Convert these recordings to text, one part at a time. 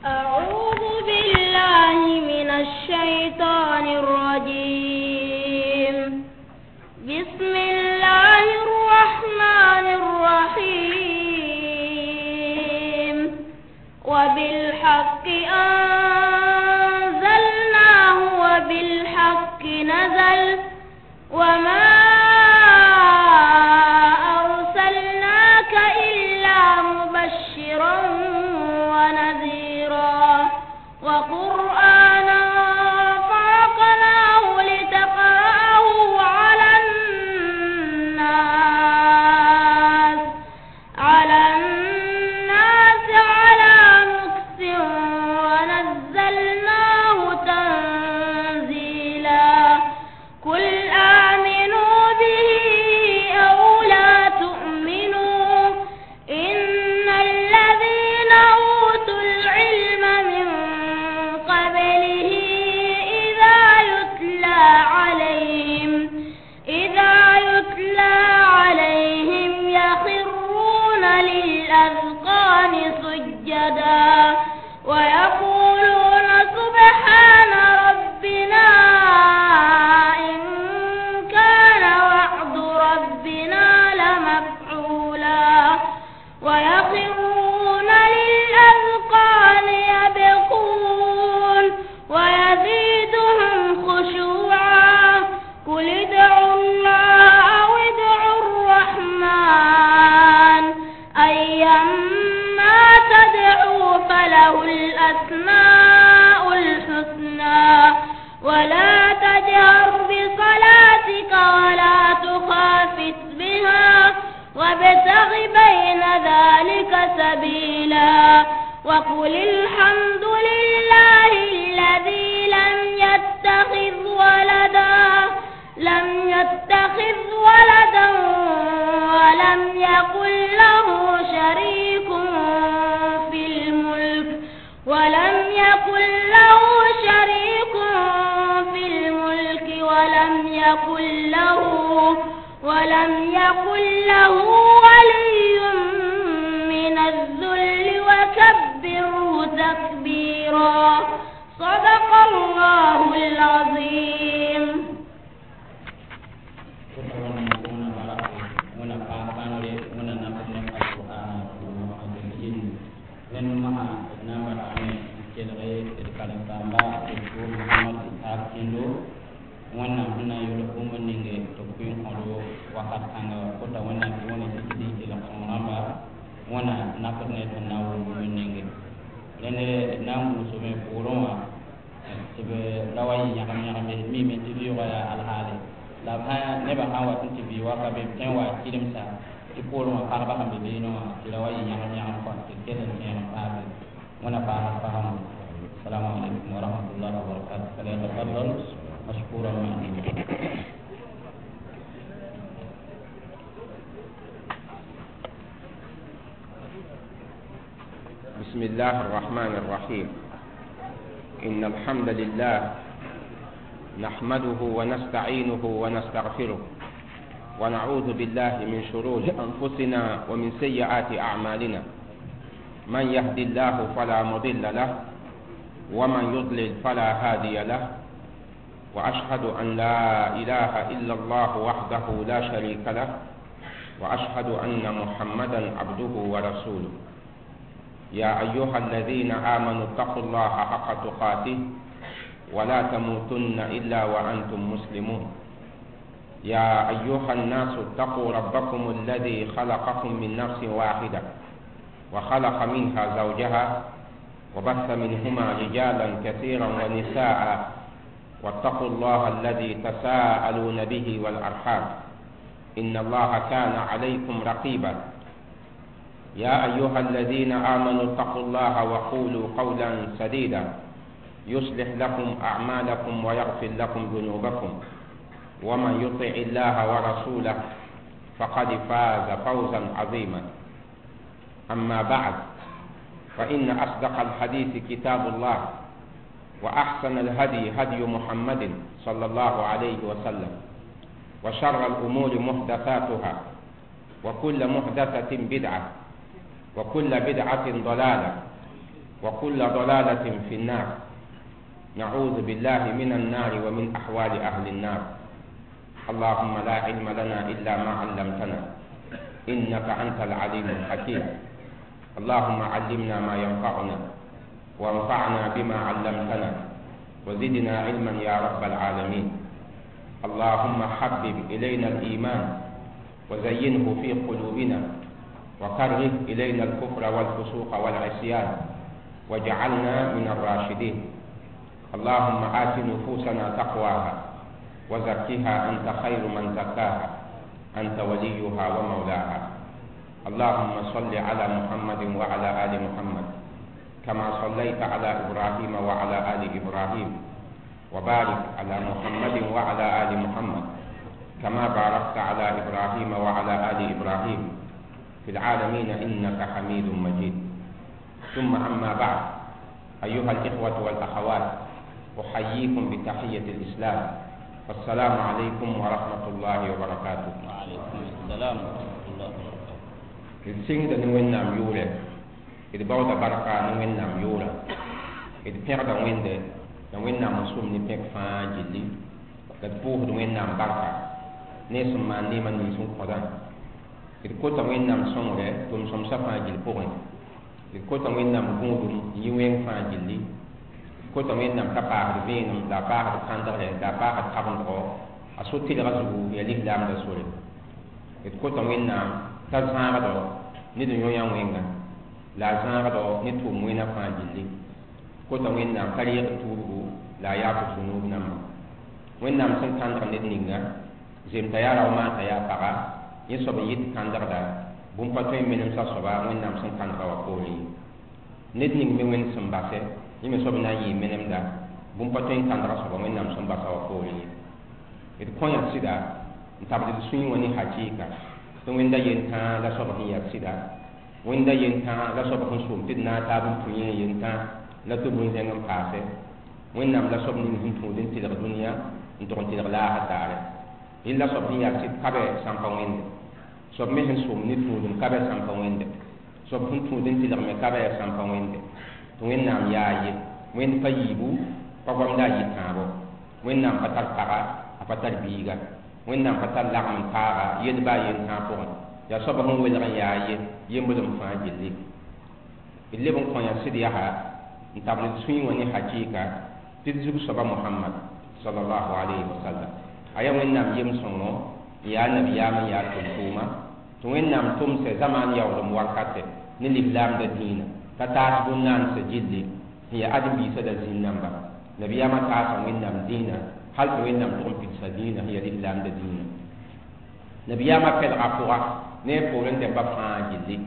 أعوذ بالله من الشيطان الرجيم. بسم الله الرحمن الرحيم. وبالحق أنزلناه وبالحق نزل وما أرسلناك إلا مبشرا ونذيرا وقرآنا فرقناه لتقرأه على الناس على مكث ونزلناه تنزيلا. قل آمنوا به أو لا تؤمنوا إن الذين أوتوا العلم من قبله إذا يتلى عليهم يخرون للأذقان سجدا ويقولون سبحان ربنا إن كان وعد ربنا لمفعولا. ويخرون للأذقان يبكون ويزيدهم خشوعا. قل ادعوا الله أو ادعوا الرحمن أيما تدعوا فله الأسماء الحسنى. ولا تجهر بصلاتك ولا تخافت بها وابتغ بين ذلك سبيلا. وقل الحمد لله الذي لم يتخذ ولدا ولم يكن له شريك في الملك ولم يكن له ولي من الذل وكبره تكبيرا. صدق الله العظيم. Wẽnnaam sẽn na n yʋls bũmb ninge tɩ b kʋɩ n kõdo wakat kãnga kota wẽnnaam tɩ wẽne tɩ tɩ kelg sõng rãmba wẽna nakd ne sẽn na n wʋm bũmb ninge rẽnd na n gũusame pʋʋrẽ wã tɩ b ra wa yɩ yãgem yãgem ye mime tɩ vɩʋʋgã yaa alhaale la b nebã sã n wat n tɩ vɩ waka be b tõe n wa kɩremsa tɩ poorẽ wã pagba sẽn be beene wã tɩ ra wa yɩ yãgem yãgem kɔ tɩ kell n tẽeg n paase wẽna paasd fasãmbo. Assalamu alaikum wa rahmatullahi wa barakatuh. Falyatafaddal مشكورا مأجورا. بسم الله الرحمن الرحيم. إن الحمد لله نحمده ونستعينه ونستغفره ونعوذ بالله من شرور أنفسنا ومن سيئات أعمالنا. من يهد الله فلا مضل له ومن يضلل فلا هادي له. وأشهد أن لا إله إلا الله وحده لا شريك له وأشهد أن محمدا عبده ورسوله. يا أيها الذين آمنوا اتقوا الله حق تقاته ولا تموتن إلا وأنتم مسلمون. يا أيها الناس اتقوا ربكم الذي خلقكم من نفس واحدة وخلق منها زوجها وبث منهما رجالا كثيرا ونساء واتقوا الله الذي تساءلون به والأرحام إن الله كان عليكم رقيبا. يا أيها الذين آمنوا اتقوا الله وقولوا قولا سديدا يصلح لكم أعمالكم ويغفر لكم ذنوبكم ومن يطع الله ورسوله فقد فاز فوزا عظيما. أما بعد، فإن أصدق الحديث كتاب الله وأحسن الهدي هدي محمد صلى الله عليه وسلم وشر الأمور محدثاتها وكل محدثة بدعة وكل بدعة ضلالة وكل ضلالة في النار. نعوذ بالله من النار ومن أحوال أهل النار. اللهم لا علم لنا إلا ما علمتنا إنك أنت العليم الحكيم. اللهم علمنا ما ينفعنا وانفعنا بما علمتنا وزدنا علما يا رب العالمين. اللهم حبب إلينا الإيمان وزينه في قلوبنا وكره إلينا الكفر والفسوق والعصيان واجعلنا من الراشدين. اللهم آت نفوسنا تقواها وزكها أنت خير من زكاها أنت وليها ومولاها. اللهم صل على محمد وعلى آل محمد كما صليت على إبراهيم وعلى آل إبراهيم، وبارك على محمد وعلى آل محمد كما باركت على إبراهيم وعلى آل إبراهيم في العالمين إنك حميد مجيد. ثم أما بعد، أيها الإخوة والأخوات، أحييكم بتحية الإسلام، والسلام عليكم ورحمة الله وبركاته. وعليكم السلام ورحمة الله وبركاته. D sɩngda ne Wẽnnaam yʋʋrɛ, d baooda barka ne Wẽnnaam yʋʋra, d pẽgda Wẽnde la Wẽnnaam n sʋm ne pẽk fãa gilli, la d pʋʋsd Wẽnnaam barka ne sẽn maan neemã nins n kõdã. D kota Wẽnnaam sõngre tʋm-sõmsã fãa gill pʋgẽ, d kota Wẽnnaam gũudum n yɩ wẽng fãa gilli, d kota Wẽnnaam t'a paasd vẽenem la a paasd kãndgre la a paasd kabendgo a so-tɩlga zugu ya lislaamda sore. D kota Wẽnnaam t'a zãagdo ne d yõ-yã wẽnga la a zãagdo ne tʋʋm wẽna fãa gilli. Kota Wẽnnaam t'a reeg tuubgu la a yaaf sũ-nuub namba. Wẽnnaam sẽn kãndg ned ninga zemta yaa rao maanta yaa paga, yẽ soab n yɩt kãndgda bũmb pa tõe n menemsa soaba Wẽnnaam sẽn kãndga wã poorẽ ye. Ned ning me Wẽnd sẽn basɛ, yẽ me soab na n yɩɩ menemda bũmb pa tõe n kãndga soaba Wẽnnaam sẽn basa wã poorẽ ye. D kõ yã sɩda n tabd d sũyẽ wã ne hakɩɩka tɩ Wẽnda yentãa la soab sẽn yaa sɩda, Wẽnda yentãa la soab sẽn soom tɩ d naag taab n tũ yẽ yentãa la tɩ bũn-zẽng n paase. Wẽnnaam la soab ning sẽn tũud n tɩlg dũniyã n tʋg n tɩlg laasr daare. Yẽ la soab sẽn yaa sɩd ka bɛ sãn pa wẽnde, soab me sẽn soom ne tũudum ka bɛ sãn pa wẽnde, soab sẽn tũud n tɩlg me ka bɛ sãn pa wẽnde. Tɩ Wẽnnaam yaa ye, Wẽnd pa yiibu, pa goamda a yɩ tãabo. Wẽnnaam pa tar paga, a pa tar biiga. Wẽnnaam pa tar lagm n taaga yel baa yentãag pʋgẽ. Yaa soab sẽn welg n yaa ye, yemblem fãa gilli. D leb n kõ yã sɩd yaa n tabl d sũyẽ wã ne hakɩɩka tɩ d zug soaba Mohamad sallallahu alayhi wa sallam. A yaa Wẽnnaam yem-sõngo n yaa nabiyaam n yaa tʋm-tʋʋma tɩ Wẽnnaam tʋmsɛ zamaan yaoolem wakatɛ ne lislaamda dĩinã t'a taas bũn-naansã gilli sẽn yaa ãdem-biisã la zĩn-namba. Nabiyaamã taasa Wẽnnaam dĩinã hal tɩ Wẽnnaam tʋg n pidsa dĩinã sẽn yaa lislaamda dĩinã. Nabiyaamã pɛlga pʋga ne a poorẽ dẽmba fãa gilli.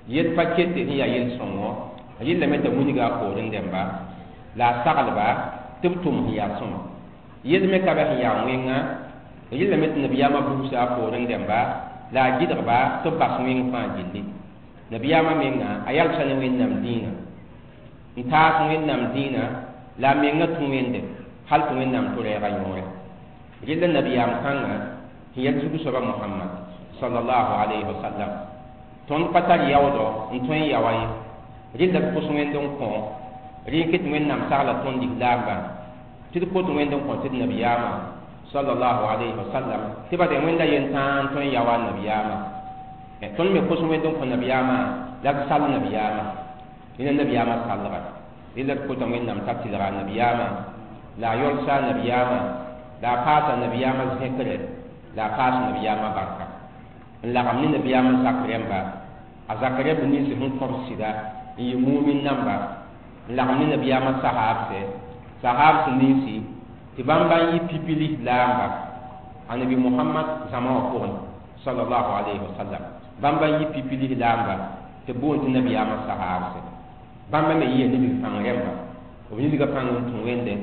Yel pa kete sẽn yaa yel-sõngo, a yellame t'a wilga a poorẽ dẽmba la a saglba tɩ b tʋm sẽn yaa sõma. Yel me ka bɛ sẽn yaa wẽnga, a yellame tɩ nabiyaamã busa a poorẽ dẽmba la a gɩdgba tɩ b bas wẽng fãa gilli. Nabiyaamã menga a yalsa ne Wẽnnaam dĩinã n taas Wẽnnaam dĩinã la a menga tũ Wẽnde hal tɩ Wẽnnaam tʋ rɛɛga yõore. Rella nabiyaam kãnga sẽn yaa zug soaba Mohamad sallallahu alayhi wa sallam, tõnd pa tar yaoodɔ n tõe n yaoa ye. Rella d pʋs Wẽnd n kõ rẽ n ket Wẽnnaam sagla tõnd lislaambã tɩ d kot Wẽnd n kõ tɩ d nabiyaamã sallallahu alayhi wa sallam tɩ ba dẽ Wẽnda yentãa n tõe n yaoa a nabiyaamã. Tõnd me kos Wẽnd n kõ nabiyaamã la d sall nabiyaamã, rẽna nabiyaamã sallga. Rella d kota Wẽnnaam t'a tɩlga a nabiyaamã la a yɔlsa a nabiyaamã la a paasa nabiyaamã zẽkre la a paas nabiyaamã barka n lagem ne nabiyaamã zak rẽmba, a zak rẽmb nins sẽn kõb sɩda n yɩ mumin namba, n lagem ne nabiyaamã sahaabsɛ, sahaabs ninsi tɩ bãmba n yɩ pipi lislaamba anabi Mohamad zãma wã pʋgẽ sallallahu alayhi wa sallam. Bãmba n yɩ pipi lislaamba tɩ b boond tɩ nabiyaamã sahaabsɛ. Bãmba me yɩa nidg pãng rẽmba, b nidga pãng n tũ Wẽnde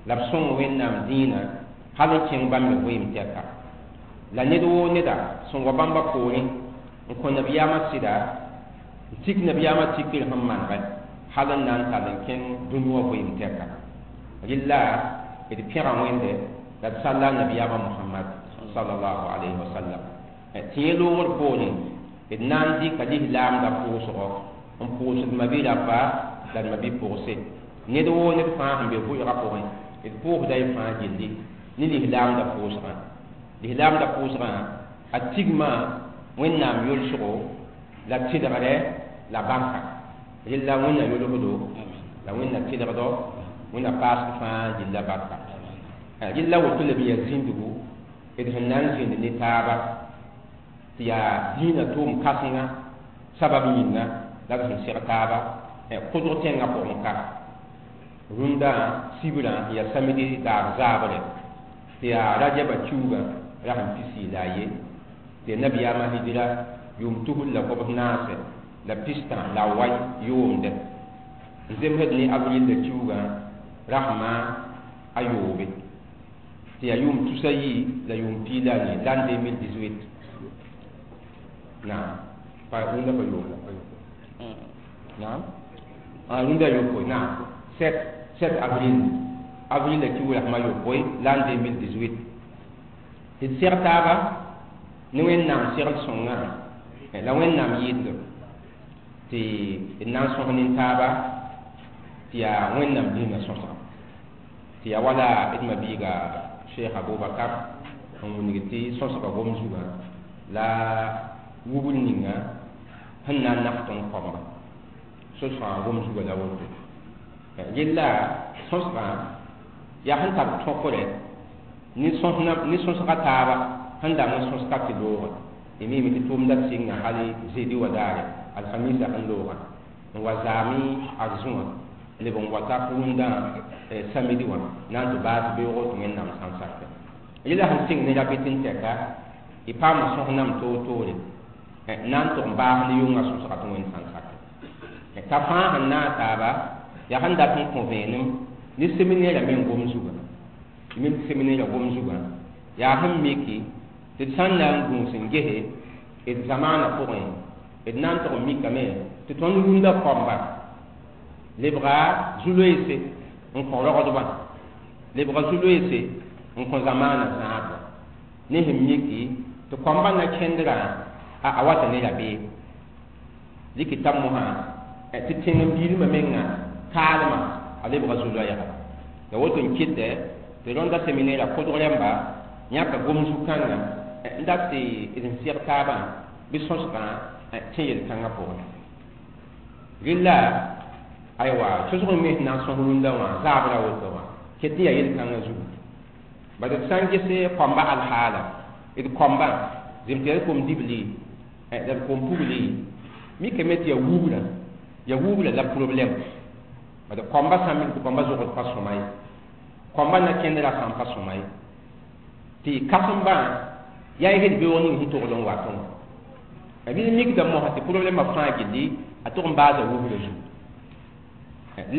la b sõng Wẽnnaam dĩinã hal n kẽng bãmb me vɩɩm tɛka. La ned woo neda sẽn wa bãmba poorẽ n kõ nabiyaamã sɩda n tik nabiyaamã tikr sẽn manegɛ hal n na n tall n kẽng dũni wã vɩɩm tɛka. Rɩlla d pẽga Wẽnde la d salla nabiyaamã Mohamad sallallahu alayhi wa sallam. Tɩ yẽ loogr poorẽ d D na n dɩka lislaamdã pʋʋsgɔ n pʋʋsd ma-bi-rapa la d ma-bi-pʋgse ned woo ned fãa sẽn be vʋʋgã pʋgẽ d pʋʋsda y fãa gilli ne lislaamdã pʋʋsgã lislaamdã pʋʋsgã a tigma Wẽnnaam yolsgo la tɩlgdɛ la barka rella Wẽnna yolsdo la Wẽnna tɩlgdɔ Wẽnna paasd fãa gilla barka rella woto la b yaa zĩndgu d sẽn na n zĩnd ne taaba tɩ yaa dĩinã tʋʋm kãsenga sabab yĩnga la d sẽn seg taaba kʋdg tẽngã pʋgẽ ka rũndã sibrã n yaa samdi daar zaabre tɩ yaa rajaba kiuugã ra sẽn pisi la a ye tɩ yaa nabiyaamã hijra yʋʋm tusr la gobs naase la pistã la a wai yoomdɛ n zemsd ne avril la kiuugã rasmã a yoobe tɩ yaa yʋʋm tusa yi la yʋʋm piig la a nii l'an 2018 naam pa rũndã pa yoom la pa yopoe naam rũndã yopoe naam 7 avril avril la kiuug rasmã yopoe l'an 2018 tɩ d seg taaba ne Wẽnnaam segl sõngã la Wẽnnaam yɩɩdlem tɩ d na n sõs nin-taaba tɩ yaa Wẽnnaam dĩinã sõsga tɩ yaa wala d ma-biiga Cheikh Abubakar n wilg tɩ sõsga gom zugã la wubr ninga sẽn na n naf tõnd kõmba sõsgã gom zugã la woto rella sõsgã yaa sẽn tar tõkre ne sõsga taaba sẽn dag n sõs ka tɩ loogã y miime tɩ tʋʋmda sɩnga hal zedi wa daare alhamisa sẽn loogã n wa zaame arzũwã leb n wata rũndã samedi wã na n tɩ baas beoogo tɩ Wẽnnaam sã n sakɛ yẽla sẽn sɩng ne rabɩt n tɛka y paama sõs nam toor-toore na n tʋg n baas ne yʋngã sõsga tɩ Wẽnd sã n sakɛ t'a fãa sẽn naag taaba yaa sẽn dat n kõ vẽenem ne seminɛɛrã meng gom zugã mim seminɛɛrã gom zugã yaa sẽn miki tɩ d sã n na n gũus n gese d zamaanã pʋgẽ d na n tʋg n mikame tɩ tõnd rũndã kõmba lebga zu-loeese n kõ rogdbã lebga zu-loeese n kõ zamaanã zãadba ne sẽn miki tɩ kõmba na kẽndrã a wata ne rabeem dɩk t'a mosã tɩ tẽng n biilmã menga kaalmã a lebga zu-loɛɛga la woto n kɩtɛ tɩ rõnda seminɛɛrã kʋdg rãmba yãka gom zu-kãngã n dat tɩ d n seg taabã bɩ sõsgã tẽ yel-kãngã pʋgẽ rella aywa sõsg n me sẽn na n sõs rũndã wã zaabra woto wã ket n yaa yel-kãngã zugu bad d sã n ges kõmba alhaala d kõmbã zem tɩ yaa d kom-dibli la d kom-pugli mikame tɩ yaa wubra la problème bad kõmba sã n mik tɩ kõmba zogd pa sõma ye kõmba na kẽndrã sã n pa sõma ye tɩ kãsembã yaa y sed beoog ning sẽn togl n watẽ wã bɩ mikda mosã tɩ problɛmã fãa gilli a tʋg n baasa wubra zugu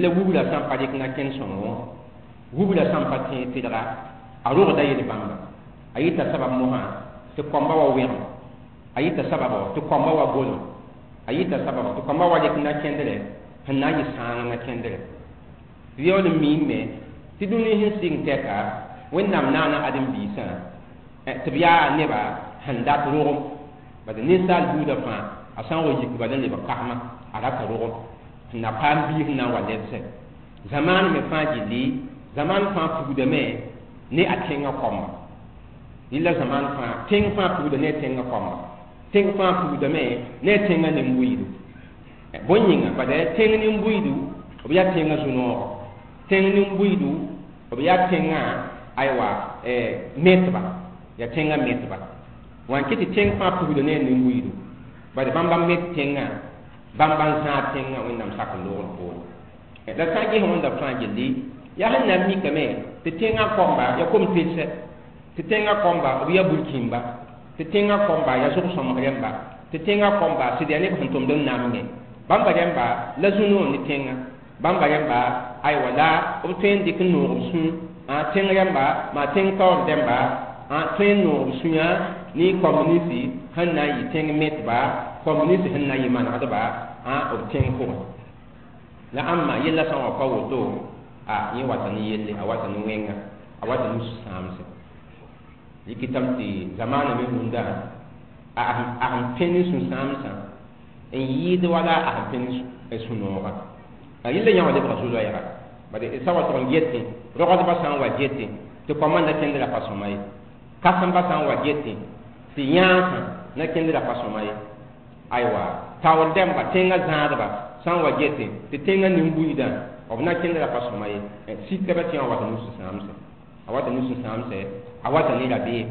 la wubra sã n pa rɩk na kẽnd sõngo wubra sã n pa tẽeg tɩlga a rogda yel-bãmba a yɩta sabab mosã tɩ kõmba wa wẽgem a yɩta sababɔ tɩ kõmba wa golem a yɩta sababɔ tɩ kõmba wa rɩk na kẽndrɛ sẽn na n yɩ sãang na kẽndrɛ tɩ yaool n miime tɩ dũni sẽn sɩng tɛka Wẽnnaam naana ãdem-biisã tɩ b yaa neba sẽn dat rogem bad ninsaal buudã fãa a sã n wa yik bala n lebg kasma a rata rogem sẽn na paam biis n na n wa lebsɛ zamaan me fãa gilli zamaan fãa pugdame ne a tẽngã kõmba yella zamaan fãa tẽng fãa pugda ne a tẽngã kõmba tẽng fãa pugdame ne a tẽngã nin-buiidu bõe yĩnga bad tẽng nin-buiidu b yaa tẽngã zu-noogɔ tẽng nin-buiidu b yaa tẽngã aywa metba yaa tẽngã metba wã n kɩ tɩ tẽng fãa pugda ne a nin-buiidu bad bãmb n met tẽngã bãmb n zãad tẽngã Wẽnnaam sak n loogr poore la sã n ges wẽnda fãa gilli yaa sẽn na n mikame tɩ tẽngã kõmba yaa kom-telsɛ tɩ tẽngã kõmba b yaa burkĩmba tɩ tẽngã kõmba yaa zʋg-sõmg rẽmba tɩ tẽngã kõmba sɩd yaa neb sẽn tʋmd n namge bãmba rẽmba la zu-noor ne tẽngã bãmba rẽmba aywa la b tõe n dɩk n noog b sũ tẽng rẽmba maa tẽng taoor rẽmba tõe n noog b sũyã ne communisi sẽn na n yɩ tẽng metba communisi sẽn na n yɩ manegdba b tẽng pʋgẽ la ãmba yella sã n wa pa woto a yẽ wata ne yelle a wata ne wẽnga a wata ne sũ-sãamse rɩkɩtame tɩ zamaana me rũndã A sẽn pẽ ne sũ-sãamsã n yɩɩd wala a sẽn pẽ ne sũ-noogã. A yella yã wã lebga zu-loɛɛga. Bad d sã wa tʋg n getẽ, rogdbã sã n wa getẽ tɩ koamã na kẽnd ra pa sõma ye, kãsembã sã n wa getẽ tɩ yãasã na kẽnd ra pa sõma ye, aywa taoor dẽmba tẽngã zãadba sã n wa getẽ tɩ tẽngã nin-buiidã b na kẽnd ra pa sõma ye. Sika ra tɩ yã wata ne sũ-sãamsẽ, a wata ne sũ-sãamsẽ, a wata ne rabeem.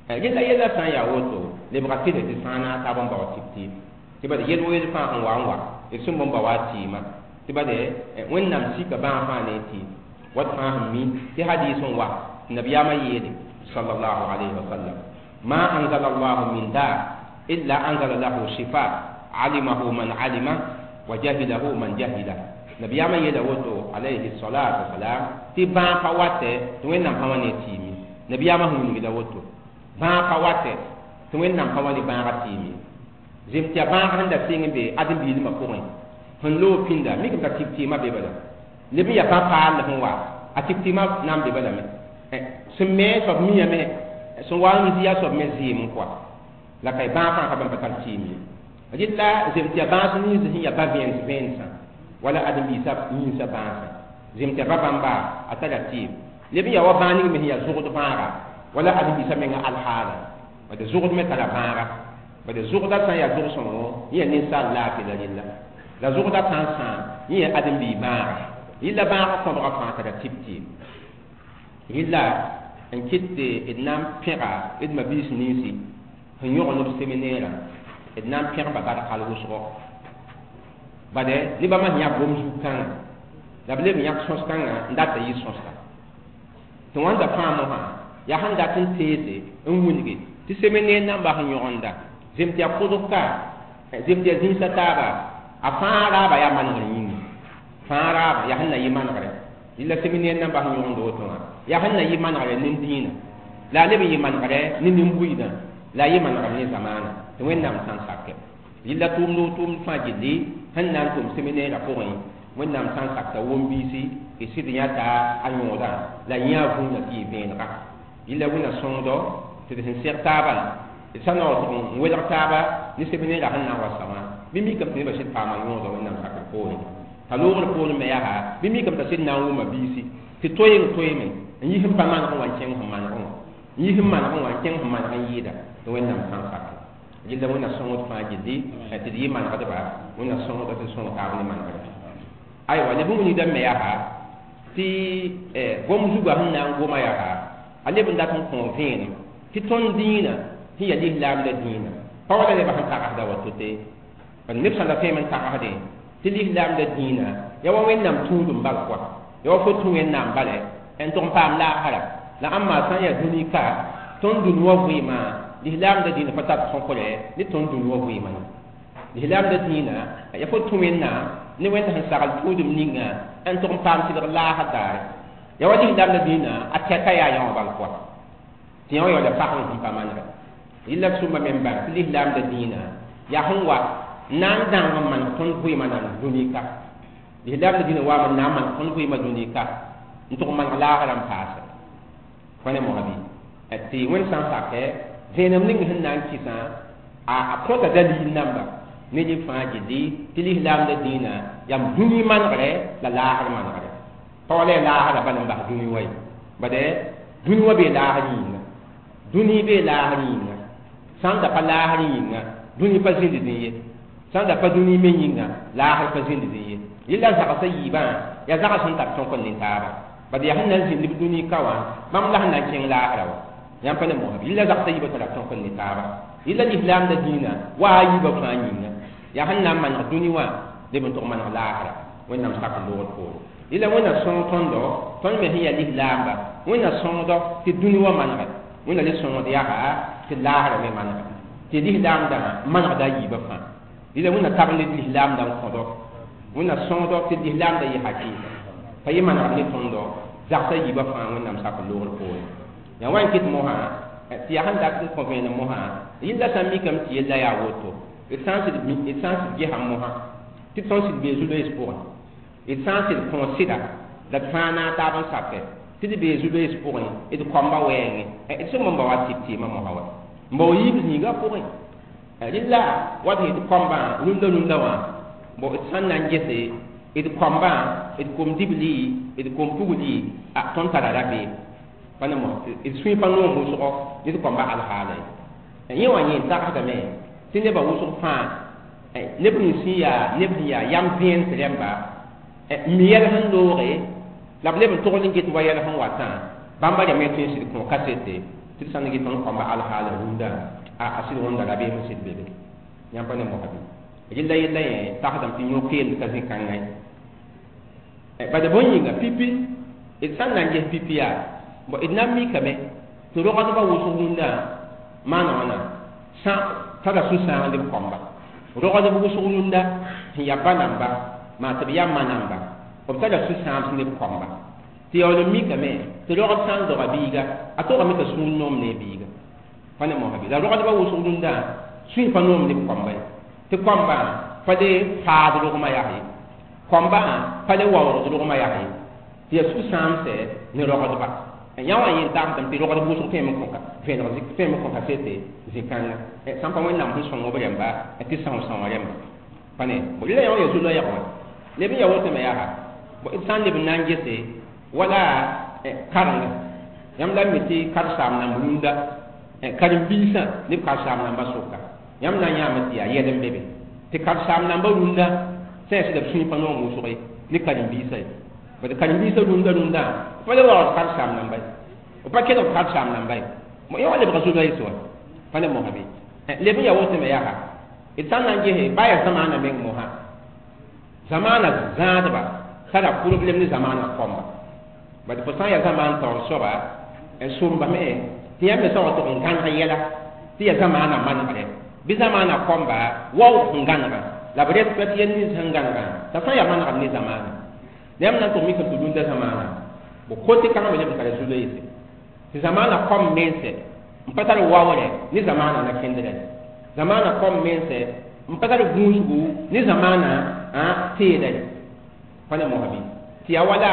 Yella yella sã n yaa woto, lebga tɩ tɩ sã n na taab n bao tɩp tɩɩm tɩ bad yel wo yel fãa sẽn wa n wa d sẽn bõn ba wa tɩɩmã tɩ bade Wẽnnaam sika bãag fãa ne tɩɩm wat fãa sẽn mi tɩ hadis n wa tɩ nabiyaamã yeele sallallahu alayhi wa sallam: ma anzala allahu min daa illa anzala lahu shifa alimahu man alima wa jahilahu man jahila. Nabiyaamã yeela woto alayhi salatu wasalam tɩ bãag pa watɛ tɩ Wẽnnaam pa wa ne tɩɩme. Nabiyaamã sẽn wilgda woto, bãag pa watɛ tɩ Wẽnnaam pa wa ne bãagã tɩɩme. Zem tɩ yaa bãag sẽn da sɩng n be ãdem-biilmã pʋgẽ sẽn loog pĩnda mikame t'a tɩb tɩɩmã be bala leb n yaa bã-paal sẽn wa a tɩb tɩɩmã na n be balame sẽn me soab miame sẽn wa n zɩ a soab me zɩɩm n kɔa la ka bãag fãa ka bãmb pa tar tɩɩm ye. Rɩla zem tɩ yaa bãas nins sẽn yaa ba vẽens vẽensã wala ãdem-biisã yĩnsã bãasã zem tɩ yaa ba bãmba a tara tɩɩm leb n yaa wa bãag ning me sẽn yaa zʋgd bãaga wala ãdem-biisã menga alhaala bad zʋgd me tara bãaga bad zʋgda sã n yaa zʋg-sõngo yẽ yaa ninsaal laafɩ la rɩlla la zʋgda sã n sãam yẽ yaa ãdem-bii bãaga yella bãagã kõbga fãa tara tɩp tɩɩm. Yella n kɩt tɩ d na n pẽga d mabiis ninsi sẽn yõg neb seminɛɛrã, d na n pẽgba bark hal wʋsgo bade nebã sẽn yãk gom zug-kãngã la b leb n yãk sõs-kãngã n dat t'a yɩ sõsa tɩ wãnda fãa mosã yaa sẽn dat n teese n wilgi tɩ seminɛɛr nambã sẽn yõgenda zem tɩ yaa kʋdg ka zem tɩ yaa zĩisã taaba a fãa raaba yaa manegr yĩnga fãa raaba yaa sẽn na yɩ manegre yella seminɛɛr nambã sẽn yõgend woto wã yaa sẽn na yɩ manegre nin-dĩinã la a leb n yɩ manegre ne nin-buiidã la a yɩ manegre ne zamaana tɩ Wẽnnaam sã n sakɛ yella tʋʋmd o tʋʋmd fãa gilli sẽn na n tʋm seminɛɛrã pʋgẽ Wẽnnaam sã n sakta wom-biisi y sɩd yãta a yõodã la yã vũunã tɩ yɩ vẽenega yella Wẽnna sõngdo tɩ d sẽn seg taabã d sã naoor tʋg n welg taaba ne seminɛɛrã sẽn na n wa sa wã bɩ mikame tɩ nebã sɩd paama yõoda Wẽnnaam sakr poorẽ t'a loogr poorẽ me yaa bɩ mikame t'a sɩd na n wʋma biisi tɩ toeeng toeeme n yis n pa maneg n wa n kẽng sẽn manegẽ wã n yis n manegẽ wã n kẽng sẽn maneg n yɩɩda tɩ Wẽnnaam sã n sakɛ yella Wẽnna sõngd fãa gilli tɩ d yɩ manegdba Wẽnna sõngda tɩ sõng taab ne manegre. Aywa leb n wilgdame me yaa tɩ gom zugã sẽn na n goma yaa a leb n dat n kõ vẽenem tɩ tõnd dĩinã sẽn yaa lislaamda dĩinã pa wala nebã sẽn tagsda wa to-te bad neb sã da tõeme n tagsdẽ tɩ lislaamda dĩinã yaa wa Wẽnnaam tũudum bal koa yaa wa fo tũ Wẽnnaam bala n tʋg n paam laasra la ãmba sã n yaa dũni ka tõnd dũni wã vɩɩmã lislaamda dĩinã pa tar tõkrɛ ne tõnd dũni wã vɩɩmã ye. Lislaamda dĩinã yaa fo tũ Wẽnnaam ne Wẽnd sẽn sagl tũudum ninga n tʋg n paam tɩlg laasr daare yaa wa lislaamda dĩinã a tɛka yaa yã wã bal koa tɩ yã wã yaoola pag n sẽn pa manegɛ yella sũmba me n bãng tɩ lislaamda dĩinã yaa sẽn wa n na n dãng n maneg tõnd vɩɩmã nan dũni ka lislaamda dĩinã waame n na n maneg tõnd vɩɩmã dũni ka n tʋg n maneg laasrã n paase fo ne moasã bɩ tɩ Wẽnd sã n sakɛ vẽenem ning sẽn na n kɩsã a kõta dalil namba ne rẽ fãa gilli tɩ lislaamda dĩinã yaa dũni manegre la laasr manegre pa wala yaa laasrã bala n bas dũni wa ye bade dũni wã bee laasr yĩnga dũni bee laasr yĩnga sã n da pa laasr yĩnga dũni pa zĩnd dẽ ye sã n da pa dũni me yĩnga laasr pa zĩnd dẽ ye yella zagsã yiibã yaa zags sẽn tar tõk n ne taaba bad yaa sẽn na n zĩnd b dũni ka wã bãmb la sẽn na n kẽng laasrã wa yãmb pa ne mosã yella zagsã yiibã tara tõk n ne taaba yella lislaamda dĩinã wa a yiibã fãa yĩnga yaa sẽn na n maneg dũni wã leb n tʋg maneg laasra Wẽnnaam sak loogr poore yella Wẽnna sõng tõndo tõnd me sẽn yaa lislaamba Wẽnna sõngdo tɩ dũni wã manegɛ Wẽnna le sõngd yaa tɩ laasrã me manegɛ tɩ lislaamdã manegda a yiibã fãa yella Wẽnna tab ne lislaamdã n kõdo Wẽnna sõngdo tɩ lislaamdã yɩ hakɩɩga pa yɩ manegd ne tõndo zagsã yiibã fãa Wẽnnaam sak loogr poore yaa wa n kɩt mosã tɩ yaa sẽn dat n kõ vẽenem mosã yella sã n mikame tɩ yella yaa woto d sã n sɩd gesa mosã tɩ tõnd sɩd bee zu-loees pʋgẽ d sã n sɩd kõ sɩda la d fãa naag taab n sakɛ tɩ d bee zu-loees pʋgẽ d koamba wɛɛngẽ d sẽn bõmba wa tɩp tɩɩmã mosã wa n bao yiib zĩigã pʋgẽ Rɩla wa tɩ d kõmbã rũndã rũndã wã bo d sãn na n gese d kõmbã d kom-dibli d kom-pugli a tõnd tara rabeem pa ne mos d sũy pa noom wʋsgo ne d kõmba alhaala ye yẽ wã yẽ tagsdame tɩ nebã wʋsg fãa neb nins sẽn yaa neb sẽn yaa yam vẽens rẽmba n mi yɛl sẽn looge la b leb n togl n get wa yɛl sẽn watã bãmba rẽmb tõe n sɩd kõ kasete tɩ d sã n get tõnd kõmba alhaala rũndã a sɩd wõnda rabeem n sɩd be be yãmb pa ne mosa bɩ rɩla yella yẽ tagsdame tɩ yõ-keemd ka zĩ-kãngã ye bad bõe yĩnga pipi d sã n na n ges pipi yaa bon d na n mikame tɩ rogdbã wʋsg rũndã maana wãna sã tara sũ-sãang b kõmba rogdb wʋsg rũndã sẽn yaa ba namba maa tɩ b yaa ma namba b tara sũ-sãams ne b kõmba tɩ yaool n mikame tɩ rogd sã n doga biiga a togame t'a sũur noom ne biiga pa ne mosa bɩ la rogdbã wʋsg rũndã sũy pa noom ne b kõmba ye tɩ kõmbã pa le faad rogmã yaa ye kõmbã pa le waoogd rogmã yaa ye tɩ yaa sũ-sãamsɛ ne rogdba yã wã yẽ tagsdame tɩ rogdb wʋsg tõeme n kõ vẽeneg tõeme n kõ kasete zĩ-kãnga sãn pa wẽnnaam sẽn sõng b rẽmba tɩ são-sãoã rẽmba pa ne rɩla yã wã yaa zu-loɛɛg wã leb n yaa wotame yaa d sã n leb n na n gese wala karenga yãmb la n mi tɩ karen-saam namba rũndã karen-biisã ne b karen-saam namba sʋka yãmb na n yãame tɩ yaa yɛl n be be tɩ karen-saam namba rũndã sã yaa sɩda b sũy pa noom wʋsg ye ne karen-biisã ye bad karen-biisã rũndã rũndã pa le waoog karen-saam namba ye b pa kelg karen-saam namba ye yã wã lebga zu-loees wa pa ne mosa bɩ leb n yaa wotame yaa d sã n na n gese ba yaa zamaana meng mosã zamaana zãadba tara problɛm ne zamaana kõmba bad fo sã n yaa zamaan taoor soaba n sõmbame tɩ yãmb me sã wa tʋg n gãneg yɛla tɩ yaa zamaana manegre bɩ zamaana kõmba waoog sẽn gãnega la b respect yɛl nins sẽn gãnegã t'a sã n yaa manegr ne zamaana yãmb na n tʋg mikame tɩ rũndã zamaana bo kote kãngã me leb n tara zu-loeese tɩ zamaana kõm mense n pa tar waoorɛ ne zamaana na kẽndrɛ zamaana kõm mense n pa tar gũusgu ne zamaana teedɛ pa ne mosa bɩ tɩ yaa wala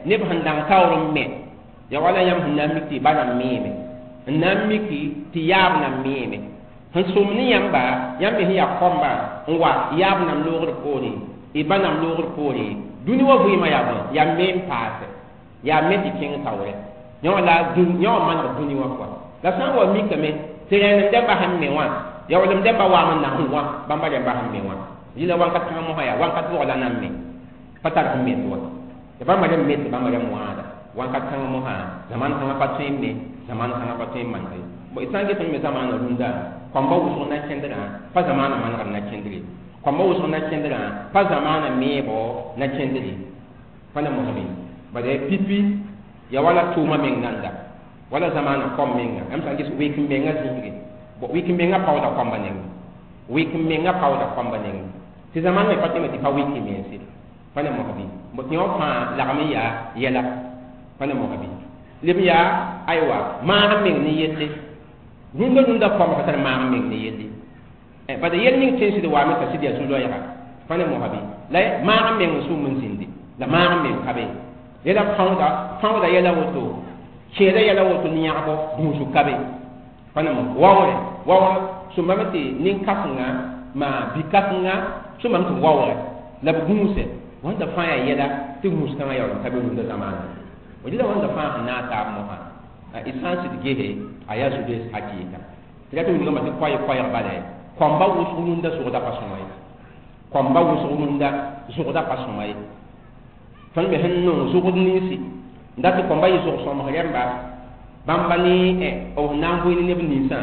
neb sẽn dãng taoor n me yaa wala yãmb sẽn na n mik tɩ ba na n meeme n na n miki tɩ yaab na n meeme sẽn sʋm ne yãmba yãmb me sẽn yaa kõmba n wa yaab nam loogr poore y ba nam loogr poore dũni wa vɩɩmã yaa bõe yaa me n paase yaa me tɩ kẽng taoorɛ yã wã la yã wã maneg dũni wã pʋa la sã n wa mikame tɩ rẽenem dẽmba sẽn me wã yaoolem dẽmba waam n na sẽn wã bãmba rẽmba sẽn me wã yɩla wãnkat kãngã mosã yaa wãnkat bʋg la nan me pa tar sẽn met wa tɩ bãmba rẽmb met bãmba rẽmb wãada wãnkat kãngã mosã zaman kãngã pa tõe n me zaman kãngã pa tõe n maneg ye bon d sã n get n me zamaana rũndã kõmba wʋsg na kẽndrã pa zamaana manegr na kẽndre kõmba wʋsg na kẽndrã pa zamaana meebo na kẽndre pa ne mosã bɩ bad pipi ya wala tʋʋma meng nanda wala zamaana kõm menga yãmb sã n ges wɩk n mengã zĩisge bon wɩk n mengã paooda kõmba nengẽ wɩk n mengã paooda kõmba nengẽ tɩ zamãn me pa tẽme tɩ pa wɩk mense pa ne mosã bɩ bõ tɩ yõ fãa lagm n yaa yɛla pa ne mosã bɩ leb n yaa aywa maag meng ne yelle rũndã rũndã kõmba pa tar maag meng ne yelle bad yɛl ning tõe n sɩd waame t'a sɩd yaa zu-loɛɛga pa ne mosã bɩ la maag meng n sũm n zĩndi la maag meng ka be yɛla fãooda fãooda yɛla woto kẽeda yɛla woto ne yãgbo gũusg ka be pa ne mos waoore waoor sõmbame tɩ nin-kãsenga maa bi-kãsenga sõmbame tɩ waoore la b gũuse wãnda fãa yaa yɛla tɩ gũus kãngã yaool n ka be rũndã zamaana rɩla wãnda fãa sẽn na n taab mosã d sã n sɩd gese a yaa zu-loees hakɩɩka tɩ ra tɩ wilgame tɩ koɛɛ-koɛɛg bala kõmba wʋsg rũndã zʋgda pa sõma ye kõmba wʋsg rũndã zʋgda pa sõma ye tõnd me sẽn nong zʋgd ninsi n dat tɩ kõmba yɩ zʋg-sõmg rẽmba bãmba ne b sẽn na n vɩɩ ne neb ninsã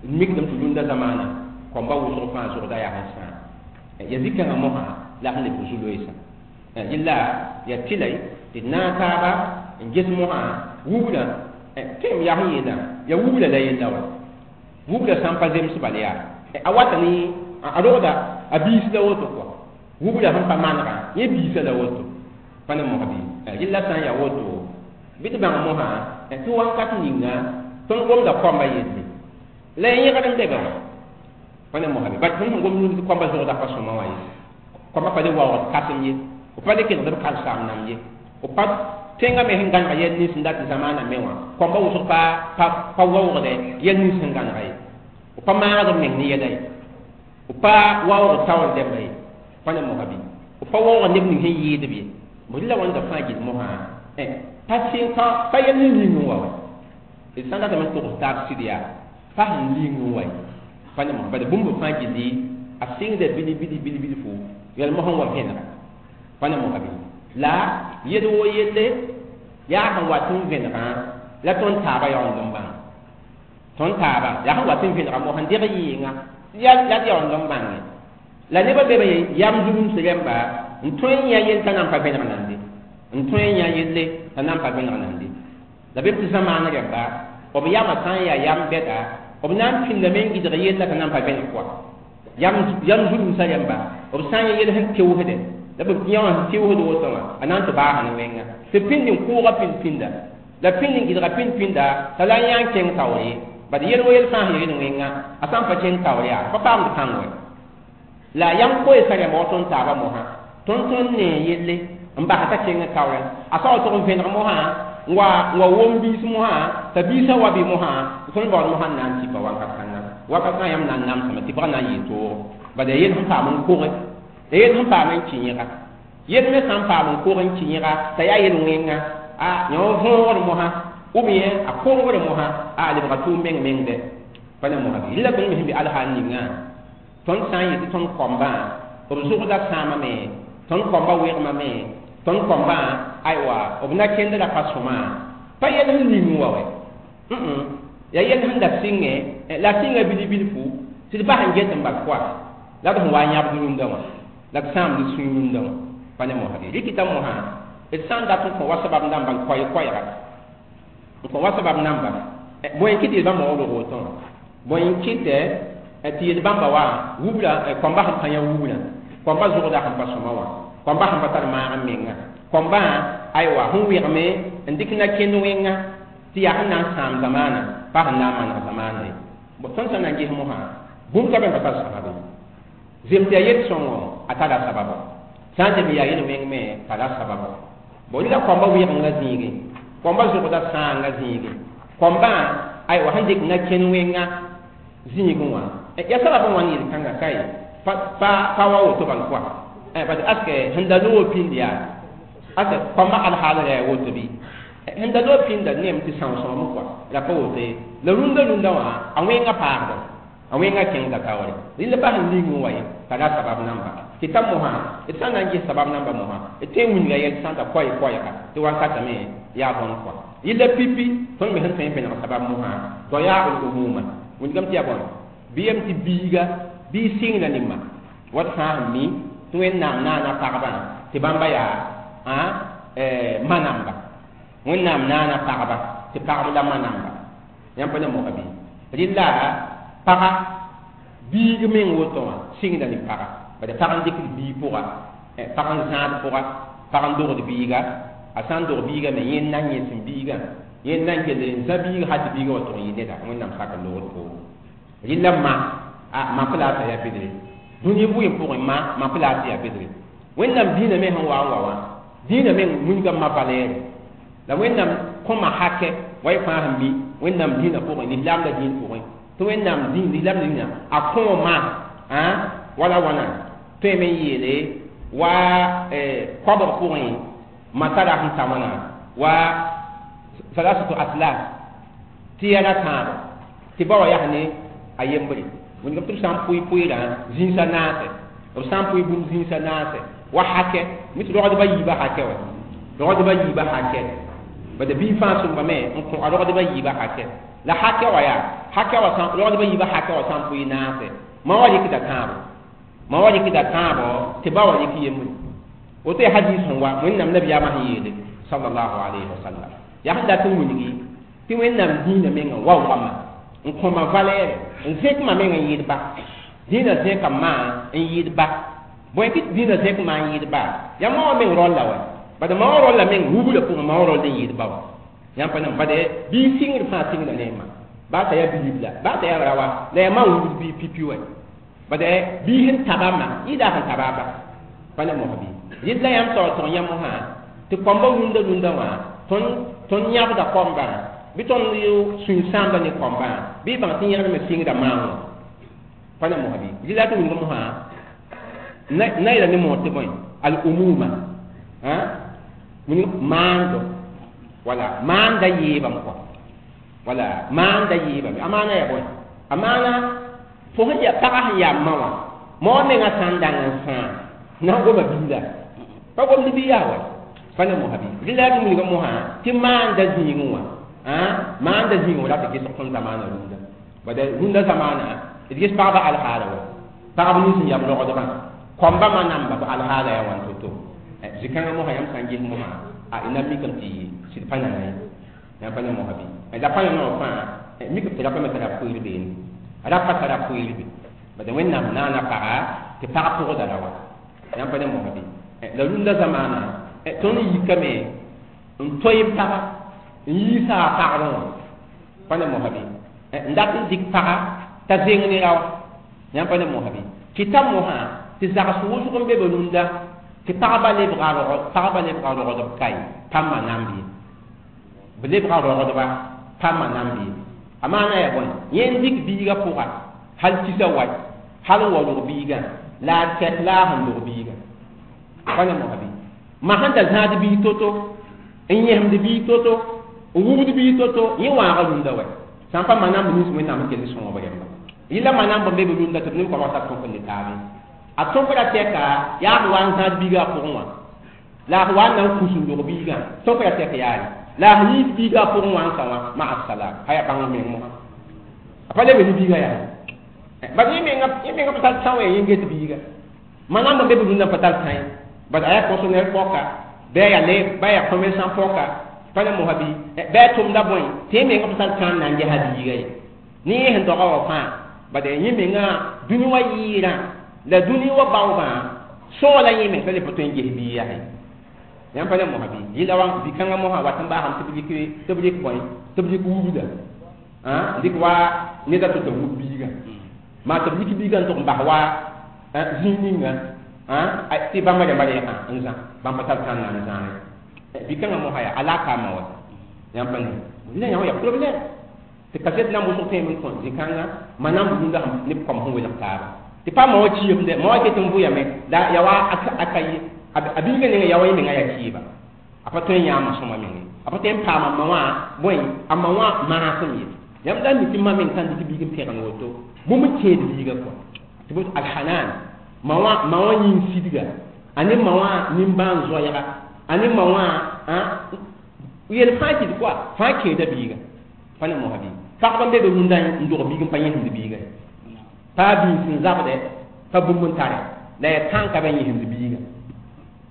d mikdame tɩ rũndã zamaana kõmba wʋsg fãa zʋgda yaa sẽn sãam ya zĩ-kãngã mosã la sẽn leb zu-loeesã yella ya tɩla tɩ d naag taaba n ges mosã wubra tõem yaa sẽn yeelã ya wubra la yella wa wubra sã n pa zems bal yaa a wata ne a rogda a biis la woto kɔa wubra sẽn pa manegã yẽ biisã la woto pa ne mosã bɩ yella sã n yaa woto bɩ tɩ bãng mosã tɩ wakat ninga tõnd gomda kõmba yelle la ya yẽgd n be be wã pa ne mosã bɩ bat tõnd sẽn gom tɩ kõmba zʋgda pa sõma wã ye kõmba pa le waoogd kasem ye b pa le kelgd b karen-saam nam ye b pa tẽngã me sẽn gãneg yɛl nins n dat zamaana me wã kõmba wʋsg pa pa waoogdɛ yɛl nins sẽn gãnega ye B pa maagd b meng ne yɛla ye, b pa waoog taoor dɛmba ye, pa ne mosa bɩ b pa waoog neb ning sẽn yɩɩdb ye. Bõe la wãnda fãa gil mosã pa sɩng pa yɛl n ling n wa wa d sã n datame n togs taab sɩd yaa pa sẽn ling n wa ye, pa ne mosã. Bala bũmb fãa gilli a sɩngda bili bili bili bilfu yɛl mosã n wa vẽnega, pa ne mosa bɩ la yel wo yelle yaa sẽn wat n vẽnegã la tõnd taaba yaoond n bãng tõnd taaba yaa sẽn wat n vẽnega mosã n deg yɩɩngã la d yaoond n bãnge la nebã be be yam zulums rẽmba n tõe n yã yell t'a nan pa vẽneg nande, n tõe n yã yelle t'a nan pa vẽneg nande. La bem tɩ zãmaan rẽmba b yamã sã n yaa yam bɛda b na n pĩndame n gɩdg yella t'a nan pa vẽneg pʋga. Yam zulumsã rẽmba b sã n yã yell sẽn teoosdɛ la b yã wã sẽn teoosd woto wã a na n tɩ baasa ne wẽnga tɩ pĩnd n kʋʋga pĩnd pĩnda la pĩnd n gɩdga pĩnd pĩnda t'a la n yã n kẽng taoor ye. Bad yel wo yel fãa sẽn yel wẽnga a sã n pa kẽng taoor yaa pa paamd kãng wɛ. La yam koeesã rẽmba wa tõnd taaba mosã tõnd tõnd ne yelle n bas t'a kẽng taoorẽ a sao tʋg n vẽneg mosã n wa wom biis mosã t'a biisã wa bɩ mosã tõnd baood mosã n na n tipa wakat kãnga wakat kãngã yãmb na n namsame tɩ bga na n yɩɩ toogo. Bad yaa yel sẽn paam n koge, la yel sẽn paam n kɩ yẽga, yel me sã n paam n kog n kɩ yẽga t'a yaa yel wẽnga a yã wa võogr mosã ou bien a kongr mosã a lebga tʋʋm meng mengdɛ, pa ne mosã bɩ. La tõnd me sẽn be alhaal ningã tõnd sã n yetɩ tõnd kɔmbã b zʋgda sãamame, tõnd kɔmbã wegmame, tõnd kɔmbã aywa b na kẽndra pa sõma pa yel sẽn ning wa wɛ, yaa yel sẽn da sɩngẽ la sɩnga bili bilfu tɩ d bas n get n bal pʋa la d sẽn wa n yãbd rũndã wã la d sãamd sũy rũndã wã, pa ne mosã bɩ. Rɩkɩta mosã d sã n dat n kõ wa sabab namba n koɛɛ koɛɛga n kõ wa sabab namba bõe n kɩt yel bãmba waoodg woto wã, bõe n kɩtɛ tɩ yel bãmba wa wubra kɔmbã sẽn pa yã wubrã, kɔmbã zʋgda sẽn pa sõma wã, kɔmbã sẽn pa tar maag n menga, kɔmbã aywa sẽn wegme n dɩk na kẽnd wẽnga tɩ yaa sẽn na n sãam zamaana pa sẽn na n maneg zamaana ye. Tõnd sã n na n ges mosã bũmb ka be n pa tar sabab ye. Zem tɩ yaa yel sõngo a tara sababo, sã n zem yaa yel wẽng me tara sababo. Bon la kɔmbã wɩgengã zĩige, kɔmbã zʋgda sãanga zĩige, kɔmbã aywa sẽn dɩk na kẽnd wẽnga zĩigẽ wã yaa sabab n wãn yel-kãngã ka ye pa wa woto bal pʋa bad aske sẽn da loog pĩnd yaa aske kɔmbã alhaal ra yaa woto bɩ sẽn da loog pĩnda neem tɩ são-sõam kɔa la pa woto ye. La rũndã rũndã wã a wẽngã paagda a wẽngã kẽngda taoore rɩla pa sẽn ling n wa ye tara sabab namba tɩ ta mosã d sã n na n ges sabab namba mosã d tõe n wilga yɛl sã n ta koɛɛ koɛɛga tɩ wakatame yaa bõn kɔa yella pipi tõnd me sẽn tõe n vẽneg sabab mosã tɩ yaa l umuma wilgame tɩ yaa bõn bɩ yem tɩ biiga bɩ sɩngda nima wat fãa sẽn mi tɩ Wẽnnaam naana pagbã tɩ bãmba yaa ma namba, Wẽnnaam naana pagba tɩ pagb la ma namba yãmb pa ne moga bɩ rɩla paga biig meng woto wã sɩngda ne paga bad pag n dɩkd biig pʋga, pag n zãad pʋga, pag n dogd biiga a sã n dog biiga me yẽ n na n yẽsem biigã yẽ n na n kell n zã biiga hal tɩ biigã wa tʋg n yɩ neda Wẽnnaam sak n logd poore. Rɩla ma a ma pa la t'a yaa bedre dũni vʋɩ pʋgẽ ma pa la tɩ yaa bedre Wẽnnaam dĩinã me sẽn wa n wa wã dĩinã meng wilgame ma valɛɛre la Wẽnnaam kõma hakɛ wa y fãa sẽn mi Wẽnnaam dĩinã pʋgẽ lislaam la dĩin pʋgẽ tɩ Wẽnnaam dĩin lislaam dĩinã a kõoma wala wãna tõeme n yeele wa koabg pʋgẽ ma tara sẽn ta wãna wa salasatu atlas tɩ yɛla tãabo tɩ ba wa yaa ne a yembre wilgame tɩ b sã n pʋɩ pʋɩɩrã zĩnsã naase b sã n pʋɩ bũmb zĩnsã naase wa hakɛ mi tɩ rogdbã yiibã hakɛ wa rogdbã yiibã hakɛ bad bii fãa sõmbame n kõ a rogdbã yiibã hakɛ la hakɛ wa yaa hakɛ wa sã rogdbã yiibã hakɛ wa sã n pʋɩ naase ma wa rɩkda tãabo ma wa rɩkda tãabo tɩ ba wa rɩk yembre woto yaa hadis sẽn wa Wẽnnaam nabiyaamã sẽn yeele sallallahu alayhi wa sallam yaa sẽn dat n wilgi tɩ Wẽnnaam dĩinã mengã waoogame n kõma valɛɛre n zẽkma meng n yɩɩd ba dĩinã zẽka maa n yɩɩd ba bõe tɩ dĩinã zẽk maa n yɩɩd ba yaa ma wã meng raolla wa bad ma wã raolla meng wubra pʋgẽ ma wã raoll n yɩɩd ba wa yãmb pa nem bad bii sɩngd fãa sɩngda ne ma baa t'a yaa bilibla baa t'a yaa rawa la yaa ma n wubd bii pipi wa bad bii sẽn taba ma yɩɩda sẽn taba ba pa ne mosã bɩ rɩd la yãmb taoor tʋg yã mosã tɩ kɔmbã rũndã rũndã wã tõnd yãbda kɔmbã Bɩ tõnd sũy-sãamda ne kɔmbã bɩ bãng tɩ yẽgdme sɩngda maango pa ne mosã bɩ rɩla tɩ wilg mosã na yeela ne moor tɩ bõe al umuma maando wala maanda yeebame kɔa wala maanda yeebame a maana yaa bõe a maana fo sẽn yaa pagã sẽn yaa ma wã ma wã mengã sã n dang n sãam na n goma biiga pa gomd bi yaa wa pa ne mosã bɩ rɩla tɩ wilg mosã tɩ maanda zĩigẽ wã maanda zĩigẽ wã la tɩ ges tõnd zamaana rũndã bada rũndã zamaana d ges pagba alhaala wa pagb nins n yam rogdbã kɔmbã ma namba b alhaala yaa wãn to-to zĩ-kãngã mosã yãmb sã n ges mosã a ina mikame tɩ sɩd pa nana ye yãmb pa ne mosã bɩ la pa nana wã fãa mikame tɩ rapa me tara pʋɩɩr beene rapa tara pʋɩɩr be bada wẽnnaam naana paga tɩ pag pʋgda ra wa yãmb pa ne mosã bɩ la rũndã zamaana tõnd yikame n toe paga n yiisa a pagrẽ wã pa ne mosã bɩ n dat n dɩk paga t'a zeng ne ra wã yãmb pa ne mosã bɩ kɩta mosã tɩ zags wʋsg n be be rũndã tɩ pagba lebga rogdb kae pa ma namb ye b lebga rogdba pa ma namb ye a maana yaa bõe yẽ n dɩk biigã pʋga hal kisa wa hal n wa rog biigã la a tɛk la a sẽn log biigã pa ne mosã bɩ ma sẽn da zãad biig to-to n yẽsemd biig to-to n wubd biig to-to yẽ wãaga rũndã wa sã n pa ma namb nins wẽnnaam sẽn kell sõob rẽmba yɩla ma namb n be be rũndã tɩ b neb koabg tar tõk n ne taabe a tõkra tɛka yaa b wa n zãad biigã a pʋgẽ wã la a wa n na n kus n log biigã tõkra tɛk yaare la a sẽn yiis biigã a pʋgẽ wã n sa wã maa salam a yaa bãng meng mosã a pa lebe ne biigã yaa bad yẽ menga pa tar tã wã yẽ get biiga ma namb n be be rũndã pa tar tã ye bad a yaa fonctionnaire pɔka bɩ a yaa le bɩ a yaa commerçant pɔka pa ne mosã bɩ bɩ a tʋmda bõe tɩ yẽ menga pa tar tã n na n gesa biiga ye ne yẽ sẽn doga wã fãa bad yẽ menga dũni wã yɩɩrã la dũni wã baoobã sõola yẽ meng t'a le pa tõe n ges biig yaa ye yãmb pa ne mosã bɩ yɩla wã bi-kãngã mosã wat n baasame tɩ b rɩk bõe tɩ b rɩk wubda dɩk wa neda to t'a wub biigã maa tɩ b rɩk biigã n tʋg n bas wa zĩig ninga tɩ bãmba rãmba rɛɛgã n zã bãmb pa tar tã n na n zãa ye bi-kãngã mosã yaa alaka ma wa yãmb pa ne rɩla yã wã yaa problème tɩ kaset nan wʋsg tõeme n kõ zĩ-kãngã ma nan b rũndã neb kɔm sẽn welg taaba tɩ pa ma wã kiimde ma wã ket n vʋyame la ya wa a ka ye a biigã ninga ya wa yẽ menga yaa kiiba a pa tõe n yãama sõma menge a pa tõe n paama ma wã bõe a ma wã maasem ye yãmb la n mi tɩ ma meng sã n dɩk biig n pẽgn woto bũmb n kẽed biigã kɔa tɩ bot alhanan ma wã yĩng sidga a ne ma wã nimbãan-zoɛɛga a ne ma wã yel fãa kɩt kɔa fãa kẽeda biigã pa ne mosã bɩ pagba n be be rũndã n dog biig n pa yẽsemd biigã pa biis n zabdɛ pa bũmb n tare la yaa tãnka ba yẽsemd biigã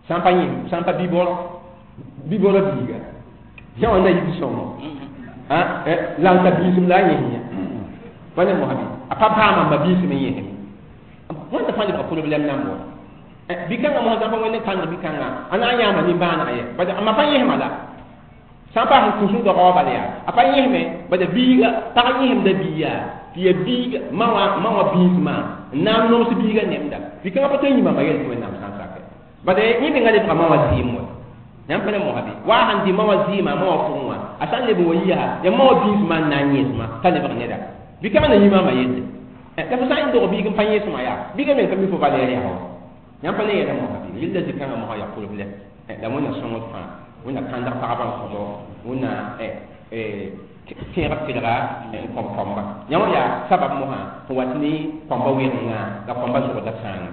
sã n pa yẽsem sã n pa bi-bɔrɔ biiga yã wã na yik sõngo la n ta biisem la a yẽsem yã pa ne mosã bɩ a pa paama ma biisem n yẽsem wãnda fãa lebga problɛm namb wa bi-kãngã mosã sã n pa wẽnd n kãng bi-kãngã a na n yãama nimbãaneg ye bad a ma pa yẽsma la sã n pa sẽn kũs n doga wã bala yaa a pa yẽsme bad biiga pag yẽsemda bii yaa tɩ yaa biiga ma wã biismã n na n noms biiga nemda bi-kãngã pa tõe n yĩma ma yel tɩ wẽnnaam sã n sake bad yẽ menga lebga ma wã zɩɩm wa yãmb pa ne mosã bɩ wa sãn dɩ ma wã zɩɩmã ma wã pʋgẽ wã a sã n leb n wa yi yaa yaa ma wã biismã n na n yẽsmã t'a lebg neda bi-kãngã na yĩma ma yelle la fo sã n dog biig n pa yẽsmã yaa biigã meng ka mi fo valɛɛr yaa wa yãmb pa ne yɛla mosã bɩ yella zĩ-kãngã mosã yaa problème la wẽnna sõngd fãa wẽnna kãndg pagba n kõbo wẽnna tẽeg tɩlga n kõb kɔmba yã wã yaa sabab mosã sẽn wat ne kɔmba wɩrenga la kɔmba zʋgda sãanga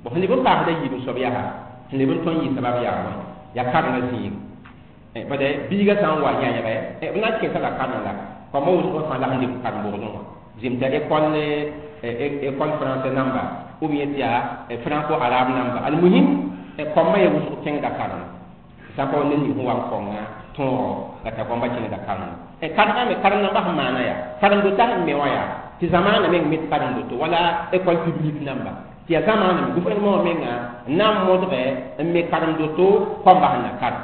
bõ sẽn leb n paasda yiib n soab yaa sẽn leb n tõnd yɩ sabab yaa bõe yaa karengã zĩig bad biigã sã n wa yãyge b na n kẽesa la kareng la kɔmba wʋsg fãa la sẽn dɩk karen-bogdẽ wã zem t'a école français namba ou bien tɩ yaa franco arabe namba almuhim kɔmbã ya wʋsg kẽngda kareng sã n pa wa ned ning sẽn wa n kõnga tõogo la t'a kɔmbã kẽngda kareng karengã me kareng namba sẽn maana yaa karen-dota sẽn me wã yaa tɩ zamaana meng me karen-doto wala école publique namba tɩ yaa zamaana me gouvernement wã menga n na n modge n me karen-doto kɔmbã sẽn na karem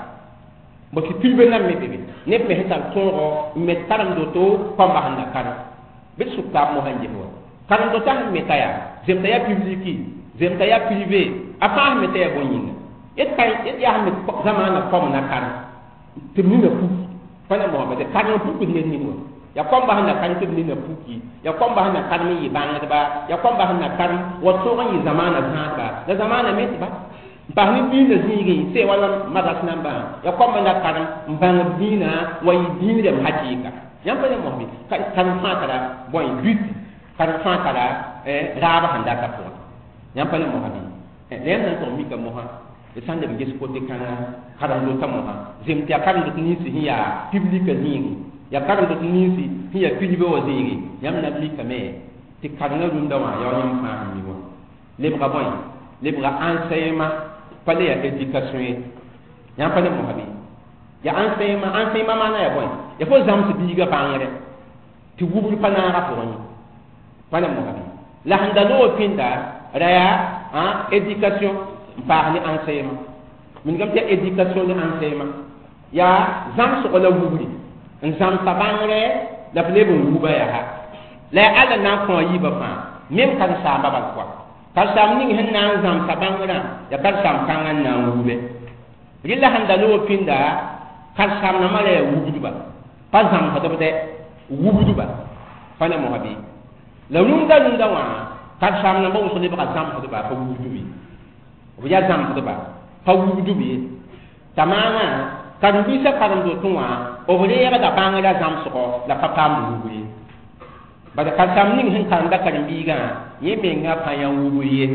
bõ tɩ privé nan me be be neb me sẽn tar tõogo n me karen-doto kɔmbã sẽn na karem bɩ d sʋk taab mosã n ges wa karen-dota sẽn me t'a yaa zemta yaa publiki zemta yaa privé a fãa sẽn me t'a yaa bõe yĩnga yet yaa sẽn me zamaana kɔm na karem tɩ b nina puk Pa ne mosã tɩ karem pukd ned ning wã ya kõmba sẽn na karem tɩ b nina puki ya kõmba sẽn na karem n yɩ bãngdba ya kõmba sẽn na karem wa tõog n yɩ zamaana zãadba la zamaana me tɩ ba n pas ne dĩinã zĩigẽ sɛ wala madras nambã ya kõmba na karem n bãng dĩinã wa yɩ dĩin rem hakɩɩka yãmb pa ne mosã karem fãa tara bõe but karem fãa tara raab sẽn data pʋgẽ yãmb pa ne mosã bɩ la yãmb na n tʋg mika mosã d sãn leb n ges kote kãngã karem-dotã mosã zem tɩ yaa karem-dot ninsi sẽn yaa piblika zĩigi yaa karem-dot ninsi sẽn yaa pilbã wã zĩigi yãmb na mikame tɩ karengã rũndã wã yaa yãmb fãa sẽn mi wã lebga bõe lebga enseignement pa le yaa éducation ye yãmb pa ne mosã bɩ yaa enseignement enseignement maana yaa bõe yaa fo zãms biigã bãngre tɩ wubr pa naagã pʋgẽ ye pa ne mosã bɩ la sẽn da loog pĩnda ra yaa éducation n paas ne enseignement mingame tɩ yaa éducation ne enseignement yaa zãmsgo la wubri n zãmsa bãngre la f leb n wuba yaa la yaa Alla na n kõ a yiibã fãa mem karen-saamba bal pʋga karen-saam ning sẽn na n zãmsa bãngrã yaa karen-saam kãngã n na n wube rɩla sẽn da loog pĩnda karen-saam nambã ra yaa wubdba pa zãmsdb dɛ wubdba pa ne mosã bɩ la rũndã rũndã wã karen-saam nambã wʋsg lebga zãmsdba pa wubdb ye b yaa zãmsdba pa wubdb ye t'a maana karen-biisã karen-dotẽ wã b reegda bãngrã zãmsgɔ la pa paamd wubr ye bala karen-saam ning sẽn karemda karen-biigã yẽ menga pa yã wubr ye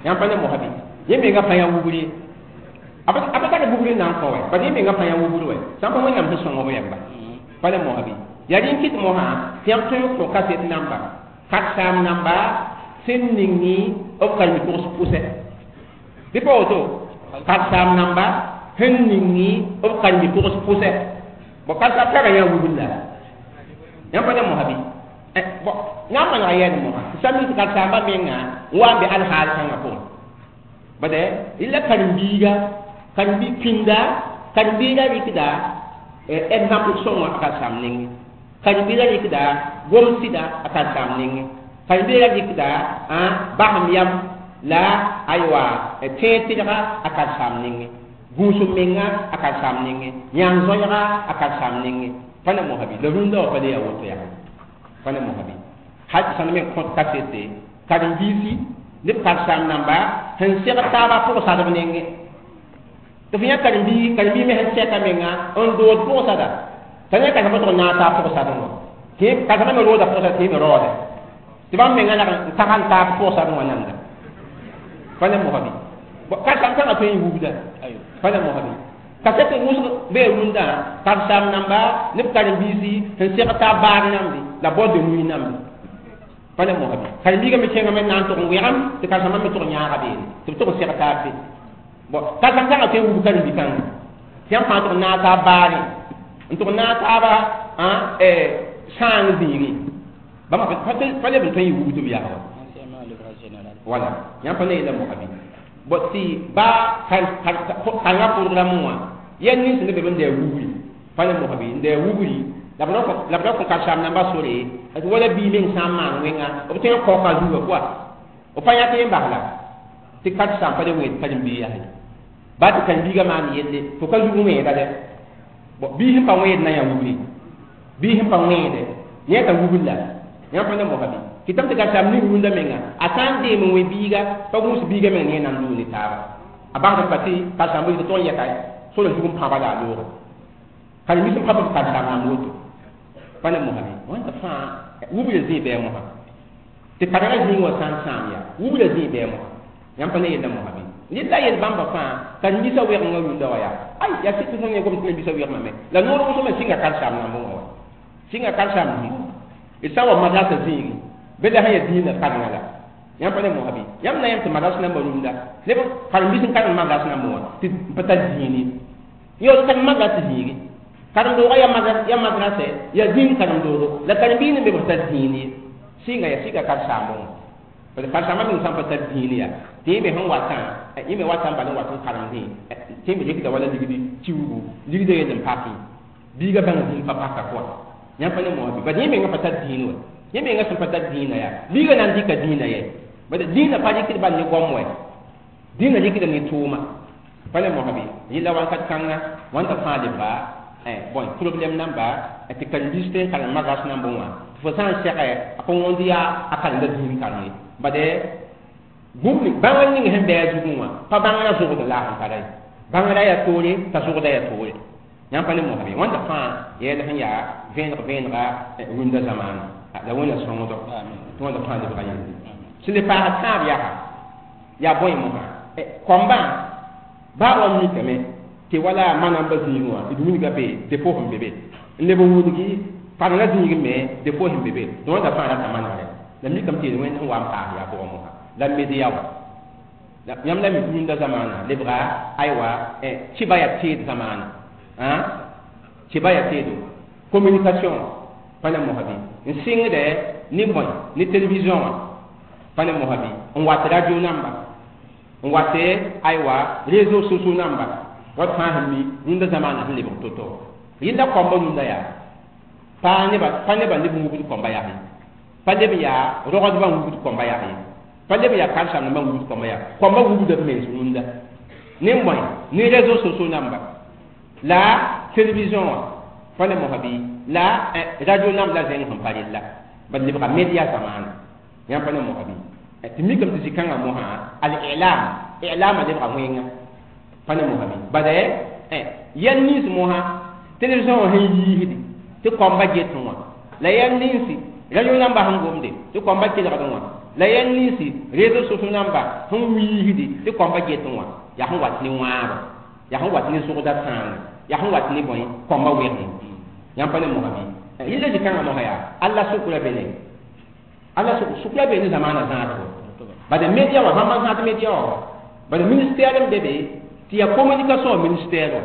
yãmb pa ne mosã bɩ yẽ menga pa yã wubr ye a pa tar wubr n na n kõ wɛ bala yẽ menga pa yã wubr wɛ sã n pa Wẽnnaam sẽn sõng b yɛmba pa ne mosã bɩ yaa rẽ n kɩt mosã tɩ yãmb tõe n kõ kaset namba karen-saam namba sẽn ningi b karen-bi-pʋgs pʋsɛ bɩ pa woto karen-saam namba sẽn ningi b karen-bi-pʋgs pʋsɛ bõ karen-saam tara yã wubr la yãmb pa ne mosã bɩ bõ na n manega yɛɛd mosã tɩ sã mi tɩ karen-saambã menga n wa n be alhaal kãngã pʋgẽ bade rɩla karen-biiga karen-bi pĩnda karen-biiga rɩkda exemple sõngo a karen-saam nengẽ karen-biiga rɩkda gom-sɩda a karen-saam nengẽ karen-biiga rɩkda basem yam la aywa tẽeg tɩlga a karen-saam nengẽ gũusum menga a karen-saam nengẽ yãng zoɛɛga a karen-saam nengẽ pa ne mosã bɩ la rũndã wã pa le yaa woto yaa pa ne mosã bɩ hal tɩ sãn me kõt kasete karen-biisi ne b karen-saam namba sẽn segd taabã pʋgsadb nengẽ tɩ f yã karen-bii karen-bii me sẽn sɛka menga n dood pʋgsada t'a yã karen-sãmbã tʋg n naag taab pʋgsadẽ wã tɩ karen-sãmbã me rooda pʋgsada tɩ me raoode tɩ bãmb menga lag n tag n taab pʋgsadẽ wã nanda pa ne mosã bɩ karen-saam kãngã tõe n wubda pa ne mosã bɩ kaset wʋsg bee rũndã karen-saam namba ne b karen-biisi sẽn segd taab baar namde la boîte de nuit namde pa ne mosã bɩ karen-biigã me kẽngame n na n tʋg n wɛgem tɩ karen-sãmbã me tʋg n yãaga beene tɩ b tʋg n segd taab be bon karen-saam kãngã tõe n wub karen-bi-kãngã tɩ yãmb fãa tʋg n naag taab baarẽ n tʋg n naag taaba sãang zĩigẽ bãmba pa leb n tõe n yɩ wubdb yaa wa wala yãmb pa ne yeela mosã bɩ bõ tɩ ba kãngã programme wã yɛl nins n be b n da wubri pa ne mosã bɩ n da wubri la b ra kõ karen-saam nambã sore tɩ wala bii meng sã n maan wẽnga b tõe n kaoka zugã pʋa b pa yãk yẽ basla tɩ karen-saam pa le wẽed karen-bii yaa ba tɩ karen-biigã maan yelle fo ka zug wẽeda dɛ bõ bii sẽn pa wẽed na yã wubri bii sẽn pa wẽede yẽ t'a wubr la yãmb pa ne mosã bɩ kɩtame tɩ karen-saam ning rũndã menga a sã n deem n wẽ biiga pa gũus biiga meng ne nan loog ne taaba a basd pa tɩ karen-saambã yɩ tɩ tʋg n yɛka sora zug n pãba la a looge karen-biis n pa b karen-saam nan woto pa ne mosã bɩ wãnda fãa wubra zĩig bɩ a mosã tɩ karengã zĩig wã sã n sãam yaa wubra zĩig bɩ a mosã yãmb pa ne yella mosã bɩ ned la yel bãmba fãa karen-biisã wɛgenga rũndã wã yaa ay yaa sɩd tɩ fõn yẽ gom tɩ karen-biisã wɛgmame la noor wʋsgmã sɩnga karen-saam nambẽ wã wa sɩnga karen-saam d sã n wa madrasa zĩigi bɩ la sẽn yaa dĩinã karengã la yãmb pa ne mosã bɩ yãmb na yãmb tɩ madras nambã rũndã neb karen-biis n karem madras nambẽ wã tɩ n pa tar zĩig ye yõ karem madras zĩigi karen-doogã yaa madrasɛ yaa zĩig karen-doogo la karen-biis ne be b tar zĩig ye sɩnga yaa sɩnga karen-saambẽ wã parce que karen-saambã meng sã n pa tar zĩig yaa tɩ yẽ me sẽn watã yẽ me watã n bal n wat n karemdẽ tɩ me rɩkda wala ligdi tiuugu ligdã yell n pakẽ biigã bãng zĩig pa paka pʋga yãmb pa ne mosã bɩ bad yẽ menga pa tar dĩin wɛ yẽ menga sẽn pa tar dĩinã yaa biigã na n dɩka dĩinã yɛ bad dĩinã pa rɩkd bal ne goam wɛ dĩinã rɩkda ne tʋʋma pa ne mosã bɩ yella wãnkat kãnga wãnda fãa lebga Bon problème namba tɩ karen-biis tõe n karem magas nambẽ wã tɩ fo sã n sɛgɛ a pa wõnd yaa a karenda zĩig kareng ye bade bũmb bãngr ning sẽn bɩ a zugẽ wã pa bãngrã zogd la a sẽn tara ye bãngrã yaa toore t'a zogda yaa toore yãmb pa ne mosbe wãnda fãa yɛl sẽn yaa vẽeneg vẽenega rũndã zamaana la wẽnna sõngdo tɩ wãnda fãa lebga yelle sẽn le paasd tãab yaa yaa bõe mosã kõmbã baa wa mikame tɩ wala manamba zĩigẽ wã d wilga be defo sẽn be be n leb n wilgi karengã zĩigẽ me defo sẽn be be tɩ wãnda fãa rata manegre la mikame tɩ yel wẽnd sẽn wa n paas yaa pʋgẽ mosã la media wã yãmb la mi tɩ rũndã zamaana lebga aywa kɩba yaa teed zamaana kɩba yaa teedo communication pa ne mosã bɩ n sɩngdɛ ne bõe ne télévision wã pa ne mosã bɩ n wat radio namba n wat aywa réseaux sociaux namba wat fãa sẽn mi rũndã zamaana sẽn lebg to-to yella kõmba rũndã yaa pa nebã neb wubd kõmba yaa ye pa leb yaa rogdbã wubd kõmba yaa ye pa leb yaa karen-saambã wubd kõmba yaa kõmba wubda b mens rũndã ne bõe ne réseaux sociaux namba la télévision wã pa ne mosã bɩ la radio namb la zẽng sẽn pa rella bad lebga media zamaana yãmb pa ne mosã bɩ tɩ mikame tɩ zĩ-kãngã mosã al-i'lam i'lama lebga wẽnga pa ne mosã bɩ bad yɛl nins mosã télévision wã sẽn yiisdi tɩ kõmba getẽ wã la yɛl ninsi radio namba sẽn gomde tɩ kõmba kelgd wã la yɛl ninsi réseaux sociaux namba sẽn wiisdi tɩ kõmba getẽ wã yaa sẽn wat ne wãaba yaa sẽn wat ne zogda tãanga yaa sẽn wat ne bõe kõmba wegẽ yãmb pa ne mosã bɩ yella zĩ-kãngã mosã yaa alla sʋkra be ne alla sʋkra be ne zamaana zãadgo bad media wã bãmba zãad media wã bad ministère n be be tɩ yaa communication ministère wã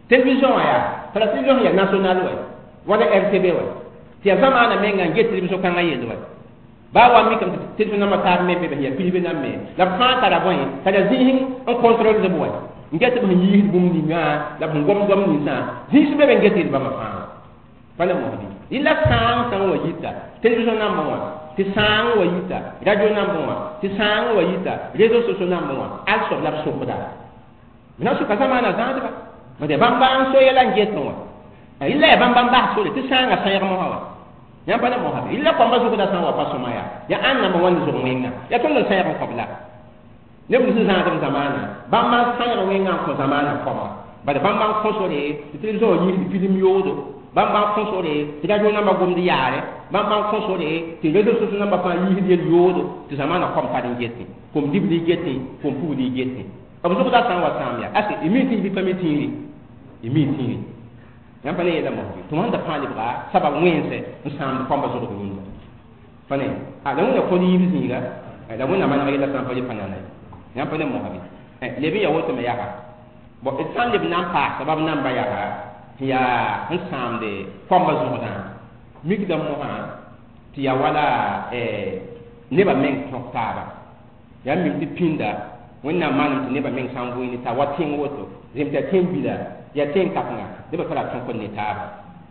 télévision wã yaa tara télévision yaa national wã wala RTB wã tɩ yaa zamaana menga n get télévision kãngã yell wã baa wa mikame tɩ télévision nambã taab me be be yaa pilbe nam me la b fãa tara bõe tara zĩis n contrôle b wã n get b sẽn yiisd bũmb ningã la b sẽn gom goam ninsã zĩis be be n get yel bãmba fãa pa ne mosbi yella sãang sã n wa yita télévision nambã wã tɩ sãang wa yita radio nambã wã tɩ sãang wa yita réseaux sociaux nambã wã al soab la b sʋkda b na sʋka zamaana zãadba bad bãmba n so yɛla n getẽ wã yella yaa bãmba n bas sore tɩ sãangã sãeeg mosã wã yãmb pa ne mosã be yella kõmba zʋgda sã n wa pa sõma yaa yaa ãnd namba wãnd zʋg wẽnga yaa tõnd n sãeeg n kõb la neb sẽn zãadb zamaana bãmba n sãeeg wẽngã n kõ zamaana kõma bad bãmba n kõ sore tɩ télévision wã yiisd film yoodo bãmba n kõ sore tɩ radio namba gomd yaare bãmba n kõ sore tɩ réseaux sociaux namba fãa yiisd yel yoodo tɩ zamaana kom tar n getẽ kom dibl y getẽ kom pugd y getẽ b zʋgda sã n wa sãam yaa ase y mi tĩig bɩ pa mi tĩigre y mi tĩigre yãmb pa ne yeela mosbi tɩ wãnda fãa lebga sabab wẽnse n sãamd kõmba zogd rũndã pa ne la wẽnna kõd yiib zĩiga la wẽnna maneg yella sã n pa le pa nana ye yãmb pa ne mosã bɩ leb n yaa woto me yaa bon d sã n leb na n paas sabab namba yaa tɩ yaa n sãamde kõmba zogdã mikdã mosã tɩ yaa wala nebã meng tõk taaba yaa mim tɩ pĩnda wẽnnaam manem tɩ nebã meng sã n vʋɩ ne t'a wa tẽng woto zem tɩ yaa tẽn bila yaa tẽn kãsenga nebã tara tõk n ne taaba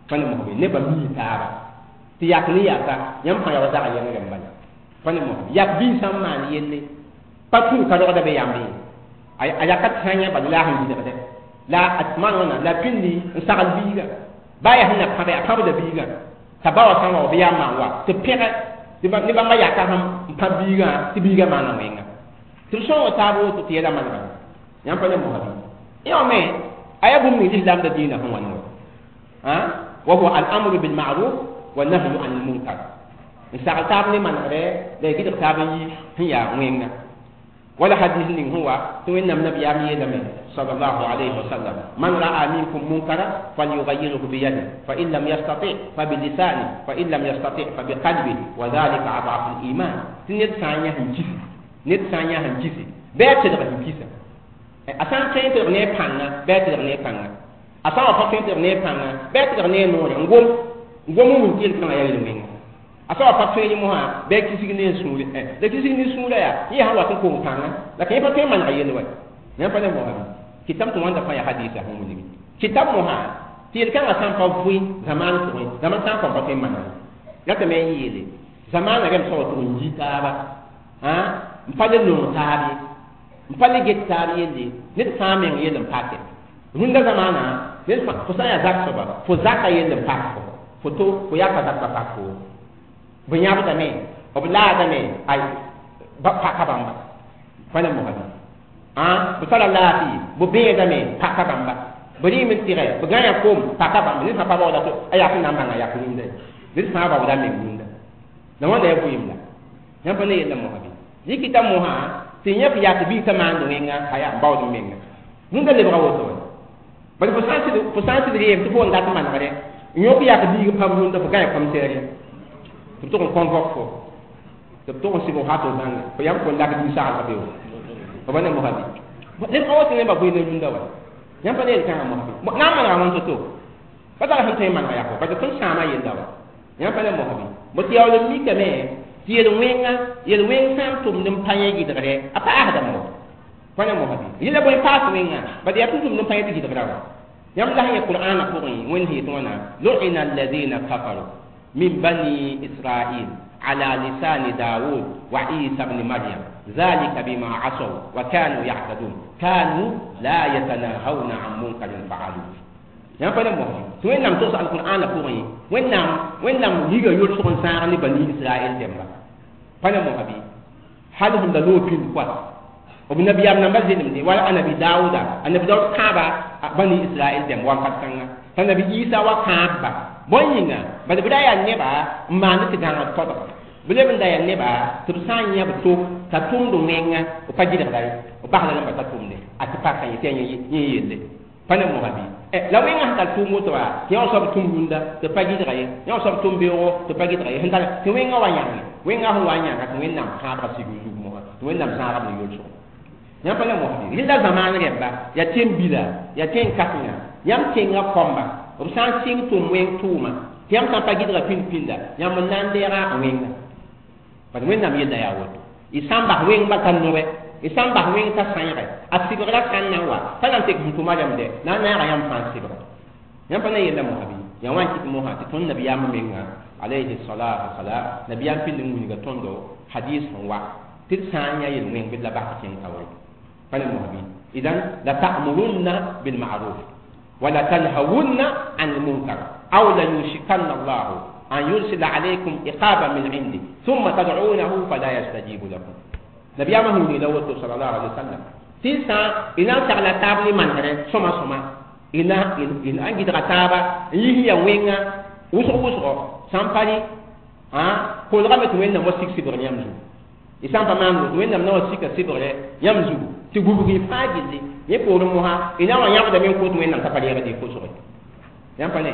pa ne mosbe nebã mii taaba tɩ yak ne yaka yãmb fãa yaa wa zag yẽngrẽ n bala pa ne mosbe yak biig sã n maan yelle pa tũu ka rogda be yãmb ye a yaka tãa bala la a sẽn bilgdɛ la a maan wãna la pĩndi n sagl biiga baa yaa sẽn na pãbe a pãbda biigã t'a ba wa sã n wa b yaa maan wa tɩ pẽgɛ ne bãmba yaka sẽn n pãb biigã tɩ biigã maana wẽnga tɩ b sõng taab woto tɩ yɛla manega yãmb pa ne mosã bɩ yã me a yaa bũmb ning lislaamda dĩinã sẽn wãn wa wa huwa al-amru bil-ma'ruf wa nahyu an al-munkar n sagl taab ne manegdɛ la y gɩdg taab n yi sẽn yaa wẽnga wala hadis ning sẽn wa tɩ wẽnnaam nabiyaam yeelame sallallahu alayhi wa sallam man ra'a minkum munkara falyughayyirhu biyadihi fa in lam yastati fa bilisani fa in lam yastati fa biqalbihi wa dhalika ad'afu al-iman tɩ ned sã n yã sẽn kisi ned sã n yã sẽn kisi bɩ a tedg sẽn kisa a sã n tõe n tedg ne a pãnga bɩ a tedg ne a pãnga a sã n wa pa tõe n tedg ne a pãnga bɩ a tedg ne a noore n gom n gom n wʋm tɩ yel-kãngã yaa yel-wẽnga a sã wa pa tõe mosã bɩ a kisg ne a sũure la kisg ne sũurã yaa yẽ sã wat n kong pãnga la ka yẽ pa tõe n maneg yell wa yãmb pa ne mosã bɩ kɩtame tɩ wãnda fãa yaa hadiisa sẽn wilgi kɩtame mosã tɩ yel-kãngã sã n pa vʋɩ zamaan pʋgẽ zaman sã n kõn pa tõe n maneg ratame n yeele zamaana rem sã wa tʋg n yi taaba n pa le nong taab ye n pa le get taab yelle ned fãa meng yell n pake Rũndã zamaana ned fo sã n yaa zak soaba fo zaka yell n pak fo fo to fo yaka zak pa pak fo b yãbdame b laadame ay paka bãmba pa ne mosa b tara laafɩ b bẽedame paka bãmba b rɩɩm n tɩgɛ b gã kom paka bãmba ned sã pa baooda to a yak n na n bãnga yak rũndã ned fãa baooda meng rũndã la wãnda ya vɩɩm la yãmb pa ne yella mosa bɩ yikita mosã tɩ yẽ f yak biig t'a maand wẽnga a yaa n baood n menga rũndã lebga woto wa bala fo sã n sɩd reem tɩ fo n dat manegre n yõk yak biig pam rũndã fo gã commissaire tɩ b tʋg n convoque fo tɩ b tʋg n sɩg f hat zãnga fo yãmb fo n lak biig saglg beoog fo pa ne mosa bɩ lebga woto neba bʋɩ ne rũndã wa yãmb pa ne yel-kãngã mosa bɩ na n manega wãn to-to pa tara sẽn tõe n manega yako parce tõnd sãama yella wa yãmb pa ne mosa bɩ bo tɩ yaool n mikame tɩ yel-wẽnga yel-wẽng sã n tʋmd n pa yẽ gɩdgre a paasdame wa pa ne mosa bɩ yella bõe paas wẽnga bad yaa tʋm-tʋmd n pa yẽ tɩ gɩdgra wa yãmb la sẽn yẽ qur'aanã pʋgẽ wẽnd sẽn yet wãna lu'ina alladina kafaru min bani israil على لسان داود وعيسى بن مريم ذلك بما عصوا وكانوا يعتدون كانوا لا يتناهون عن منكر فعلوه yãmb pa ne mosã tɩ wẽnnaam togs alqur'aanã pʋgẽ wẽnnaam wẽnnaam yiga yʋlsg n sãag ne bani israɛl dẽmba pa ne mosã bɩ hal sẽn da loog pĩnd koa b nabiyaam namba zelemde wala anabi daooda anabi daood kãaba bani israɛl dẽmb wakat kãnga t'a nabi isa wa kãabba bõe yĩnga bad b ra yaa neba n maand tɩ gãngd todga b leb n da yaa neba tɩ b sã n yã b to t'a tʋmd wẽnga b pa gɩdgda ye b basda namba t'a tʋmde a tɩ paka yẽ tɩ yaa yẽ yelle pa ne mosa bɩ la wẽngã sẽn tar tʋʋm woto wa tɩ yã soab tũm rũndã tɩ pa gɩdga ye yã soab tʋm beoogo tɩ pa gɩdga ye sẽn tar tɩ wẽngã wa yãnge wẽngã sẽn wa n yãnga tɩ wẽnnaam kãabga sig zug mosã tɩ wẽnnaam zãagb ne yolsgo yãmb pa ne mosa bɩ rẽnda zamaan rẽmba yaa tẽn-bila yaa tẽn-kãsenga yãmb tẽngã kõmba b sã n sɩng tʋm wẽng tʋʋma tɩ yãmb sã n pa gɩdga pĩnd-pĩnda yãmb n na n deega wẽnga bad wẽnnaam yella yaa woto y sã n bas wẽng bal t'a nobe y sã n bas wẽng t'a sãeege a sɩbgra sã n na n wa pa na n tek sẽn tʋma rẽmde na n naaga yãmb fãa n sɩbga yãmb pa na yella mosã bɩ yaa wã n kɩt mosã tɩ tõnd nabiyaamã menga alayhi salatu wasalam nabiyaam pĩnd n wilga tõndo hadis sẽn wa tɩ d sã n yã yel-wẽng bɩ d la bas tɩ kẽng kaoore pa ne mosã bɩ idan la ta'murunna bilma'ruf wala tanhawunna an lmunkar aw la yushikanna allahu an yursila alaykum iqaban min indi thumma tad'unahu fala yastajibu lakum nabiyaamã sẽn wilgda woto sallallahu alaihi wasallam tɩ sã y na n sagla taab ne manegre sõma sõma y na n gɩdga taaba n yis ya wẽnga wʋsg wʋsgo sã n pa rɩ kolgame tɩ wẽnnaam wa sik sɩbgr yãmb zugu y sã n pa maan woto wẽnnaam na wa sika sɩbgre yãmb zugu tɩ gubg y fãa gilli yẽ poorẽ mosã y na wa yãbdame n kot wẽnnaam t'a pa reegd y kosge yãmb pa ne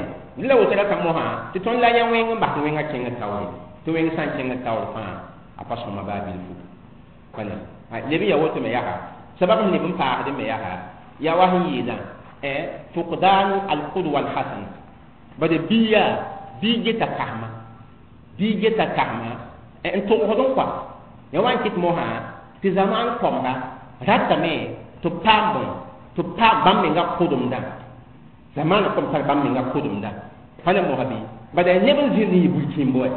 la woto rata mosã tɩ tõnd la yã wẽng n bas tɩ wẽngã kẽng taoore tɩ wẽng sã n kẽng taoor fãa a pa sõma baa bilfu pa ne leb n ya woto me yaa sabab sẽn leb n paasd me yaa yaa wa sẽn yeelã fuqdanu alqudwa alhasana bad biya bii geta kasma bii geta kasma n togsd n kɔa ya wa n kɩt mosã tɩ zamaan kõmba ratame tɩ b paam bõe tɩ b paam bãmb menga kʋdemdã zamaana kõm tar bãmb menga kʋdemdã pa ne mosã bɩ bad yaa neb n zĩnd n yɩ burkĩmbo wɛ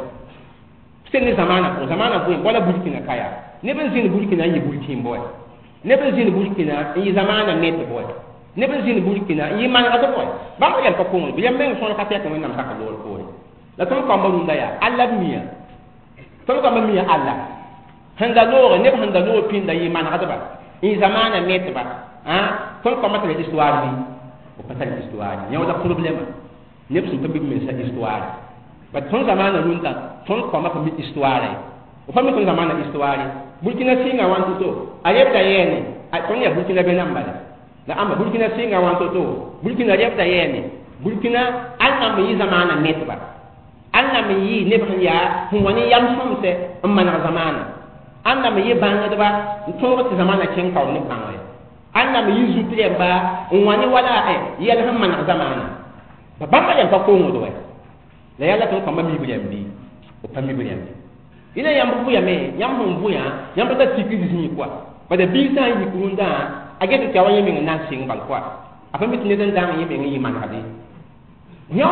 sẽn ne zamaana pʋgẽ zamaana bõe wala burkina ka yaa neb n zĩnd burkina n yɩ burkĩmbo wɛ neb n zĩnd burkina n yɩ zamaana metb wɛ neb n zĩnd burkina n yɩ manegd wɛ bãmb yɛm pa kongre bɩ yãmb meng sõor ka tɛk wẽnnaam sak loor poore la tõnd kãmba rũndã yaa alla b mia tõnd kãmba mia alla sẽn da loore neb sẽn da loog pĩnda yɩ manegdba n yɩ zamaana metba tõnd kãmba tara histoire bɩ b pa tar histoire yã wala problema neb sẽn pa mi b mensa histoire bat tõnd zamaana rũndã tõnd kãmba pa mi histoire ye pa mi tõnd zamaana histoire burkina sɩnga wãn to-to a rebda yɛɛne tõnd yaa burkina be nan bala la ãmba burkina sɩnga wãn to-to burkina rebda yɛɛne burkina al nan me yɩ zamaana metba al nan me yɩ neb sẽn yaa sẽn wa ne yam sõmsɛ n maneg zamaana al nan me yɩ bãngdba n tõog tɩ zamaana kẽng kaoor ne bãngre al nan me yɩ zut rẽmba n wa ne wala yɛl sẽn maneg zamaana bãmba rẽm pa kongd wɛ la yaa la tõnd kãmba mib rẽmb bɩ b pa mib rẽmb ila yãmb vʋyame yãmb sẽn vʋyã yãmb pa tar tikr zĩig koa bala biig sã n yik rũndã a get tɩ a wa yẽ meng n na n sɩng bal koa a pa mi tɩ ned n dãng yẽ meng n yɩ manegde yã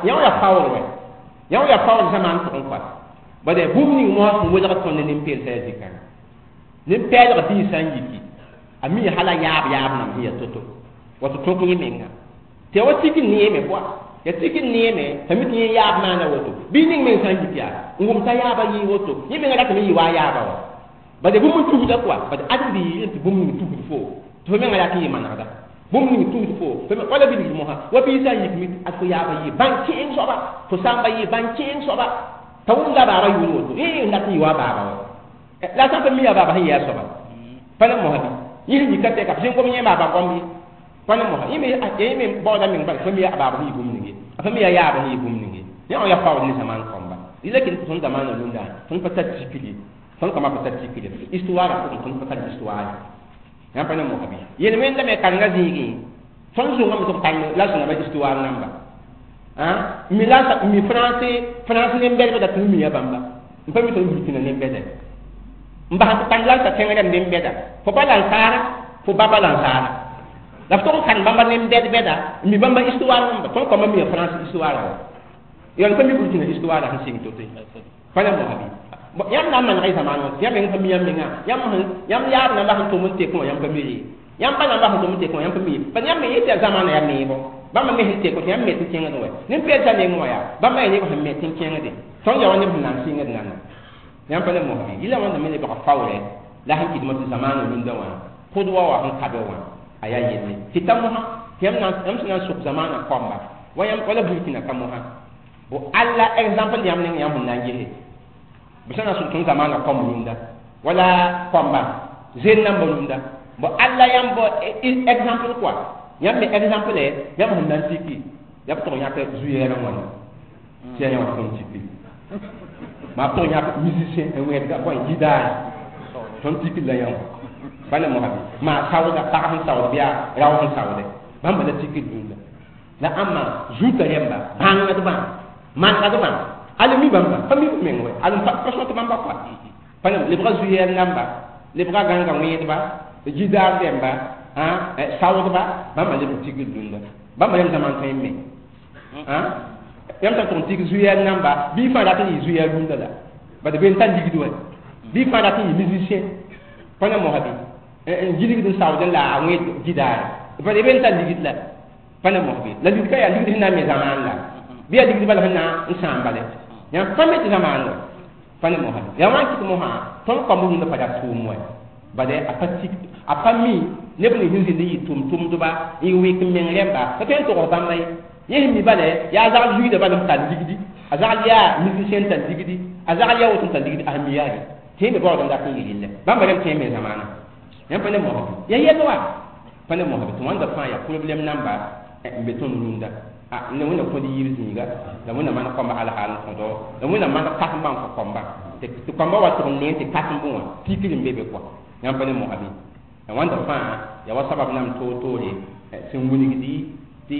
yaa paoor wɛ yã yaa paoor zamaan pʋgẽ koa bala bũmb ning moasã sẽn welg tõnd ne nin-peelsa yaa zikãngã nin-pɛɛlg biig sã n yiki a mi hala yaab yaab nam sẽn yaa to-to Wa tɩ tõk yẽ menga tɩ ya wa tik n neeme pʋa ya tik n neeme t'a mi tɩ yẽ yaab maana woto bɩ ning meng sã n yik yaa n wʋm t'a yaaba yɩɩ woto yẽ menga ratame yɩ wa a yaaba wa bade bũmb n tusda kɔa bade ãdem biigr tɩ bũmb ning tusd foo tɩ fo menga rat n yɩ manegda bũmb ning tusd foo wala bilgd mosã wa biig sã n yik mi ad fo yaaba yɩ bãn kẽeng soaba fo sãmba yɩ bãn kẽeng soaba t'a wʋmda a baaba yʋʋr woto yẽ n dat n yɩ wa a baaba wa la sã n pa mi a baaba sẽn yɩ a soaba pa ne mosa bɩ yẽ sẽn yika tɛka sẽn gom yẽ baaba gom ye pa ne mosa yẽ me baooda meng bala fa mi a baaba sẽn yɩ bũmb ning ye a fa mi a yaaba sẽn yɩ bũmb ning ye yẽ wã yaa paood ne zamaan kõmba rɩla kell tɩ tõnd zamaanã rũndã tõnd pa tar tikr ye tõnd kɔma pa tar tikr ye histoire pʋgẽ tõnd pa tar histoire yãmb pa ne mosa bɩ yel-wẽndame karenga zĩigẽ tõnd zʋngame tɩ b karem la sẽn ba histoire namba mi la mi français nem-bɛdbã dat n miya bãmba n pa mi tõnd burkina nem-bɛda n bas tɩ karem la n ta tẽng rãmb nem-bɛda fo pa lansaara fo ba pa lansaara la f tog n karem bãmba nem-bɛd-bɛda n mi bãmba histoire namba tõnd kɔma miya français histoire wa yon pa mi burkina histoire sẽn sɩng to-to pa ne mosa bɩ yãmb na n manega y zamaan wã yãmb meng pa mi yãmb menga yãmb yaab namba sẽn tʋm n tek wã yãmb pa mi ye yãmb pa namba sẽn tʋm n tek wã yãmb pa mi ye bad yãmb me yetɩ yaa zamaanã yaa meebo bãmba me sẽn tek tɩ yãmb me tɩ kẽngd wɛ nin-peelsa neng wã yaa bãmba yaa neb sẽn me tɩ n kẽngde tõnd yaa wa neb sẽn na n sɩngd nana yãmb pa ne mosa bɩ yɩla wãnda me lebga faoorɛ la sẽn kɩdmã tɩ zamaanã rũndã wã pʋdwa wã sẽn kabe wã a yaa yelle tɩ ta mosã tɩ yãmb sẽn na n sʋk zamaanã kɔmba wala burkina ka mosã bo alla exemple yãmb ning yãmb sẽn na n gese b sẽn na sʋk tõnd zamaanã kɔm rũndã wala kɔmba zen namba rũndã bo alla yãmb bo exemple quoi yãmb me exemple yãmb sẽn na n tiki yaa b tʋg yãk zu-yɛɛrã wãna tɩ yaa yã wã tõnd tiki maa b tʋg yãk musicien n wẽedga bõe gidaar tõnd tikd la yã wã pa ne mosa bɩ maa saooda pag sẽn saood bɩ yaa rao sẽn saoode bãmba la tikd rũndã la ãmba zuta rẽmba bãngdbã manegdbã al mi bãmba pa mi b meng wɛ al pa sõt bãmba kɔa pa ne lebga zu-yɛl namba lebga gãnga wẽedba gidaar rẽmba saoodba bãmba leb n tikd rũndã bãmba yãmb zaman tõe n me yãmb sã n tʋg n tik zu-yɛl namba bɩ fãa rat n yɩ zu-yɛl rũndã la bad be n tar ligd wɛ bɩ fãa rat n yɩ musicien pa ne mosa bɩ n gilgd n saood n la a wẽed gidaare bad be n tar ligd la pa ne mosa bɩ la ligd ka yaa ligd sẽn na n me zamaan la bɩ yaa ligd bala sẽn na n sãam bale yãmb pa me tɩ zamaan wɛ pa ne mosa bɩ yaa wã n kɩt mosã tõnd kɔmb rũndã pa rat tʋʋm wɛ bade a pa tik a pa mi neb ning sẽn zĩnd n yɩ tʋm-tʋmdba n wɩk n meng rẽmba pa tõe n togs bãmba ye yẽ sẽn mi bale yaa a zagl zuiidã bal n tar ligdi a zagl yaa musicien tar ligdi a zagl yaa woto n tar ligdi a sẽn mi yaa ye tɩ yẽ me baood n dat n yɩ rɩllɛ bãmba rẽmb tõe n me zamaana yãmb pa ne mosa bɩ yaa yɛl wa pa ne mosa bɩ tɩ wãnda fãa yaa problème namba n be tõnd rũndã ne wẽnna kõd yiib zĩiga la wẽnna maan kɔmba alhaal n kõdo la wẽnna maan kasem bãng fo kɔmba tɩ kɔmba wa tʋg n nee tɩ kasem bõ wã tikr n be be kɔa yãmb pa ne mosa bɩ la wãnda fãa yaa wa sabab nam toor-toore sẽn wilgdi tɩ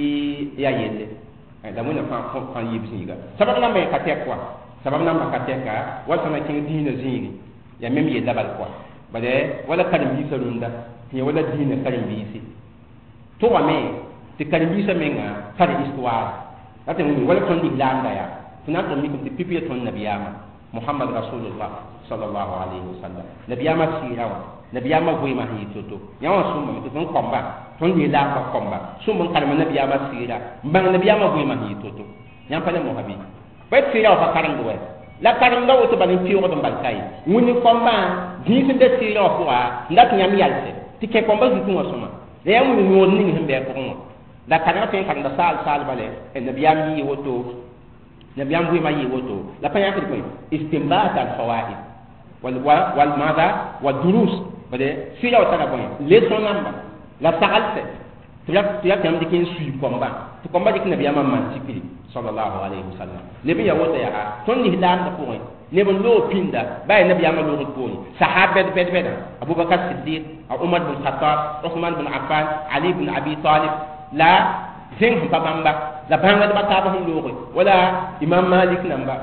yaa yelle la wẽnna fãa fãa yiib zĩiga sabab namba yẽ ka tɛk wa sabab namba ka tɛka wa sã na kẽng dĩinã zĩigi yaa mem yella bal kɔa bala wala karen-biisã rũndã tɩ yẽ wala dĩinã karen-biisi tʋgame tɩ karen-biisã menga tar histoire la tɩ wala tõnd lislaamda yaa tɩ na n tʋg mikame tɩ pipi ya tõnd nabiyaamã Muhammad Rasulullah sallallahu alayhi wa sallam nabiyaamã sɩɩra wã nabiyaamã vɩɩmã sẽn yɩ to-to yã wã sõmbame tɩ tõnd kɔmba tõnd lislaambã kɔmba sõmb n karema nabiyaamã sɩɩra n bãng nabiyaamã vɩɩmã sẽn yɩ to-to yãmb pa ne mosa bɩ pa tɩ sɩɩra wã pa karemd wɛ la karemda woto bal n peoogd n bal ka ye wĩnni kɔmbã dĩis n be sɩɩra wã pʋga n dat yãmb yalsɛ tɩ kẽ kɔmbã zutẽ wã sõma la yaa wĩnni yõod ning sẽn bɩ a pʋgẽ wã la karengã tõe n karemda saal saal bale nabiyaam yɩɩ woto nabiyaam vɩɩmã yɩɩ woto la pa yãkd bõe istinbat al fawaid wal maada wa durus bade sɩɩra wã tara bõe leçon namba la saglsɛ tɩ ya tɩ yãmb dɩk n sui kɔmbã tɩ kɔmbã dɩk nabiyaamã n maan tikri sallallahu alayhi wa sallam leb n yaa woto yaa tõnd lislaamdã pʋgẽ neb n loog pĩnda ba yaa nabiyaamã loogd poorẽ sahab bɛd bɛd bɛda Abubakar Siddiq a Umar bin Khattab Usman bin Affan Ali bin Abi Talib la zẽng sẽn pa bãmba la bãngdbã taab sẽn looge wala Imam Malik namba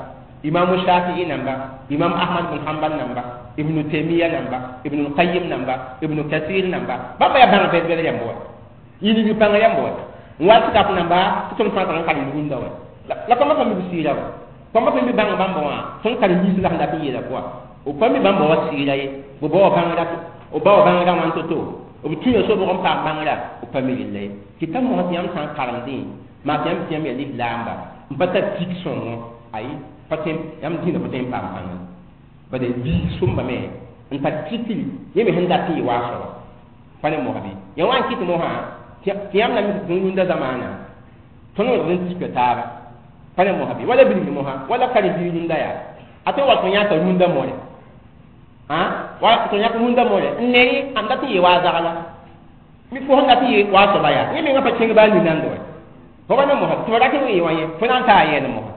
Imam Shafi'i namba Imam Ahmad bin Hanbal namba Ibn Taymiya namba Ibn Qayyim namba Ibn Kathir namba bãmba yaa bãng bɛd bɛd yãmb wa yĩng pãng yãmb wa n wa tɩ kap namba tɩ tõnd fãa tar n karem rũndã wa la kɔmbã pa mi b sɩɩra wa kɔmbã pa mi bãng bãmba wã tõnd karen-biis la sẽn dat n yeela pʋga b pa mi bãmba wa sɩɩra ye b ba wa bãngra b ba wa bãngrã wãn to-to B tũya sobg n paam bãngrã b pa mi rella ye tɩ t'a mosã tɩ yãmb sã n karemdẽ maa tɩ yãmb tɩ yãmb yaa lislaamba n pa tar tik sõngo ayi pa tõe yãmb dĩinã pa tõe n paam pãnga bala biig sõmbame n tar tikri yẽ me sẽn dat n yɩ waa soaba pa ne mosã bɩ ya wa n kɩt mosã tɩ yãmb na mi tɩ rũndã zamaana tõnd wẽgd n tika taaba pa ne mosã bɩ wala bilgr mosã wala karen-biig rũndã yaa a tõe n wa tɩ yãka rũndã more wa tɩ yãk rũndã more n ne ãmb dat n yɩ waa zagla mi fo sẽn dat n yɩ waa soaba yaa yẽ menga pa kẽng baa ninãnd wa fo pa ne mosã tɩ fo rat n yɩ wã yẽ fo na n taa yɛɛd mosã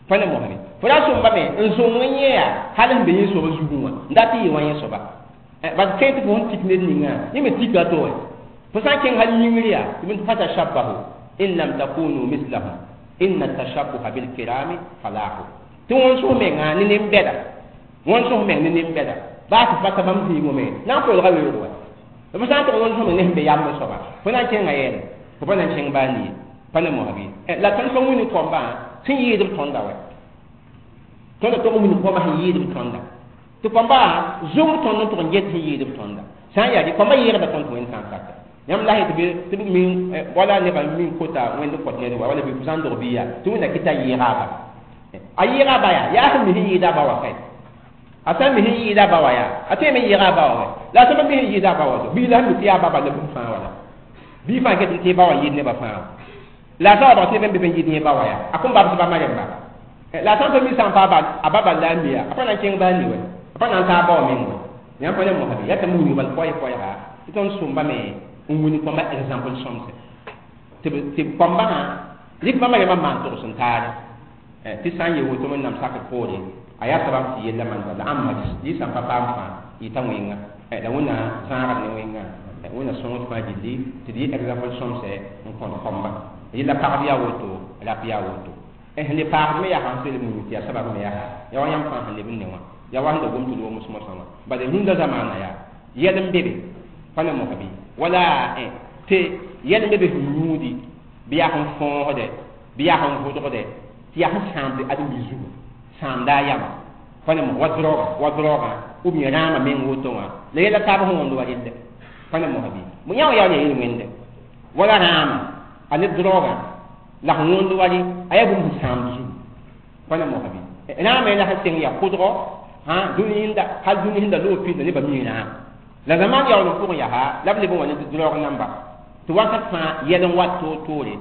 pa ne mosã fo ra sõmbame n zõng n yẽ yaa hal sẽn be yẽ soaba zugẽ wã n dat n yɩ wã yẽ soaba bad tõe tɩ fo sẽn tik ned ninga yẽ me tika to wɛ fo sã n kẽng hal yĩngr yaa tɩ b fatashabbahu in lam takunu mislahum inna tashabbuha bilkirami falahu tɩ wõn-sõs menga ne nen-bɛda wõn-sõs meng ne nen-bɛda baa tɩ fata bãmb zĩigẽ me na n kolga weoog wa b sã n tʋg wõn-sõs meng ne sẽn be yamb soaba fo na n kẽnga yɛɛle fo pa na n kẽng baa nie pa ne mosã bɩ la tõnd pa wĩni kõmbã sẽn yɩɩd b tõnda wɛ tõnda tog n wĩni kõmbã sẽn yɩɩd b tõnda tɩ kõmbã zong tõnd n tʋg n get sẽn yɩɩd b tõnda sã n yaa kõmbã yɩɩgda tõnd tɩ wẽnd sã n saka yãmb la tɩ b min wala nebã min kota wẽnd n kõt ned wa wala bɩ fo sã n dog bɩ yaa tɩ wẽnna kɩta yɩɩga a ba a yɩɩga a ba yaa yaa sẽn mi sẽn yɩɩda a ba wa kae a sã n mi sẽn yɩɩda a ba wa yaa a tõe me yɩɩga a ba wa wɛ la a sã mi sẽn yɩɩda a ba wa to bii la sẽn mi tɩ yaa ba bala bũmb fãa wala bii fãa ket n tɩ ba wa yɩɩd nebã fãa la a sã wa bag tɩ neb n be n yɩɩd yẽ ba wa yaa a kõn babs ba ma rẽmba la a sã n pa mi sã n pa a ba bal la a mi yaa a pa na n kẽng baa ni wɛ a pa na n taa a ba wa meng wɛ yãmb pa ne mosã bɩ yaa tɩ m wilg bal koɛɛ-koɛɛga tɩ tõnd sõmbame n wini kõmba exemple sõmse tɩ kõmbã rɩk bãmba rẽmbã maan togs n taare tɩ sã n yee woto wẽnnaam sakr poore a yaa sabab tɩ yella manda la ãmba yɩ sã n pa paam fãa yɩta wẽnga la wẽnna zãagd ne wẽnga wẽnna sõngd fãa gilli tɩ d yɩ exemple sõmse n kõt kõmba yella pagb yaa woto rap yaa woto sẽn le paagd me yaa sãn sel muni tɩ yaa sabab me yaa yaa wa yãmb fãa sẽn leb n ne wã yaa wa sẽn da gom tɩ d woms mosã wã bala rũndã zamaana yaa yɛl n be be pa ne mosã bɩ wala tɩ yɛl n be be sẽn yũudi bɩ yaa sẽn fõosde bɩ yaa sẽn vʋdgde tɩ yaa sẽn sãamd ãdem-biig zugu sãamda a yama pa ne mos wa droga ou bien rãamã meng woto wã la yɛla taab sẽn wõnd wa relle pa ne mosã bɩ yã wã yaa yel wẽnde wala rãamã a ne droga la sẽn wõnd wa rɩ a yaa bũmb sẽn sãamd zugu pa ne mosã bɩ rãamã la sẽn seng yaa kʋdgɔ dũni sẽn hal dũni sẽn da loog pidã nebã mii rãam la zamaan yaool n pʋgẽ yaa la b leb n wa ne droog namba tɩ wakat fãa yɛl n wat toor-toore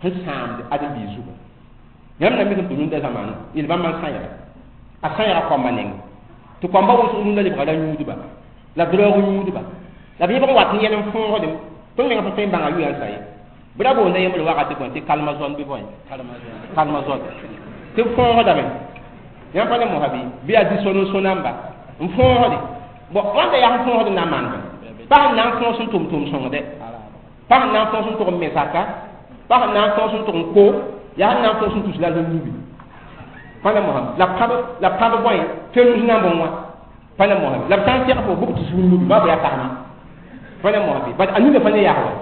sẽn sãamd ãdem-biig zugu yãmb na mikm tɩ rũndã zamaan yel bãmb n sã-yɛga a sã-yɛga kõmba neng tɩ kõmba wʋsg rũndã lebga ra yũudba la droog yũudba la b yẽbg n wat n yɛl n fõosdem tõnd menga pa tõe n bãnga yʋyã n sa ye bɩ ra boonda yembr wakat bõe tɩ kalma zõn bɩ bõe kalma zõn tɩ b fõosdame yãmb pa ne mosã bɩ bɩ yaa dɩ-sõn n sõ namba n fõosde bon wãnda yaa sẽn fõosd n na n maan pa sẽn na n fõos n tʋm tʋm sõngde pa sẽn na n fõos n tʋg n me zaka pa sẽn na n fõos n tʋg n ko yaa sẽn na n fõos n tus la n nubi pa ne mosã la pãb bõe fenus na n bõn wã pa ne mosã la b sã n segl fo bʋg tɩ sug nubi ba b yaa karema pa ne mosã bɩ bad a nina fa ne yaa wa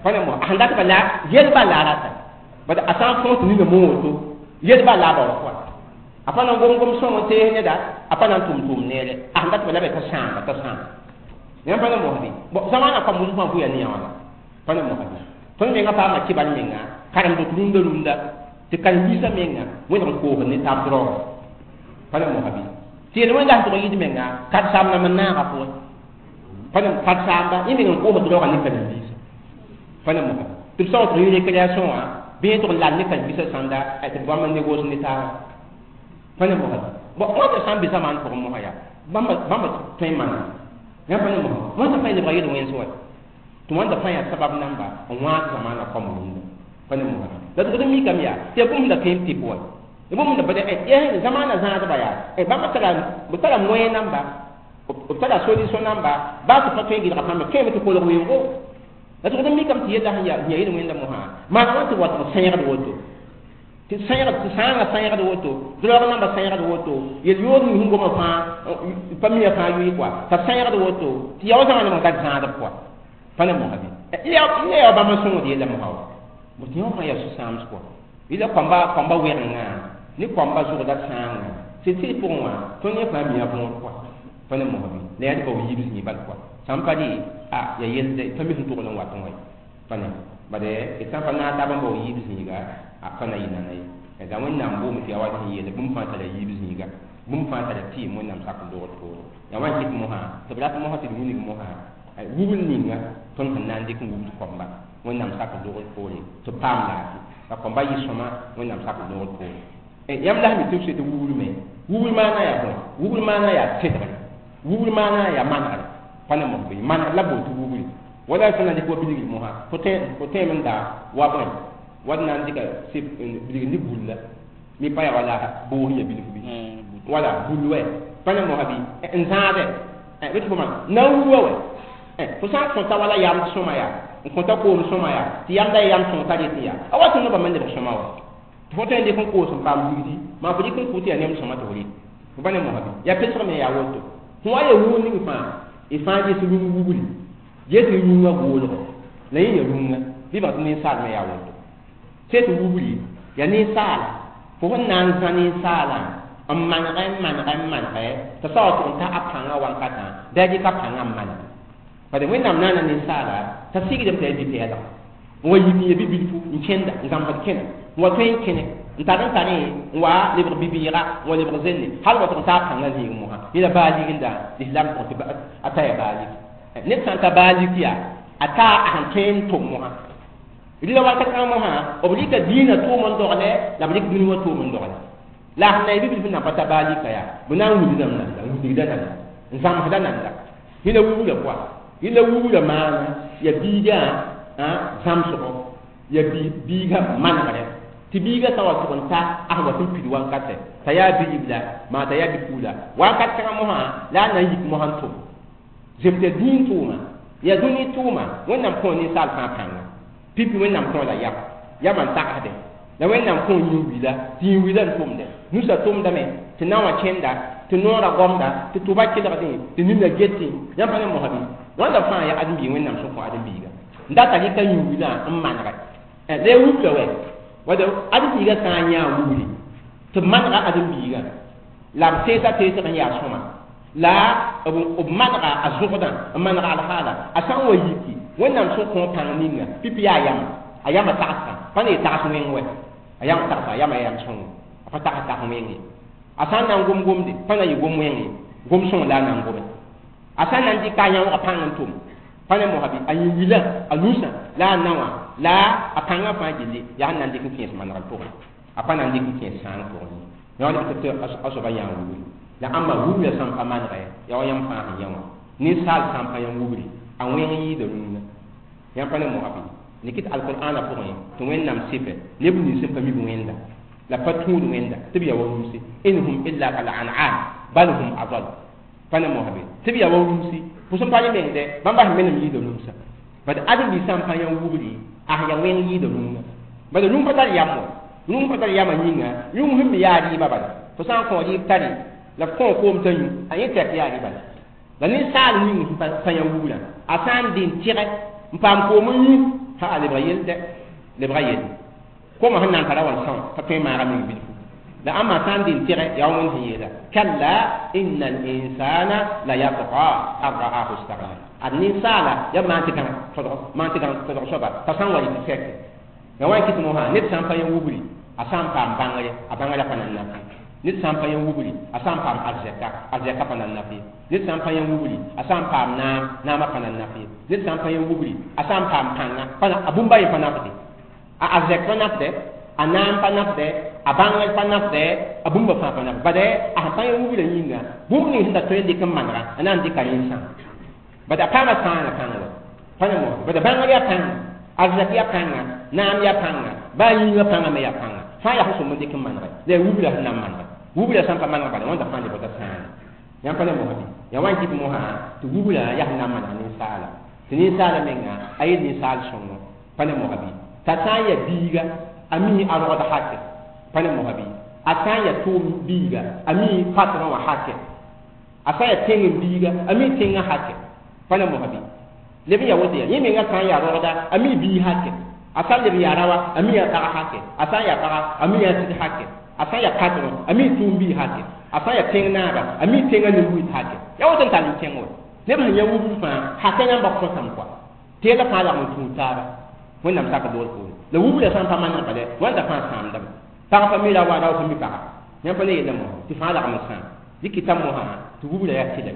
pa ne mosã a sẽn dat ba la yel ba la rata bad a sã n fõos tɩ nina moon woto yel ba la ba wa pʋa a pa na n gom-gom sõng n tees neda a pa na n tʋm tʋʋm neere a sẽn dat ba la be t'a sãamba t'a sãamba yãmb pa ne mosã bɩ bon zamaana kõm wʋsg fãa bʋya ne yã wãna pa ne mosã bɩ tõnd menga paama kɩbar menga karemd tɩ rũndã rũndã tɩ karen-biisã menga wẽneg n koosd ne taab droga pa ne mosã bɩ tɩ yel wẽnda sẽn tʋg n yɩd menga karen-saam nam n naaga pʋgẽ pa ne karen-saamba yẽ meng n koosd droga ne karen-biisã pa ne mosã tɩ b sao tɩ yɩ récréation wã bɩ yẽ tʋg n lal ne karen-biisã sãnda tɩ b bãmb n négose ne taaba pa ne mosã bon wãnda sã n be zamaan pʋgẽ mosã yaa bãmba tõe n maana yãmb pa ne mosã wãnda fãa lebga yel wẽns wa tɩ wãnda fãa yaa sabab namba n wãag zamaana kõm rũndã pa ne mosã la tɩ d mikame yaa tɩ yaa bũmb da tõe n tɩp wa bũmb da bad zamaana zãadba yaa bãmba tara b tara moyen namba b tara solution namba baa tɩ pa tõe n gɩlga pãmbe tõeme tɩ kolg weoogo la tɩ d mikame tɩ yella sẽn yaa yel wẽnda mosã maan wã tɩ wat n sẽegd woto tɩ sẽegd tɩ sãangã sẽegd woto droog namba sẽegd woto yel yood ning sẽn goma fãa pa mia fãa yʋɩ kɔa t'a sẽegd woto tɩ yaa wa zãma nem n dat zãadb kɔa pa ne mosã bɩ ya bãmb n sõngd yella mosã wa bõ tɩ yõ fãa yaa sũ-sãams kɔa yɩla kõmba wɛgenga ne kõmba zʋgda sãanga tɩ tɩ pʋgẽ wã tõnd yẽ fãa mia võor kɔa Pa ne mosã bɩ la yaa tɩ bao yiib zĩig bal pʋga sã n pa dɩ a ya yelde pa mi sẽn togl n wat n wa ye pa ne bade d sã n pa naag taab n bao yiib zĩiga a pa na yɩ nana ye la Wẽnnaam boome tɩ yaa wa sẽn yeele bũmb fãa tara yiib zĩiga bũmb fãa tara tɩɩm Wẽnnaam sak n dogd poore yaa wa n kɩt mosã tɩ b rat mosã tɩ d wilg mosã wubl ninga tõnd sẽn na n dɩk n wubd koamba Wẽnnaam sak n dogd poore tɩ b paam laafɩ la koamba yɩ sõma Wẽnnaam sak n dogd poore yãmb la sẽn mi tɩ b tɩ wubr me wubr maana yaa bõe wubr maana yaa tẽdgre wubr maana yaa manegre pa ne mos bɩ manegr la bool tɩ wubri wala sẽn na n dɩk wa bilgr mosã fo tẽem n daa wa bõe wa d na n dɩka bilgr ne bulla mi pa yaa wala boos n ya bilf bɩ wala bul wɛ pa ne mosã bɩ n zãade bɩ tɩ fo maan na n wuwa wɛ fo sã n kõta wala yamd sõma yaa n kõta koom sõma yaa tɩ yamda ya yam sõng tar yetɩ yaa a wa tɩ noba me lebg sõma wa tɩ fo tõe n dɩk n koos n paam ligdi maa fo dɩk n kʋ tɩ yaa nem sõma tɩ fo rɩ fo pa ne mosã bɩ yaa pesg me yaa woto fõ wa ya wuu ning fãa y fãa ges rũng wubri ges rũngã goolgo la yẽ ya rũngã bɩ bãng tɩ ninsaal me yaa woto sẽn tɩ wubri yaa ninsaala fo sẽn na n zã ninsaalã n manegɛ n manegɛ n manegɛ t'a sa wa tʋg n ta a pãngã wankatã bɩ a dɩk a pãngã n maneg bad Wẽnnaam naana ninsaala t'a sigdame t'a yaa bi-pɛɛlga n wa yik n ya bi-bilfu n kẽnda n zãmsd kẽna n wa tõe n kẽne n tar n tare n wa lebg bi-bɩɩga n wa lebg zenne hal wa tʋg n taa pãngã zĩig mosã yẽla baalik n da lislaam pʋgẽ tɩ a ta ya baalik ned sã n ta baalik yaa a taa a sẽn tõe n tʋm mosã rɩla wakat kãngã mosã b rɩka diinã tʋʋm n dogle la b rɩk dũni wã tʋʋm n dogle la a sẽn na y bi-bilf n na pa ta baalika yaa b na n wilgdame nanda n wilgda nanda n zãmsda nanda yẽla wubra pʋga yẽla wubra maana ya biigã zãmsgo ya biigã manegrɛ tɩ biigã sã wa tʋg n ta a sẽn wa tɩ n pid wankatɛ t'a yaa bi-ribla maa t'a yaa bi-puula wakat kãngã mosã la a na n yik mosã n tʋm zem tɩ ya dĩin tʋʋma ya dũni tʋʋma Wẽnnaam kõo ninsaal fãa pãnga pipi Wẽnnaam kõo la yam yamã n tagsdẽ la Wẽnnaam kõo yĩn-wila tɩ yĩn-wila n tʋmdẽ nusa tʋmdame tɩ na wã kẽnda tɩ noorã gomda tɩ tʋba kelgdẽ tɩ nina getẽ yãmb pa ne mosã bɩ wãnda fãa yaa ãdem-biig Wẽnnaam sẽn kõ ãdem-biiga n data rɩka yĩn-wilã n manegɛ la ya wubla wɛ wala ãdem-biigã sã n yãa wubri tɩ b manega ãdem-biigã la b teesa teesg n yaa sõma la b manega a zʋgdã n manega alhaala a sã n wa yiki Wẽnnaam sẽn kõ pãng ninga pipi yaa yama a yama tagsgã pa ne tags wẽng wɛ a yama tagsga a yama yam sõngo a pa tags tags wẽng ye a sã n na n gom gomde pa na yɩ gom wẽng ye gom sõng la a na n gome a sã n na n dɩka a yãoogã pãng n tʋm pa ne mosã bɩ a yĩn-wilã a nusã la a na wã la a pãngã fãa gilli yaa sẽn na n dɩk n kẽes manegr pʋgẽ a pa na n dɩk n kẽes sãang pʋgẽ ye yã tɩ a soaba yãa wubri la ãmba wubra sã n pa manegɛ yaa wa yãmb fãa sẽn yã wã ninsaal sã n pa yãmb wubri a wẽng yɩɩda rũngã yãmb pa ne mosã bɩ nikit alqur'ana pʋgẽ tɩ Wẽnnaam sɩfɛ neb nins sẽn pa mib wẽnda la pa tũud wẽnda tɩ b yaa wa rũmsi in hum illa kal an'am bal hum adal pa ne mosã bɩ tɩ b yaa wa rũmsi fo sẽn pa rẽ mengdɛ bãmba sẽn menem yɩɩda rũmsã bad ãdem-biig sã n pa yã wubri a sẽn yaa wẽng yɩɩda rũngã bad rũng pa tar yam wa rũng pa tar yamã yĩnga rũng sẽn me yaa rɩɩbã bala fo sã n kõ rɩɩb tare la f kõ koom t'a yũ a yẽ tɛk yaa rɩba la la ninsaal ning sẽn pa yã wubrã a sã n dɩ n tɩgɛ n paam koom n yũ ha a lebga yel dɛ lebga yel koomã sẽn na n tara wa n são t'a tõe n maaga meng bilfu la ãmba sã n dɩ n tɩgɛ yaa wa Wẽnd sẽn yeela kalla inna al-insana la yatgha an ra'ahu istaghna ad ninsaala yaa maan tɩ gãng tõdg maan tɩ gãng tõdg soaba t'a sã n wa yɩ tɩ sɛke ya wa n kɩt mosã ned sã n pa yã wubri a sã n paam bãngre a bãngrã pa na n naf ned sã n pa yã wubri a sã n paam arzɛka arzɛka pa na n naf ye ned sã n pa yã wubri a sã n paam naam naamã pa na n naf ye ned sã n pa yã wubri a sã n paam pãnga pa a bũmba yẽ pa nafde a arzɛk pa nafdɛ a naam pa nafdɛ a bãngr pa nafdɛ a bũmba fãa pa nafdɛ bad a sẽn pa yã wubrã yĩnga bũmb ning sẽn da tõe n dɩk n manega a na n dɩka rẽ n sãam bad a paama sãana pãng wa pa ne mos bad bãngr yaa pãnga arzɛk yaa pãnga naam yaa pãnga baa yĩngã pãngã me yaa pãnga fãa yaa sẽn sõm n dɩk n manegɛ la yaa wubra sẽn na n manega wubra sã n pa maneg bala wãnda fãa lebg t'a sãana yãmb pa ne mosã bɩ yaa wa n kɩt mosã tɩ wubra yaa sẽn na n maneg ninsaala tɩ ninsaala menga a yel ninsaal sõngo pa ne mosã bɩ t'a sã n yaa biiga a mi a rogd hakɛ pa ne mosã bɩ a sã n yaa tʋʋm biiga a mi patron wã hakɛ a sã n yaa tẽng n biiga a mi tẽngã hakɛ pa ne mosã bɩ leb n yaa woto yaa yẽ menga sã n yaa rogda a mi bii hakɛ a sã n leb n yaa rawa a mi yaa pag hakɛ a sã n yaa paga a mi yaa sig hakɛ a sã n yaa patron a mi tʋʋm bii hakɛ A sã n yaa tẽng naaba a mi tẽngã nin-buy t'a ya woto n tall n kẽng wa neb sẽn yã wubr fãa haka yãmba kõtame koa teelã fãa lagm n tũud taaba wẽnnaam sak dool poore la wubra sã n pa maneg bala wãnda fãa sãamdame pag pa mi ra wa rao pa mi paga yãmb pa ne yella mosã tɩ fãa lagm n sãam dɩ kɩta mosã tɩ wubra yaa tɩlɛ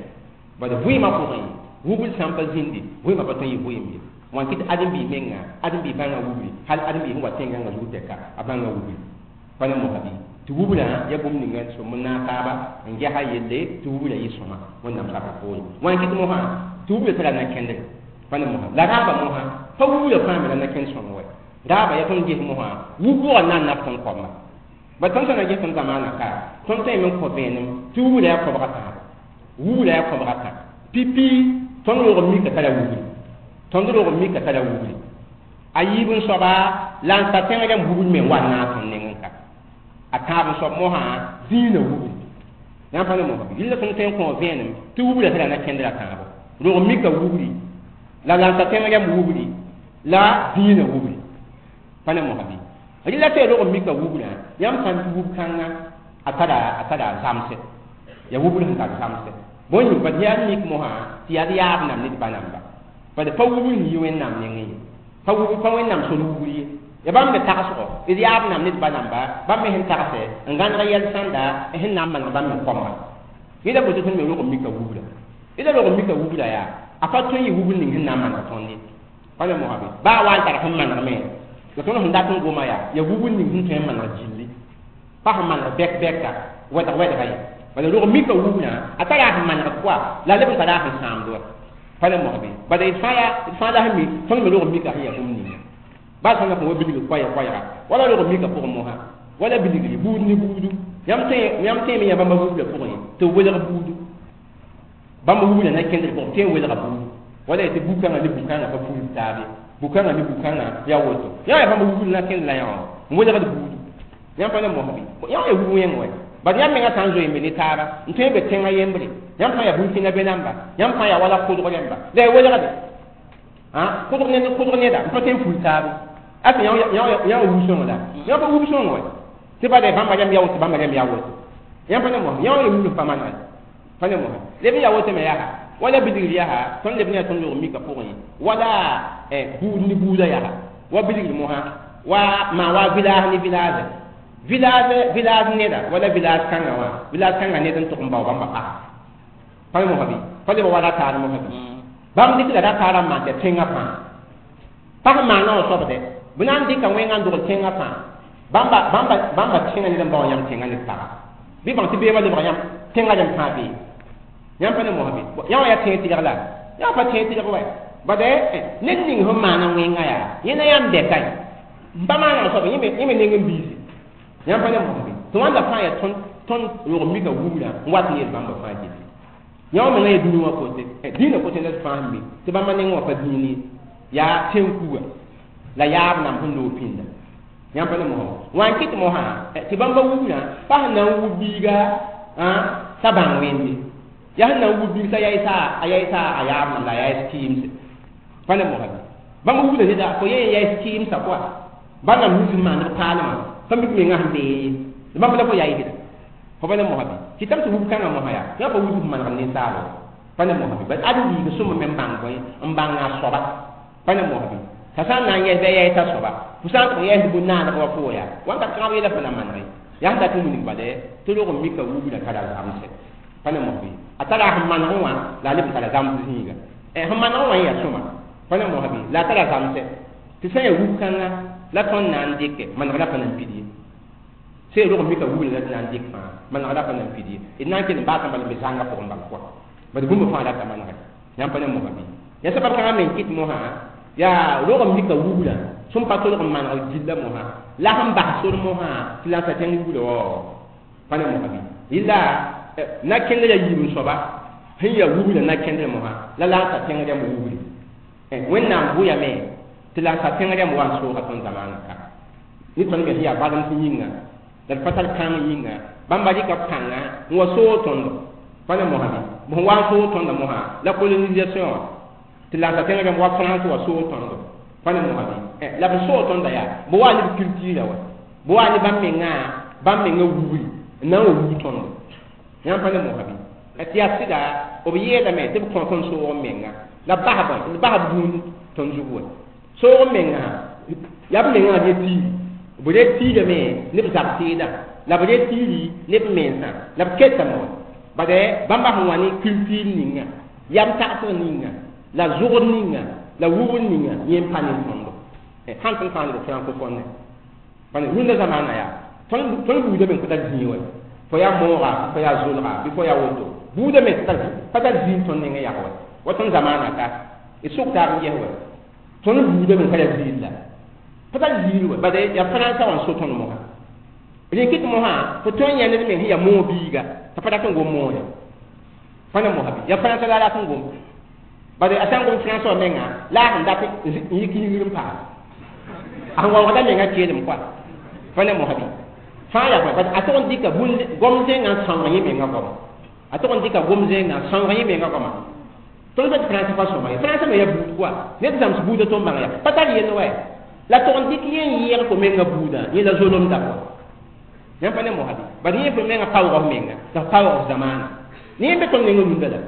bad vɩɩmã pʋgẽ wubr sã n pa zĩndi vɩɩmã pa tõe n yɩ vɩɩm ye wãn kɩ tɩ ãdem-biis menga ãdem-biis bãnga wubri hal ãdem-biis sẽn wa tẽn-gãngã zug tɛka a bãnga wubri pa ne mosa bɩ tɩ wubra yaa bũmb ninga sõm n naag taaba n gesa yelle tɩ wubra yɩ sõma wẽnnaam saka poore wãn kɩt mosã tɩ wubra tara na-kẽndre pa ne mosã la raaba mosã pa wubra fãa me la na-kẽnd sõng wɛ raaba yaa tõnd ges mosã wub-bʋgã na n nab tõnd koama ba tõnd sã na ges tõnd zamaanã ka tõnd tõe n kõ vẽenem tɩ wubra yaa koabga tãabo wubra yaa koabga tã pipi tõnd roog n mika tara wubri tõnd roog n mika tara wubri a yiib n soaba la n sa tẽng rãmb wubr me n wa n naag tõnd nengẽ ka a tãab n soab mosã zĩigã wubri yãmb pa ne mosã rɩla tõnd tõe n kõ vẽenem tɩ wubra tara na-kẽndra tãabo roog n mika wubri la la n sa tẽng rãmb wubri la zĩigã wubri pa ne mosã bɩ rɩla tɩ roog n mika wubrã yãmb sã n tɩ wub kãnga a tara zamsɛ ya wubr sẽn tar zamsɛ bõe yĩng bad yaa mik mosã tɩ yaa d yaab nam ned ba namba bad pa wubr sẽn yi wẽnnaam nengẽ ye pa wubr pa wẽnnaam sor wubr ye ya bãmb me tagsgo d yaab nam ned ba namba bãmb me sẽn tagsɛ n gãneg yɛl sãnda sẽn na n maneg bãmb me koamba yẽla boto tõnd me rog n mika wubra yẽla rog n mika wubra yaa a pa tõe n yɩ wubr ning sẽn na n maneg tõnd ye pa me mosã bɩ baa wa n tar sẽn manegme la tõnd sẽn dat n goma yaa ya wubr ning sẽn tõe n maneg gilli pa sẽn maneg bɛk-bɛka wɛdg-wɛdga ye bala rog mika wubra a tara sẽn manegd pʋa la a leb n tara sẽn sãamd wa pa ne mosã bɩ bala d fãa yaa d fãa la sẽn mi tõnd me rog mika sẽn yaa bũmb ninga baa sã n wa bilg koɛɛg-koɛɛga wala rog mika pʋgẽ mosã wala bilgri buud ne buudu yãmb tẽeme yã bãmba wubra pʋgẽ tɩ b welg buudu bãmb wubra na kẽndr pʋgẽ tɩ n welga buudu wala tɩ bu-kãngã ne bu-kãngã pa puud taabe bu-kãngã ne bu-kãngã yaa woto yã yaa bãmb wubr na kẽnd la yã wã n welgd buudu yãmb pa ne mosã bɩ yã yaa wub wẽng wɛ bad yãmb mengã sã n zoe n be ne taaba n tõe n be tẽngã yembre yãmb fãa yaa burkina be namba yãmb fãa yaa wala kʋdg rẽmba la ya welgde kʋdg ned kʋdg neda n pa tõe n pul taabe ase yã wa wub sõng la yã pa wub sõng wɛ tɩ bada bãmba rãmb yaa woto bãmba rãmb yaa woto yãmb pa ne mosã yã wa yaa wubr pa manegre pa ne mosã leb n yaa woto me yaa wala bilgr yaa tõnd leb ne yaa tõnd rog mika pʋgẽ wala buud ne buuda yaa wa bilgr mosã wa maa wa village ne village village village neda wala village kãngã wã village kãngã ned n tʋg n bao bãmba pagã pa ne mosã bɩ pa leb wa ra taar mosã bɩ bãmb dɩk la ra-taarã n maan tɩ tẽngã fãa pag maana wã soabdɛ bɩ na n dɩka wẽngã n dogl tẽngã fãa bãmba bãmba bãmba tẽngã ned n bao yãmb tẽngã ned paga bɩ bãng tɩ beemã lebg yãmb tẽngã rẽmb fãa bee yãmb pa ne mosã bɩ yã wã yaa tẽeg tɩlg la yã pa tẽeg tɩlg wɛ bad ned ning sẽn maana wẽnga yaa yẽ na yãmb dɛka ye n pa maana soaba yẽ me neng n biise yãmb pa ne mosã bɩ tɩ wãnda fãa yaa tõnd rog mika wubra n wat n yel bãmba fãa gilli yã wã menga yaa dũni wã kote dĩinã kote la d fãa sẽn be tɩ bãmba neng wã pa dĩin ye yaa tẽn-kuga la yaab nam sẽn loog pĩnda yãmb pa ne mosã wã n kɩt mosã tɩ bãmba wubrã pa sẽn na n wub biiga t'a bãng wẽnde yaa sẽn na n wub biig t'a yaɩsa a yaɩsa a yaab nam la a yaɩs kɩɩmse pa ne mosã bɩ bãmb wubra neda fo yẽ yaɩs kɩɩmsa pʋa bãmb nams sẽn maand b paalmã pa mik menga sẽn bee ye bãmb la fo yaɩsda fo pa ne mosã bɩ kɩtame tɩ wub kãngã mosã yaa yã pa wub manegd ninsaaba pa ne mosã bɩ bad ãdem-biig sõma me n bãng bõe n bãng a soaba pa ne mosã bɩ t'a sã n na n yɛs bɩ a yaɩs t'a soaba fo sã n tʋg yɛsd bũn-naaneg wã fo yaa wãnka kãab yɛla fo na manege yaa sẽn dat n wilg bale tɩ rog n mika wubra tara zamsɛ pa ne mosã bɩ a tara sẽn manegẽ wã la a leb n tara zams zĩiga sẽn manegẽ wã n yaa sõma pa ne mosã bɩ la a tara zamsɛ tɩ sã n yaa wub kãnga la tõnd na n dɩkɛ maneg la pa na n pid ye sẽn rog n mika wubra la tɩ na n dɩk fãa maneg la pa na n pid ye d na n kell n baasã bala n be zãngã pʋgẽ bal pʋga bad bũmb fãa rata manegɛ yãmb pa ne mosã bɩ yaa sabab kãngã me n kɩt mosã yaa rog n mika wubra sẽn pa tolg n maneg gilla mosã la sẽn bas sor mosã tɩ la n sa tẽng wubra wao pa ne mosã bɩ yɩla na-kẽndrã yiib n soaba sẽn yaa wubra na-kẽndr mosã la la n sa tẽng rãmb wubri wẽnnaam bʋyame tɩ la n sa tẽng rãmb wa n sooga tõnd zamaanã ka ne tõnd me sẽn yaa badem sẽn yĩnga la d pa tar kãng yĩnga bãmba rɩka pãnga n wa soog tõndo pa ne mosã bɩ sẽn wa n soog tõnda mosã la colonisation wã tɩ la n sa tẽng rãmb wa France wa soog tõndo pa ne mosã bɩ la b soog tõnda yaa bɩ wa ne b culture wa bɩ wa ne bãmb menga wubri n na n wa wub tõndo Yãmb pa ne mosã bɩ tɩ yaa sɩda b yeelame tɩ b kõ tõnd soog n menga la b basb gũud tõnd zug wa soog n mengã yaa b mengã re tiiri b re tiirame ne b zab teedã la b re tiiri ne b mensã la b ketame wa bad bãmba sẽn wa ne culture ninga yam tagsg ninga la zʋgd ninga la wubr ninga yẽ n pa ne tõndo sãn tõnd fãa ne b francophone pa ne rũndã zamaana yaa tõnd buudame n kõ tar zĩig wa fo yaa mooga fo yaa zolga bɩ fo yaa woto buudame pa tar zĩig tõnd nengẽ yag wa wa tõnd zamaana ka d sʋk taab n ges wa tõnd buudame n ka yaa ziir la pa tar ziir wa bad yaa frãnsã wã n so tõnd mosã rẽ kɩt mosã fo tõe n yã ned meng sẽn yaa moog biiga t'a pa dat n gom moore pa ne mosã bɩ yaa frãnsã la a rat n gom bad a sã n gom frãnsã wã menga la a sẽn dat n yik yĩngr n paam a sẽn waoogda menga keelem koa pa ne mosã bɩ fãa yaa bõe a tog n dɩka gom zẽngã n sãoog yẽ menga goama a tog n dɩka gom zẽngã n sãoog yẽ menga goama tõnd pa tɩ frãnsã pa sõma ye frãnsã me yaa buud koa ned zãms buudã tõnd bãng yaa pa tar yell wɛ la tog n dɩk yẽ n yẽeg fo menga buudã yẽ la zolemda koa yãmb pa ne mosã bɩ bad yẽ fo menga paoog f menga la f paoog f zamaana ne yẽ be tõnd nengã rũndã la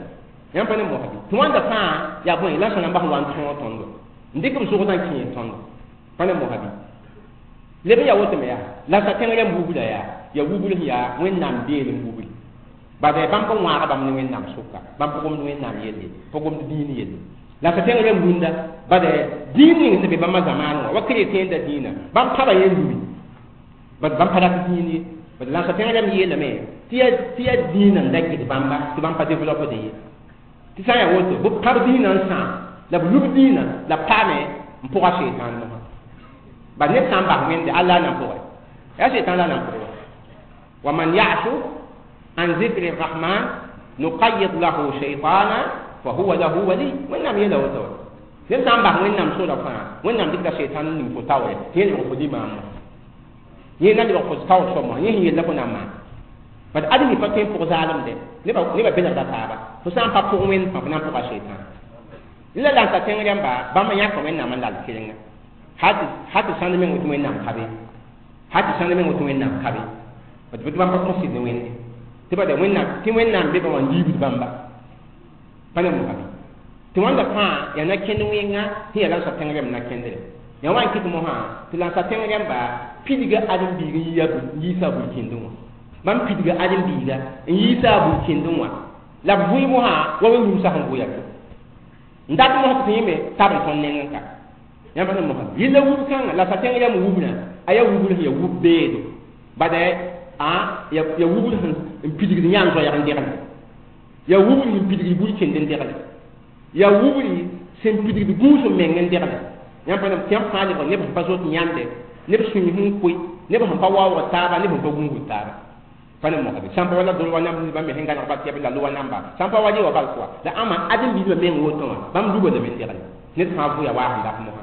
yãmb pa ne mosã bɩ tɩ wãnda fãa yaa bõe la sã-rãmba sẽn wa n tõog tõndo n dɩk b zʋgdã n kẽer tõndo pa ne mosã bɩ leb n yaa woto me yaa la sa tẽng yam wubra yaa ya wubr sẽn yaa wẽnnaam beelem wubri bad bãmb n wãag bãmb ne wẽnnaam sʋka bãmb pa gomd wẽnnaam yelle pa gomd dĩin yelle la sa tẽng yam rũndã bad dĩin ning sẽn be bãmba zamaan wã wa chrétien da dĩinã bãmb paba yẽ lubi bad bãmb pa rat dĩin ye bad la sa tẽng yam yeelame tɩ yaa dĩinã n da gɩd bãmba tɩ bãmb pa développe ye tɩ sã n yaa woto b pãb dĩinã n sãam la b lub dĩinã la b paame n pʋga seitan mosã bad ned sã n bas wẽnde alla na n pʋgẽ yaa seitan la na n pʋgẽ wa man ya'shu an zikri rahman nuqayyid lahu shaytana fa huwa lahu wali wẽnnaam yeela woto wa ned sã n bas wẽnnaam sola fãa wẽnnaam dɩkda seitan n ning fo taoore tɩ yẽ lebg fo limaam wã yẽ na lebg fo taoor soab wã yẽ sẽn yella fo na n maan bad admi pa tõe n pʋg zaalemde nebã belgda taaba fo sã n pa pʋg wẽnd fãa fo na n pʋga seitan la la n ta tẽng rãmba bãmb yãka wẽnnaam n lal kerenga hal tɩ sãnd meng woto wẽnnaam ka be hal tɩ sãnd meng woto wẽnnaam ka be bad bɩ bãmb pa kõ sɩd ne wẽnde tɩ bada wẽnnaam tɩ wẽnnaam be ba wã n liibd bãmba pa ne mosã bɩ tɩ wãnda fãa yaa na kẽnd wẽnga tɩ yaa la n sa tẽng rãmb na kẽndre yaa wa n kɩt mosã tɩ la n sa tẽng rãmba pidga ãdem-biig n yiisa a bul-kẽndẽ wã bãmb pidga ãdem-biiga n yiisa a bul-kẽndẽ wã la b vʋɩ mosã wa wẽn-rũmsã sẽn vʋya to n dat mosã tɩ yẽme tab n tõnd nengẽ ka yãmb sẽn mosã yella wub kãngã la sa tẽng rãmb wubnã a yaa wubr sẽn yaa wub beedo bad yaa wubr sẽn n pidgd yãan zoɛɛg n degle yaa wubr sẽn pidgd bul-kẽnd n degle yaa wubr sẽn pidgd gũus n meng n degle yãmb pa tɩ yãmb fãa lebg neb sẽn pa zoet yãnde neb sũy sẽn koe neb sẽn pa waoogd taaba neb sẽn pa gũusd taaba pa ne mosã bɩ sãn pa wala dol wa namba bãmb me sẽn gãneg ba tɩ la loa namba sãn pa wa rɩ wa bal koa la ãma ãdem-biisbã meng woto wã bãmb lubadame n degle ned fãa vʋya waa sẽn dat mosã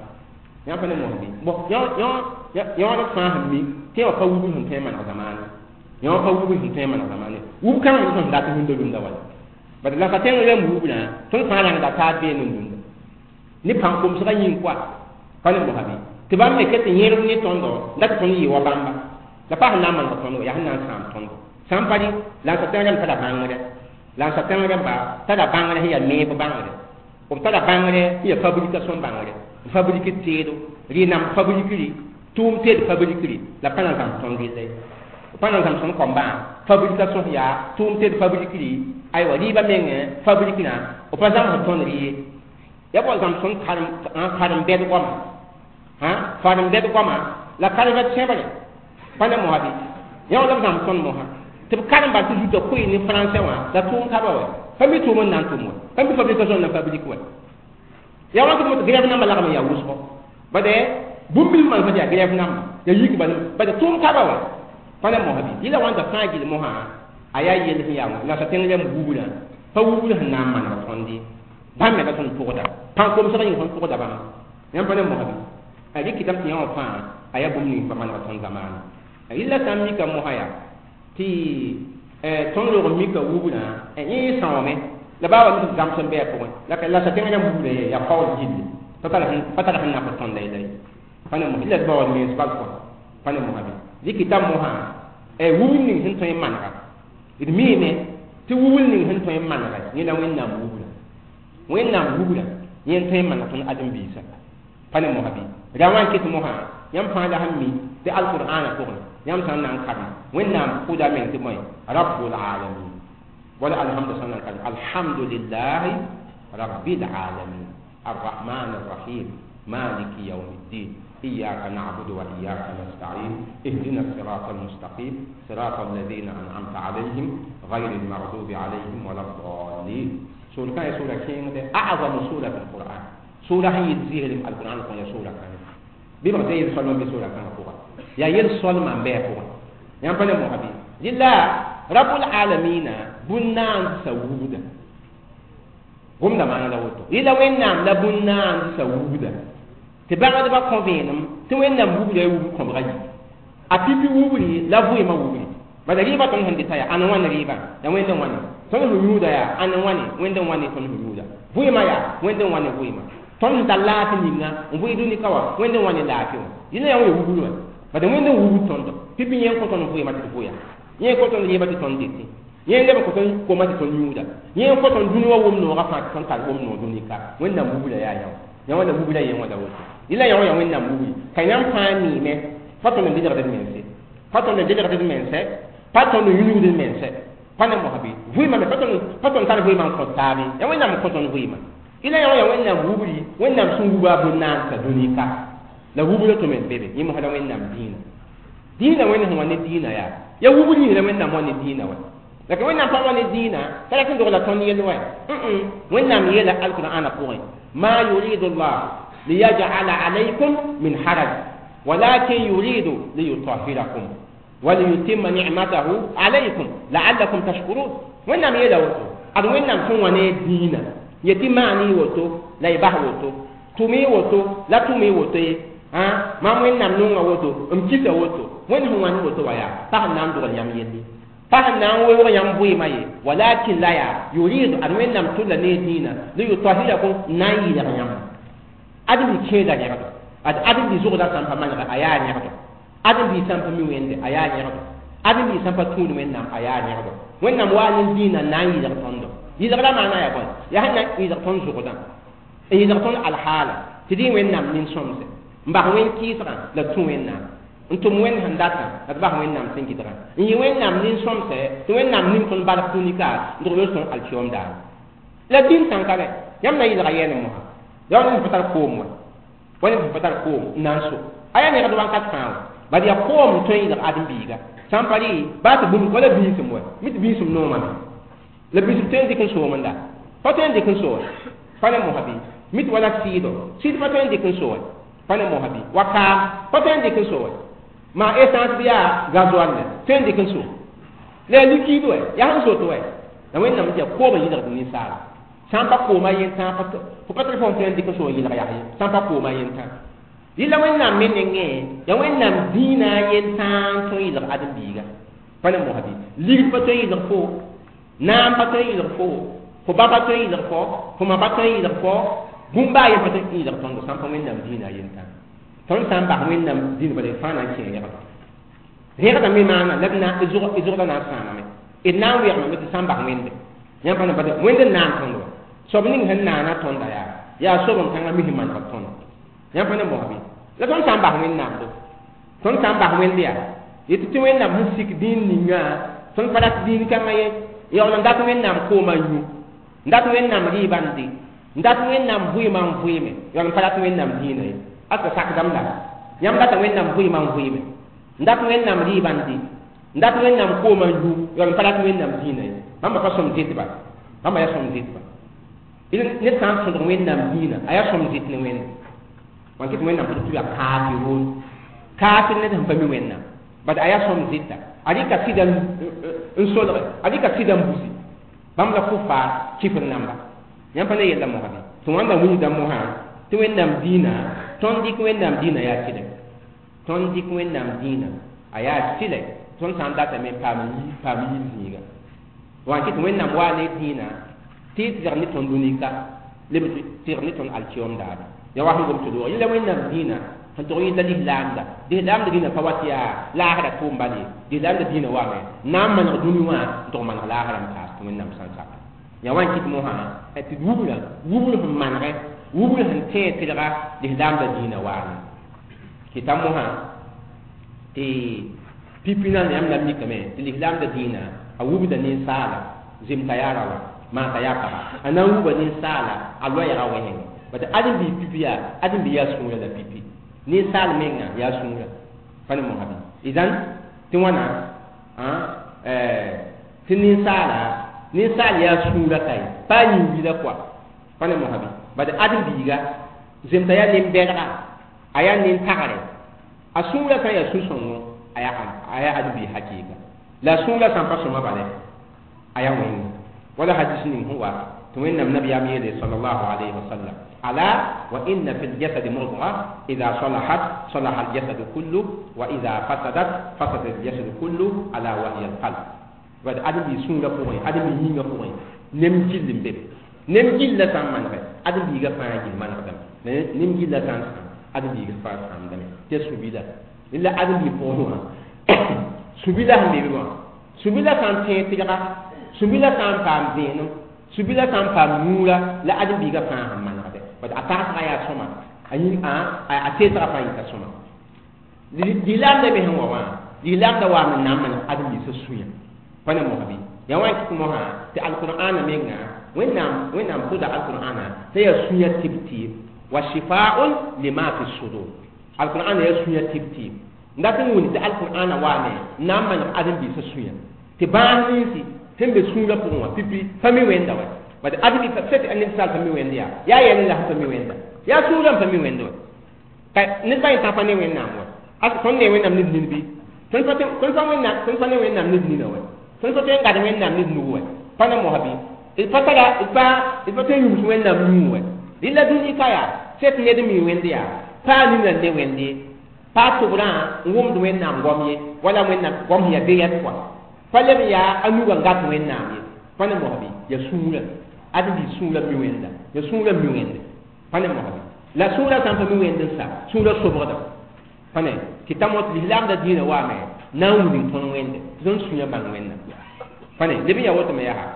yãmb pa ne mosã bɩ bon yõod fãa sẽn mi tɩ wã pa wubr sẽn tõe n maneg zamaane yõ pa wubr sẽn tõe n maneg zamaane wub kãngã me sẽn dat rũndã rũndã wala bad la sa tẽng rãmb wubnã tõnd fãa rãngda taab beene n rũndã ne pãn-komsgã yĩng koa pa ne mosã bɩ tɩ bãmb me ket n yẽrb ne tõndo la tɩ tõnd yɩ wa bãmba la pa sẽn na n maneg tõndo yaa sẽn na n sãam tõndo sã n pa rɩ la n sa tẽng rãmb tara bãngre la n sa tẽng rãmba tara bãngre sẽn yaa meeb bãngre b tara bãngre sẽn yaa fabrication bãngre n fabrike teedo rɩ-nam fabrikri tʋʋm teed fabrikri la pa na n zãms tõnd rɩlla ye pa na n zãms tõnd kõmbã fabrication sẽn yaa tʋʋm teed fabrikri aywa rɩɩbã mengẽ fabriknã b pa zãmsd tõnd rɩ ye ya bao zãms tõnd karen-bɛd goama faren-bɛd goama la karẽmã tẽbre pa ne mosã bɩ yã wã la b zãms tõnd mosã tɩ b karemba tɩ zuta koe ne frãnsɛ wã la tʋʋm ka ba wɛ pa mi tʋʋm n na n tʋm wɛ pa mi fabrication n na fabrique wɛ yaa wã tɩ b grève namba lagm n yaa wʋsgo bad bũmb bilf manesã tɩ yaa grève namba yaa yik ba bad tʋʋm ka ba wɛ pa ne mosã bɩ yɩla wãnda fãa gill mosã a yaa yell sẽn yaa la sa tẽng rãmb wubnã pa wubr sẽn na n maneg tõnd ye bãmb me la tõnd pʋgda pãn-komsgã yĩng tõnd pʋgda bãmba yãmb pa ne mosã bɩ a rɩkɩtame tɩ yã wã fãa a yaa bũmb ning pa maneg tõnd zamaana yɩla sã n mika mosã yaa tɩ tõnd log n mika wubnã yẽ sãoome la baa wa tɩ zãms n bɩ a pʋgẽ la sa tẽng rãmb wubnã ye yaa kaool gilli pa tar sẽn nak tõnda yella ye pa ne mosã yɩla d baood mens bal kɔ pa ne mosã bɩ rɩkɩta mosã wubr ning sẽn tõe n manega d miime Tɩ wubl ning sẽn tõe n manegɛ yẽ la Wẽnnaam wubra. Wẽnnaam wubra yẽ n tõe n maneg tõnd ãdem-biisã. Pa ne mosã bɩ? Ra wã n ket mosã, yãmb fãa la sẽn mi tɩ alqur'ãnã pʋgẽ, yãmb sã n na n karem, Wẽnnaam pʋda meng tɩ bõe? Rabbul alamin. Wala alhamdu sã n na n karem, alhamdulillahi rabbil alamin. الرحمن الرحيم مالك يوم الدين إياك نعبد وإياك نستعين اهدنا الصراط المستقيم صراط الذين أنعمت عليهم غير المغضوب عليهم ولا الضالين. سورة كان سورة كين أعظم سورة في القرآن. سورة هي تزيه القرآن كون سورة كان بما زي الصلم بسورة كان فوق يا يل صلم عم بيه فوق يا بني محبي لله رب العالمين بنان سوودا gomda maana la woto yɩla Wẽnnaam la bũn-naandsa wubda tɩ bãgdbã kõ vẽenem tɩ Wẽnnaam wubda ya wub kõbga yi a pipi wubri la vɩɩmã wubri bala rɩɩbã tõnd sẽn dɩta yaa ãn wãn rɩɩbã ya Wẽnd n wãne tõnd sẽn yũuda yaa ãn n wãne Wẽnd n wãne tõnd sẽn yũuda vɩɩmã yaa Wẽnd n wãne vɩɩmã tõnd sẽn tar laafɩ ninga n vɩɩ dũni ka wã Wẽnd n wãne laafɩ wã yẽla yaa wã ya wubr wã bala Wẽnd n wubd tõndo pipi yẽ n kõ tõnd vɩɩmã tɩ d vʋya yẽ n kõ tõnd rɩɩbã tɩ tõnd dɩtẽ yẽ leb n kõ tõnd koma tɩ tõnd yũuda yẽ n kõ tõnd dũni wã wʋm noogã fãa tɩ tõnd tar wʋm noog dũni ka Wẽnnaam wubra yaa yã yã wã la wubra yẽ wã la woto yẽla yã wã yaa Wẽnnaam wubri ka yãmb fãa miime pa tõnd n dedgd d mense pa tõnd n dedgd d mense pa tõnd n yũnugd d mense pa ne mosã bɩ vɩɩmã me pa tõnd tar vɩɩmã n kõt taabe yaa Wẽnnaam n kõ tõnd vɩɩmã yẽla yã wã yaa Wẽnnaam wubri Wẽnnaam sẽn wuba a bũn-naandsa dũni ka la wubra tʋ me n be be yẽ mosã la Wẽnnaam dĩinã dĩinã Wẽnd sẽn wa ne dĩinã yaa ya wubr yĩng la Wẽnnaam wa ne dĩinã wa لكن وين طبعا الدين فلكن دغلا تون يلوى وين يلا القرآن قوي ما يريد الله ليجعل عليكم من حرج ولكن يريد ليطهركم وليتم نعمته عليكم لعلكم تشكرون. وين يلا وتو أد وين تون وني دين يتم معني وتو لا يبه وتو تومي وتو لا تومي وتو ها ما وين نونغ وتو امكيسا وتو وين هو وني وتو ويا فهنا ندغل يام يلي فهنا نان ويم بويما ولكن لا يريد أن وينام تول نيدينا ليطهركم نايل يام أدم كيدا يغدو أدم دي زوغدا سامبا مانغا أيا يغدو أدم دي سامبا مي ويند أيا يغدو أدم دي سامبا تون وينام أيا يغدو وينام وان دينا نايل تندو يزغدا معنا يا بون يا هنا يزغتون زوغدا يزغتون الحالة تدين وينام نين سومس مبا وين كيسرا لا تون وينام n tʋm Wẽnd sẽn datã la d bas Wẽnnaam sẽn gɩdgã n yɩ Wẽnnaam nin-sõmsɛ tɩ Wẽnnaam ning tõnd bark dũni-ka n dog yos tõnd alkiyoom daar la dĩn sãnka rɛ yãmb na yɩlga yɛɛne mosã ya wa ned sẽn pa tar koom wa wa ned sẽn pa tar koom n na n so a yaa negd wãnkat fãa wa bad yaa koom n tõe n yɩlg ãdem-biiga sã n pa rɩ baa tɩ bũmb wala biisem wa mi tɩ biisem noomame la biisem tõe n dɩk n soomenda pa tõe n dɩk n so pa ne mosã bɩ mi tɩ wala sɩɩdo sɩɩd pa tõe n dɩk n so pa ne mosã bɩ wa kaam pa tõe n dɩk n so ma essence biya gasoil ne tõe n dɩk n so la liquide wɛ yaa sẽn soto wɛ la Wẽnnaam tɩ yaa kooma yɩlgd ninsaala sã n pa kooma yentã fo pa tɩ fo n tõe n dɩk n so n yɩlg yaa ye sã n pa kooma yentã yɩla Wẽnnaam me nengẽ yaa Wẽnnaam dĩinã yentã n tõe n yɩlg ãdem-biiga pa ne mosã bɩ ligd pa tõe n yɩlg fo naam pa tõe n yɩlg fo fo ba pa tõe n yɩlg fo fo ma pa tõe n yɩlg fo bũmb baa yen pa tõe n yɩlg tõndo sã n pa Wẽnnaam dĩinã yentã tõnd sã n bas Wẽnnaam dĩin bala fãa na n kẽ rẽgda rẽgda me maana la d zʋgda na n sãamame d na n wegmame tɩ sã n bas Wẽnde yãmb pa na bad Wẽnd n naan tõnd wa soab ning sẽn naana tõnda yaa yaa soab n kãngã mis n maneg tõnd yãmb pa ne mosã bɩ la tõnd sã n bas Wẽnnaam do tõnd sã n bas Wẽnd yaa yetɩ tɩ Wẽnnaam sẽn sik dĩin ninga tõnd pa rat dĩin kãngã ye yaool n dat Wẽnnaam koomã yũ n dat Wẽnnaam rɩɩbã n dɩ n dat Wẽnnaam vɩɩmã n vɩɩme yaool n pa rat Wẽnnaam dĩinã ye asa sakdame la yãmb data Wẽnnaam vɩɩmã n vɩɩme n dat Wẽnnaam rɩɩbã n dɩ n dat Wẽnnaam koomã yũ yaool n pa rat Wẽnnaam dĩinã ye bãmba pa sõm zɩtba bãmba yaa sõm zɩtba ned sã n tõdg Wẽnnaam dĩinã a yaa sõm zɩt ne Wẽnde wãn kɩ tɩ Wẽnnaam tɩ yaa kafirun kafir ned sẽn pa mi Wẽnnaam bad a yaa sõm zɩta a rɩka sɩda n solge a rɩka sɩda n busi bãmb la kufaar kifr namba yãmb pa ne yella mosã bɩ tɩ wãnda wilgda mosã tɩ Wẽnnaam dĩinã tõnd dɩk Wẽnnaam dĩinã yaa tɩlɛ tõnd dɩk Wẽnnaam dĩinã a yaa tɩlɛ tõnd sã n datame n paam yiib zĩiga wã kɩ tɩ Wẽnnaam waa ne dĩinã tɩ y tɩlg ne tõnd dũni ka leb tɩlg ne tõnd alkiyom daare ya wa sẽn gom tɩ loog yẽla Wẽnnaam dĩinã Sẽn tog yɩ la lislaamda lislaamda dĩnã pa wat yaa laasra tʋʋm bal ye lislaamda dĩnã wame na n maneg dũni wã n tog maneg laasrã n paas tɩ wẽnnaam sã n saka yaa wa n kɩt mosã tɩ wubra wubr sẽn manegɛ wubr sẽn tẽe tɩlga lislaamda dĩnã waame kɩta mosã tɩ pipi na yãmb la mikame tɩ lislaamda dĩnã a wubda ninsaala zemta yaa rawa maata yaa paga a na n wuba ninsaala a loɛɛga wẽseng bat ãdem-biis pipi yaa ãdem-bi yaa sũurã la pipi ninsaal menga yaa sũurã pa ne mosã bɩ idan tɩ wãna tɩ ninsaala ninsaal yaa sũurã ka ye pa a yĩn-wila koa pa ne mosã bɩ bat ãdem-biiga zemta yaa nin-bɛdga a yaa nin-tagre a sũurã sã n yaa sũ-sõngo a yaa ãdem-biig hakɩɩka la a sũurã sã n pa sõma bala a yaa wẽnga wala hadis ning sẽn wa tɩ wẽnnaam nabiyaam yeele sallallahu alayhi wa sallam ala wa inna fi ljasadi mudga ida salahat salaha aljasadu kullu wa ida fasadat fasada aljasadu kullu ala wa hiya alqalb bad ãdem-biig sũurã pʋgẽ ãdem-biig yĩngã pʋgẽ nem gill n be be nem gilla sã n manegɛ ãdem-biigã fãa gill manegdame nem gilla sã n sãam ãdem-biigã fãa sãamdame tɩ sũ-bila la ãdem-biig pʋgẽ wã sũ-bila sẽn be be wã sũ-bila sã n tẽeg tɩlga sũ-bila sã n paam vẽenem sũ-bila sã n paam yũura la ãdem-biigã fãa sẽn manegdɛ bat a tagsga yaa sõma a teesga fãa yita sõma lislaamda me sẽn wa wã lislaamda waam n na n maneg ãdem-biisã sũyã pa ne mosã bɩ yaa wa n kɩt mosã tɩ alqur'ana menga wẽnnaam pʋda alqur'ana t'a yaa sũyã tɩb-tɩɩb wa shifaun lima fi sudur alqur'ana yaa sũyã tɩb-tɩɩb n dat n wʋnd tɩ alqur'ana waame n na n maneg ãdem-biisã sũyã tɩ bãas ninsi sẽn be sũurã pʋgẽ wã pipi pa mi wẽnda wa bat ãdem sẽn tɩ ninsaal pa mi wẽnd yaa yaa yɛl la sẽn pa mi wẽnda yaa sũurã n pa mi wẽnd wa ka ned ba yẽ pa ne wẽnnaam wa tõnd ne wẽnnaam ned nin bɩ tõnd pa ne wẽnnaam ned nina wa tõnd pa tõe n gad wẽnnaam ned nug wa pa ne mosã bɩ d pa tara d pa tõe n yũms wẽnnaam yũu wa rɩla dũni ka yaa sẽt ned mi wẽnd yaa pa nina n ne wẽnd ye pa tʋbrã n wʋmd wẽnnaam goam ye wala wẽnnaam goam sẽn yaa be-yɛd pʋa pa leb n yaa a nugã n gat wẽnnaam ye pa ne mosã bɩ yaa sũurã ãdem-biis sũurã mi wẽnda yaa sũurã mi wẽnde pa ne mosã bɩ la sũurã sã n pa mi wẽnd n sa sũurã sobgda pa ne tɩ ta mot lislaamda dĩinã waame na n wilg tõnd wẽnde tɩ tõnd sũyã bãng wẽnna pa ne leb n yaa woto me yaa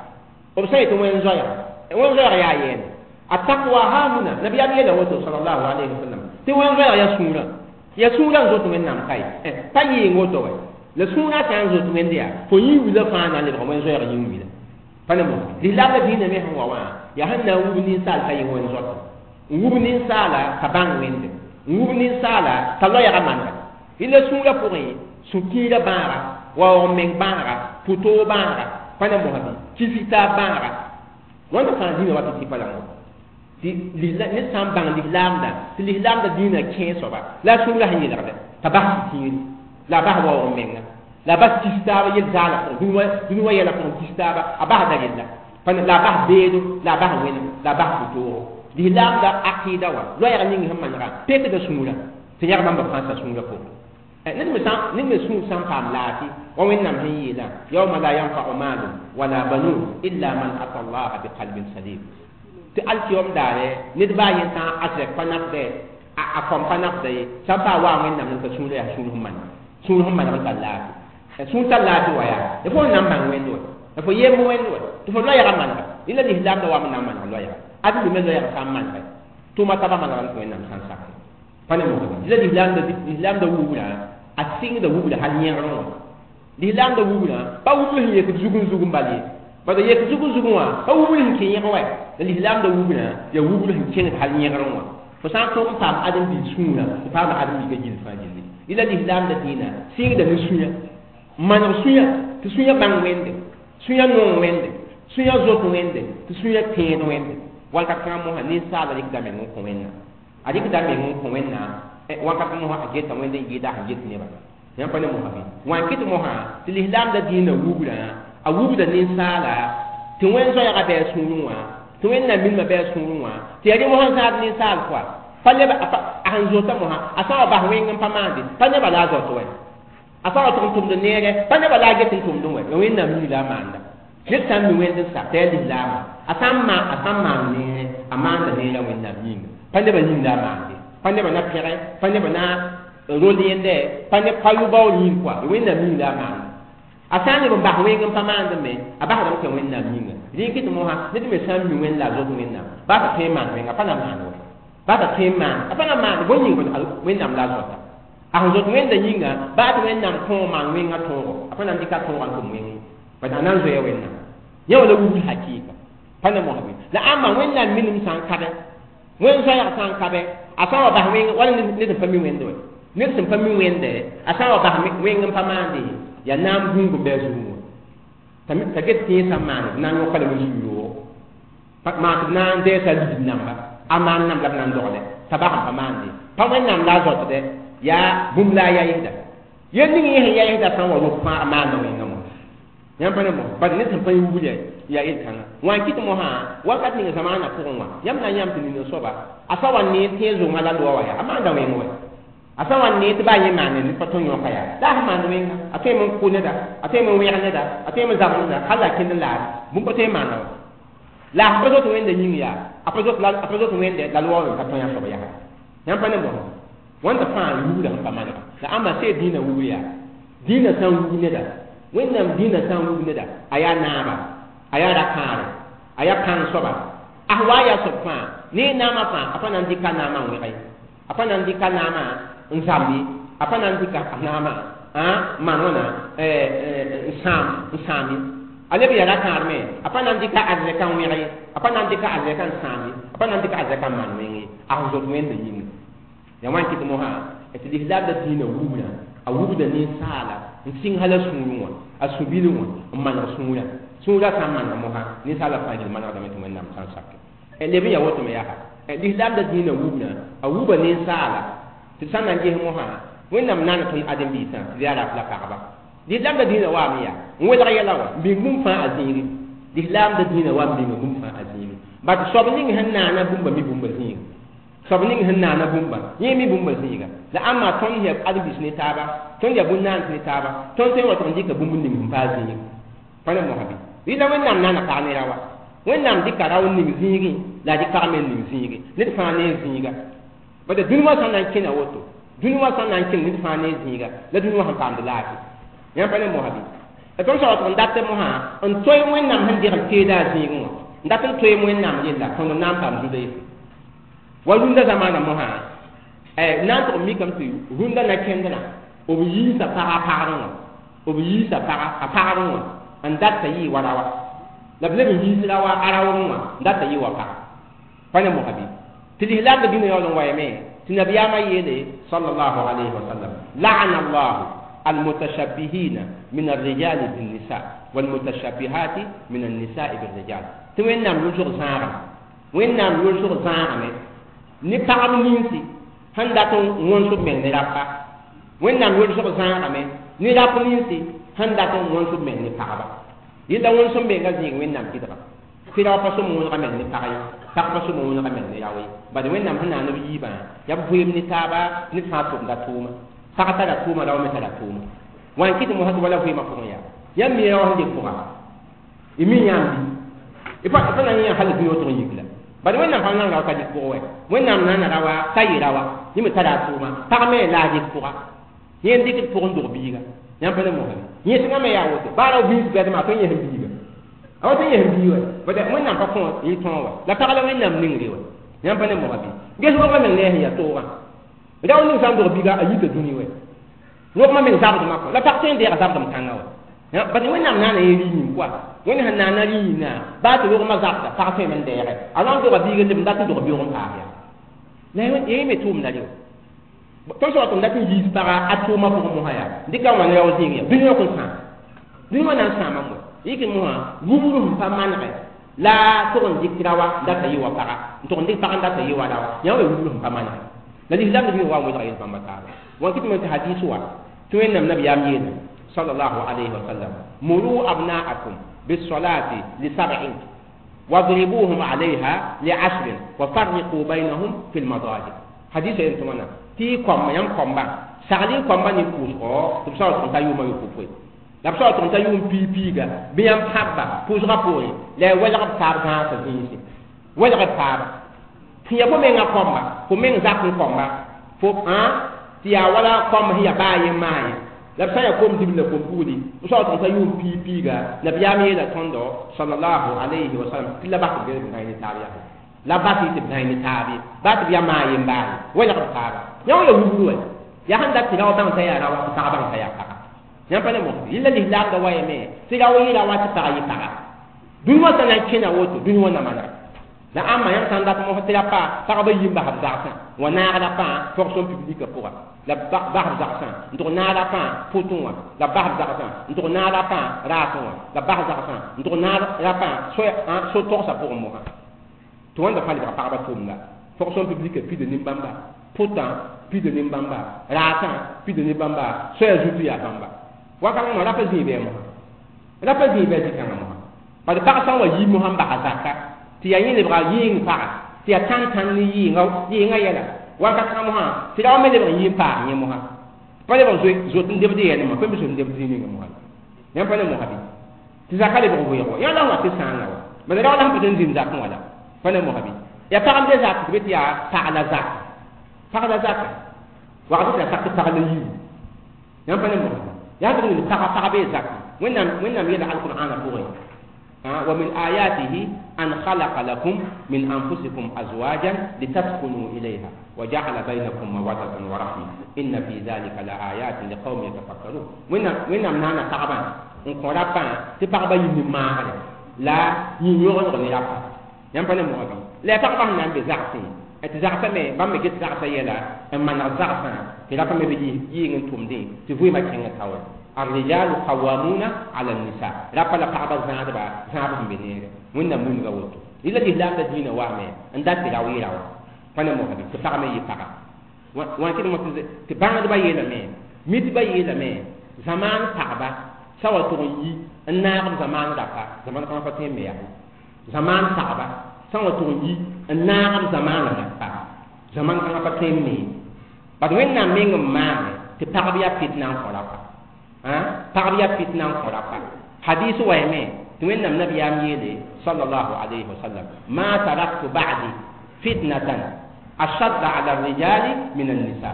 b sã yetɩ wẽn zoɛɛga wẽn zoɛɛg yaa yɛɛne attaqwa hahuna nabiyaam yeela woto sallallahu alayhi wa sallam tɩ wẽn zoɛɛg yaa sũurã yaa sũurã n zot wẽnnaam ka ye pa yɩɩng woto wɛ la sũurã sã n zot wẽnd yaa fo yĩn-wila fãa na n lebg wẽn zoɛɛg yĩn-wila pa ne mosã lislaamda dĩinã me sẽn wa wã yaa sẽn na n wub ninsaal ka yẽ wẽn zoata n wub ninsaala ka bãng wẽnde n wub ninsaala t'a loɛɛga manega rɩla sũurã pʋgẽ sũ-kiirã bãaga waoog meng bãaga pʋtoog bãaga pa ne mosã bɩ kisg-taab bãaga wãnda fãa dĩinã wa tɩ tɩ pa la wã tɩ ned sã n bãng lislaamda tɩ lislaamda dĩinã kẽe soaba la a sũurã sẽn yelgdɛ t'a bas sũ-kiiri la a bas waoog menga la a bas kis-taaba yel-zaala pʋgẽ dũni wã yɛla pʋgẽ kis-taaba a basda rella la a bas beedo la a bas wẽnem la a bas pʋtoogo lislaamda aqɩɩda wã loɛɛg ning sẽn manega pekda sũurã tɩ yãg bãmba fãa sa sũurã pʋgẽ ned me sũur sã n paam laafɩ wa wẽnnaam sẽn yeelã yauma la yanfau malun wala banun illa man ata allaha biqalbin salim tɩ alkiyom daare ned baa yẽ sã a zɛk pa nafdɛ a kõm pa nafda ye sã n paa waa wẽnnaam n ka sũurã yaa sũur sẽn maneg sũur sẽn maneg n tar laafɩ sũur tar laafɩ wa yaa d fo n na n bãng wẽnd wa d fo yemb wẽnd wa tɩ fo loɛɛga manega rẽla lislaamda wa m na n maneg loɛɛga ãdem me loɛɛg sã n manegɛ tʋʋma taba manegame tɩ wẽnnaam sã n sak pa ne mosã rẽla lislaamda wubra a sɩngda wubra hal yẽgrẽ wã lislaamda wubra pa wubr sẽn yek zugẽ zugẽ bal ye bala yek zugẽ zugẽ wã pa wubr sẽn kẽ yẽg wɛ la lislaamda wubra yaa wubr sẽn kẽngd hal yẽgrẽ wã fo sã n tõog n paam ãdem-biig sũurã fo paama ãdem-biigã gill fãa gilli rẽla lislaamda dĩinã sɩngda ne sũyã n maneg sũyã tɩ sũyã bãng wẽnde sũyã nong wẽnde sũyã zot wẽnde tɩ sũyã tẽed wẽnde wakat kãngã mosã ninsaala rɩkda meng n kõ wẽnnaam a rɩkda meng n kõ wẽnnaam wakat mosã a geta wẽnd n yɩɩda sẽn get nebã yãmb pa ne mosã bɩ wã n kɩt mosã tɩ lislaamda dĩinã wubra a wubda ninsaala tɩ wẽn zoɛɛga bɩ a sũurẽ wã tɩ wẽnnaam minimã bɩ a sũurẽ wã tɩ yaa rẽ mosã zãad ninsaal pʋa pa leb a sẽn zota mosã a sã wa bas wẽng n pa maande pa nebã la a zaot wɛ a sã wa tʋg n tʋmd neerɛ pa nebã la a get n tʋmdẽ wɛ ya wẽnnaam yĩng la a maanda ned sã n mi wẽnd n sa tɩ yaa lislaama a sã n maan neere a maanda neerã wẽnnaam yĩnga pa nebã yĩng la a maande. Pa nebã na pẽge, pa nebã na rol yẽnde, pa ne pa yʋ-baoor yĩng kɔa, Wẽnnaam yĩng la a maanda. A sã n leb n bas wẽng n pa maand me, a basdame tɩ Wẽnnaam yĩnga. Rẽ kɩ tɩ mosã, ned me sã n mi Wẽnd la a zoet Wẽnnaam, baa t'a tõe n maan wẽnga, a pa na maan wa. Baa t'a tõe n maan, a pa na maan bõe yĩng Wẽnnaam la a zoeta. A sẽn zoet Wẽnda yĩnga, baa tɩ Wẽnnaam kõo maan wẽngã tõogo, a pa na n dɩka tõogã n tʋm wẽng ye. Bad a na n zoea Wẽnnaam. Yẽ wã la wubd hakɩɩka. Pa ne mosã bɩ. La ãmba Wẽnnaam minim sã n kabe, Wẽnd zoɛɛg sã n kabe, a sã n wa bas wẽng, wala ned sẽn pa mi Wẽnde wɛ. Ned sẽn pa mi Wẽnde, a sã n wa bas wẽng n pa maande, yaa naam gũung n bɩ a zugẽ wã. T'a get tɩ yẽ sã n maane, b na n yõka lame zu-yoogo. Maan tɩ b na n dɛɛsa ligd namba, a maan namb la b na n dogle, t'a bas n pa maande. Pa Wẽnnaam la a zoatdɛ, yaa bũmb la a yaɩsda. Yel ning yẽ sẽn yaɩsda sã n wa rok fãa a maanda wẽngã wã. Yãmb pa ne mosã, bad ned sẽn pa yẽ wubl yaa yel-kãngã. Wã n kɩt mosã, wakat ning zamaanã pʋgẽ wã, yãmb na n yãmb tɩ nina soaba, a sã wa ne tẽeg zongã la loa wã yaa, a maanda wẽng wɛ. A sã wa ne tɩ baa yẽ maane ned pa tõe n yõka yaa, la a sẽn maand wẽnga, a tõeme n kʋ neda, a tõeme n wẽg neda, a tõeme n zabd neda, hal la a kẽnd n laad, bũmb pa tõe n maana wã. La a sẽn pa zoet Wẽnda yĩng yaa, a pa zoet Wẽnde la loa wã me pa tõe a soab yaa. Yãmb pa ne mosã, wãnda fãa wubra sẽn pa manega. La ãmba see dĩinã wubr yaa, dĩinã sã n wub neda, Wẽnnaam dĩinã sã n wub neda, a yaa naaba, a yaa ra-kãare, a yaa pãng soaba, a sẽn wa yaa soab fãa, ne naamã fãa, a pa na n dɩka naamã n wẽg ye, a pa na n dɩka naamã n zamb ye, a pa na n dɩka naamã n maan wãna n sãam n sãam ye. A leb yaa ra-kãar me, a pa na n dɩka arzɛka n wẽg ye, a pa na n dɩka arzɛka n sãam ye, a pa na n dɩka arzɛka n maan wẽng ye, a sẽn zoet Wẽnda yĩnga. Yaa wãn kɩt mosã, tɩ lislaam la dĩinã wubra, a wubda ninsaala n sɩng hal a sũurẽ wã, a sũ-bilẽ wã n maneg sũurã. Sũurã sã n maneg mosã, ninsaala fãa gil manegdame tɩ Wẽnnaam sã n sake. Leb n yaa woto me yaa, lislaam la dĩinã wubra, a wuba ninsaala tɩ d sã n na n ges mosã, Wẽnnaam naana tõnd ãdem-biisã tɩ d yaa rap la pagba. Lislaam la dĩinã waame yaa n welg yɛla wã, n bĩng bũmb fãa a zĩigi. Lislaam la dĩinã wa n bĩnga bũmb fãa a zĩigi. Bat soab ning sẽn naana bũmba mi bũmba zĩiga. Soab ning sẽn naana bũmba, yẽ mi bũmba zĩiga. La ãmba tõnd yaa ãdem-biis ne taaba, tõnd yaa bũn-naans ne taaba, tõnd tõe n wa tɩ n dɩka bũmb ning sẽn pa a zĩiga. Pa ne mosã bɩ. Rɩla Wẽnnaam naana pag ne ra wã. Wẽnnaam dɩka rao n ning zĩigẽ, la a dɩk pag me n ning zĩige. Ned fãa ne zĩiga. Bala dũni wã sã n na n kẽna woto, dũni wã sã n na n kẽng ned fãa ne zĩiga, la dũni wã sẽn paamd laafɩ. Yãmb pa ne mosã bɩ. La tõnd sã wa tɩ n dat mosã n toe Wẽnnaam sẽn degl teeda a zĩigẽ wã, n dat n toeem Wẽnnaam yella, tõnd n na n paam zu-deese. Wa rũndã zamaanã mosã, na n tʋg n mikame tɩ rũndã na kẽndrã, b yiisa pag a pagrẽ wã, b yiisa pag a pagrẽ wã n dat t'a yɩɩ wa raoa. La b leb n yiis raoa a raoogẽ wã n dat t'a yɩ wa paga. Pa ne mosã bɩ. Tɩ lislaamdã dĩnã yaool n waame tɩ nabiyaamã yeele sallallahu alayhi wa sallam, la'ana Allahu almutashabbihina min arrijali binnisa walmutashabbihati min annisa'i birrijal. Tɩ Wẽnnaam yʋlsg zãagame, Wẽnnaam yʋlsg zãagame ne pagb ninsi sẽn dat n wõns b meng ne rapa. Wẽnnaam yʋlsg zãagame ne rap ninsi sẽn dat n wõns b meng ne pagba. Yella wõns b menga zĩig Wẽnnaam kɩdga. Tɩ rao pa sõm wõnega meng ne pag ye, pag pa sõm wõnega meng ne rao ye. Bad Wẽnnaam sẽn naan b yiibã, yaa b vɩɩm ne taaba, ned fãa tʋmda tʋʋma. Pag tara tʋʋma, rao me tara tʋʋma. Wã n kɩt mosã tɩ wala vɩɩmã pʋgẽ yaa. Yãmb mi rao sẽn dɩk pʋga, y mi yãmb bɩ. Y pa na n yã hal dũni wã tʋg n yik la. Bad Wẽnnaam pa nan rao t'a dɩk pʋgẽ wɛ. Wẽnnaam naana raoa t'a yɩ raoa, yẽ me tara a tʋʋma. Pag me la a dɩk pʋga. Yẽ n dɩkd pʋg n dog biiga. Yãmb pa ne mosã bɩ. Yẽsgã me yaa woto. Baa rao biis bɛdmã, a tõe n yẽsem biiga. A wa tõe n yẽsem biig wɛ. Bad Wẽnnaam pa kõ yẽ tõog wɛ. La pag la Wẽnnaam ningre wɛ. Yãmb pa ne mosã bɩ. Ges rogmã meng ne a sẽn yaa toogã. Rao ning sã n dog biiga, a yita dũni wɛ. Rogmã meng zabdmã kɔ. La pag tõe n deega zabdem kãngã wɛ. Bad Wẽnnaam naana yẽ rɩ-yĩng koa. Wẽnd sẽn naana rɩ-yĩngã, baa tɩ rogmã zabda, pag tõeme n deege. A na n doga biig n leb n dat n dog beoog n paas yaa. La yẽ me tʋʋmda re wã. Tõnd sã wa tɩ n dat n yiis paga a tʋʋmã pʋgẽ mosã yaa, dɩka wãn rao zĩig yaa, dũni wã kõn sãam. Dũni wã na n sãamame wɛ. Yɩk mosã, wubr sẽn pa manegɛ la tʋg n dɩk raoa n dat t'a yɩ wa paga, n tʋg n dɩk pag n dat t'a yɩ wa raoa. Yã wã wubr sẽn pa manegɛ. La lislaam dũni wa n welga yel-bãmba taaba. Wã kɩt me tɩ hadis wa, tɩ Wẽnnaam nabiyaam yeelame sallallahu alayhi wa sallam, muru abna'akum bis-salati li sab'in wadribuhum 'alayha li 'ashrin wa farriqu baynahum fil madaji. Hadis yen tɩ wãna tɩ y kõmba, yãmb kõmba, sagl y kõmba ne pʋʋsgɔ tɩ b sã wa tʋg t'a yʋʋma yopoe. La b sã wa tʋg t'a yʋʋm piig-piiga, bɩ yãmb pãbba pʋʋsgã poorẽ, la y welg b taab zãasã zĩisi. Welg b taaba. Sẽn ya fo menga kõmba, fo meng zak n kõmba, fo tɩ yaa wala kõmb sẽn ya baa yẽ maa ye. La b sã n yaa kom dibl la kom pugli, b soab tɩ sã yʋʋm piig piiga, nabiyaam yeela tõndo sallallahu alayhi wa sallam tɩ la bas tɩ b gãe ne taab yaa. La bas tɩ b gãe ne taab ye, baa tɩ b yaa maa yen baa ye, welg b taaba. Yã wã ya wubru wɛ. Yaa sẽn dat tɩ rao bãng t'a yaa raoã, tɩ pag bãng t'a yaa paga. Yãmb pa ne mosg. Yella lislaamda wa yame tɩ rao yɩ raoã tɩ pag yɩ paga. Dũni wã sã na n kẽna woto, dũni wã na manega. La ãmba yãmb sã n dat mos tɩ ra pa pagba yi n bas b zagsã, wã naag rapã fonction publique pʋga, la bas b zagsã n tʋg naag rapã pʋtẽ wã, la bas b zagsã n tʋg naag rapã raasẽ wã, la bas zagsã n tʋg naag rapã so-togsã pʋgẽ mosã. Tɩ wãnda fãa lebga pagba tʋʋmda. Fonction publique pida nin-bãmba, pʋtã pida nin-bãmba, raasã pida nin-bãmba, soaya zutu yaa bãmba. Wakãngã mosã rapa zĩig bɩ mosã. Rapa zĩig bɩ zĩ-kãngã mosã. Bad pag sã n wa yi mosã n basa zaka, tɩ yaa yẽ lebga yɩɩng paga, tɩ yaa tãn-tãn ne yɩɩngã yɛla. Wakat kãngã mosã, tɩ rao me lebg n yɩ n paas yẽ mosã. Pa lebg zoet n debd yɛl mosã, pa me zoet n debd zĩ ninga mosã. Yãmb pa ne mosã bɩ? Tɩ zaka lebg wɩɩg wa. Yã la wa tɩ sãanga wa. Bad rao la sẽn pa tɩ n zĩnd zakẽ wã la. Pa ne mosã bɩ? Yaa pag n be zak tɩ be tɩ yaa pag la zaka. Pag la zaka. Wagd tɩ la sak tɩ pag la yiibu. Yãmb pa ne mosã bɩ? Yaa tɩ wilg pagã pag bee zakẽ. Wẽnnaam yeela alqur'aanã pʋgẽ. ومن آياته أن خلق لكم من أنفسكم أزواجا لتسكنوا إليها وجعل بينكم مودة ورحمة إن في ذلك لآيات لقوم يتفكرون. وين نانا تعبا n kõ rapa tɩ pagba yĩnd maagre la yĩn-yõgdg ne rapa. Yãmb pa ne moga bɩ? La yaa pagba sẽn na n be zagsẽ, tɩ zagsã me bãmb me get zagsã yɛla n maneg zagsã tɩ rapa me be yɩɩng n tʋmdẽ tɩ vɩɩmã kẽng taoore. الرجال قوامون على النساء. رapa la pagba zãadba zãab sẽn be neere. Wẽnnaam wilga woto. Rɩla lislaamda dĩinã waame n dat tɩ rao yɩ raoã. Pa ne moga bɩ? Tɩ pag me yɩ paga. Wã kɩd mos tɩ bãngdbã yeelame, mitbã yeelame, zamaan pagba sã wa tʋg n yi n naag b zamaan rapa, zaman kãngã pa tõe n me yaa. Zamaan pagba sã wa tʋg n yi n naag b zamaan rapa, zaman kãngã pa tõe n me. Bad Wẽnnaam meng n maane tɩ pagb yaa fitna n kõ rapa. Pagb yaa fitna n kõ rapa. Hadis wa yame tɩ Wẽnnaam nabiyaam yeele sallallahu alayhi wa sallam: ma taraktu ba'di fitnatan ashadda ala rijali min an-nisa.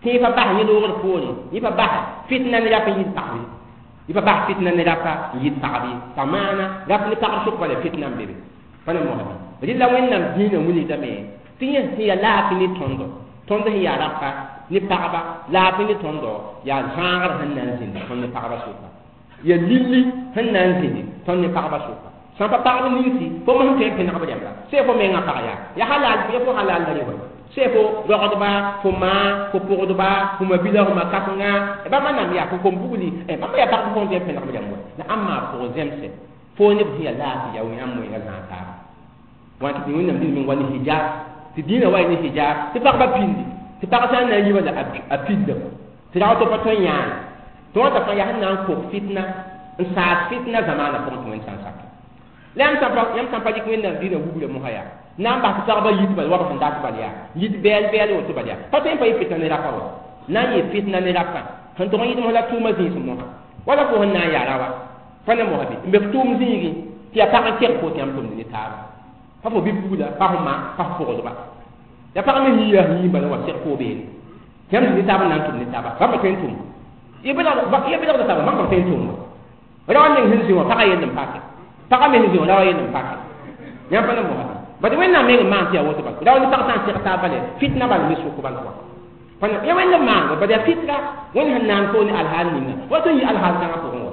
Tɩ yẽ pa bas yẽ loogr poorẽ, yẽ pa bas fitna ne rap n yit pagb ye. Yẽ pa bas fitna ne rapa n yit pagb ye. Pa maana rap ne pagb sʋk bala fitna n be be. Pa ne mosa bɩ? Rɩla Wẽnnaam dĩinã wilgdame tɩ yẽ sẽn yaa laafɩ ne tõndo, tõnd sẽn yaa rapa ne pagba, laafɩ ne tõndo yaa zãagr sẽn na n zĩndi tõnd ne pagba sʋka. Yaa lilli sẽn na n zĩndi tõnd ne pagba sʋka. Sã n pa pagb ninsi, fo mos n tõe n pẽneg b rẽmba. Sẽn fo menga pag yaa, yaa halal, yaa fo halal la rɩ wa. Sẽn fo rogdba, fo maa, fo pʋgdba, fo mabila, fo makasengã, bãmba nam yaa fo kom bugli, bãmba yaa pagb fo n tõe n pẽneg b rẽmb wa. La ãmb maa pʋgẽ zẽmse, fo neb sẽn yaa laafɩ yaa yãmb wẽnga zãag taaba. Wã tɩ Wẽnnaam dĩnã meng wa ne hijab, tɩ dĩinã wa ne hijab, tɩ pagba pindi, tɩ pag sã n na n yi bala a pindame, tɩ rao tɩ pa tõe n yãane. Tɩ wãnta fãa yaa sẽn na n kok fitna, n saas fitna zamaanã pʋgẽ tɩ Wẽnd sã n sake. La yãmb sã n pa dɩk Wẽnnaam dĩinã wubra mosã yaa, na n bas tɩ pagba yit bala wa b sẽn dat bala yaa, yit bɛɛl bɛɛl woto bala yaa, pa tõe n pa yɩ fitna ne rapa wa. Na n yɩ fitna ne rapa, sẽn tʋg n yɩt mos la tʋʋmã zĩis mosã. Wala fo sẽn na n yaa raoã, pa ne mosã bɩ, n be f tʋʋm zĩigẽ, tɩ yaa pag n keg fo tɩ yãmb tʋmd ne taaba. Pa fo bi-pugla, pa fo ma, pa fo pʋgdba. Ya pag me yĩa yĩm bala wa seg fo beene. Yãmb zĩ ne taab n na n tʋm ne taaba, bãmb pa tõe n tʋm. Yẽ belgda taaba, bãmb pa tõe n tʋm wa. Rao neng sẽn zĩ wã, pagã yell n pake. Pagã me sẽn zĩ wã, raoã yell n pake. Yãmb pa ne mosã bɩ? Bad Wẽnnaam meng n maan tɩ yaa woto bala. Rao ne pag sã n seg taab bala, fitna bala me sʋk bala wa. Ya Wẽnd n maango, bad yaa fitra, Wẽnd sẽn naan fo ne alhaal ninga, wa tõe n yɩ alhaal kãngã pʋgẽ wa.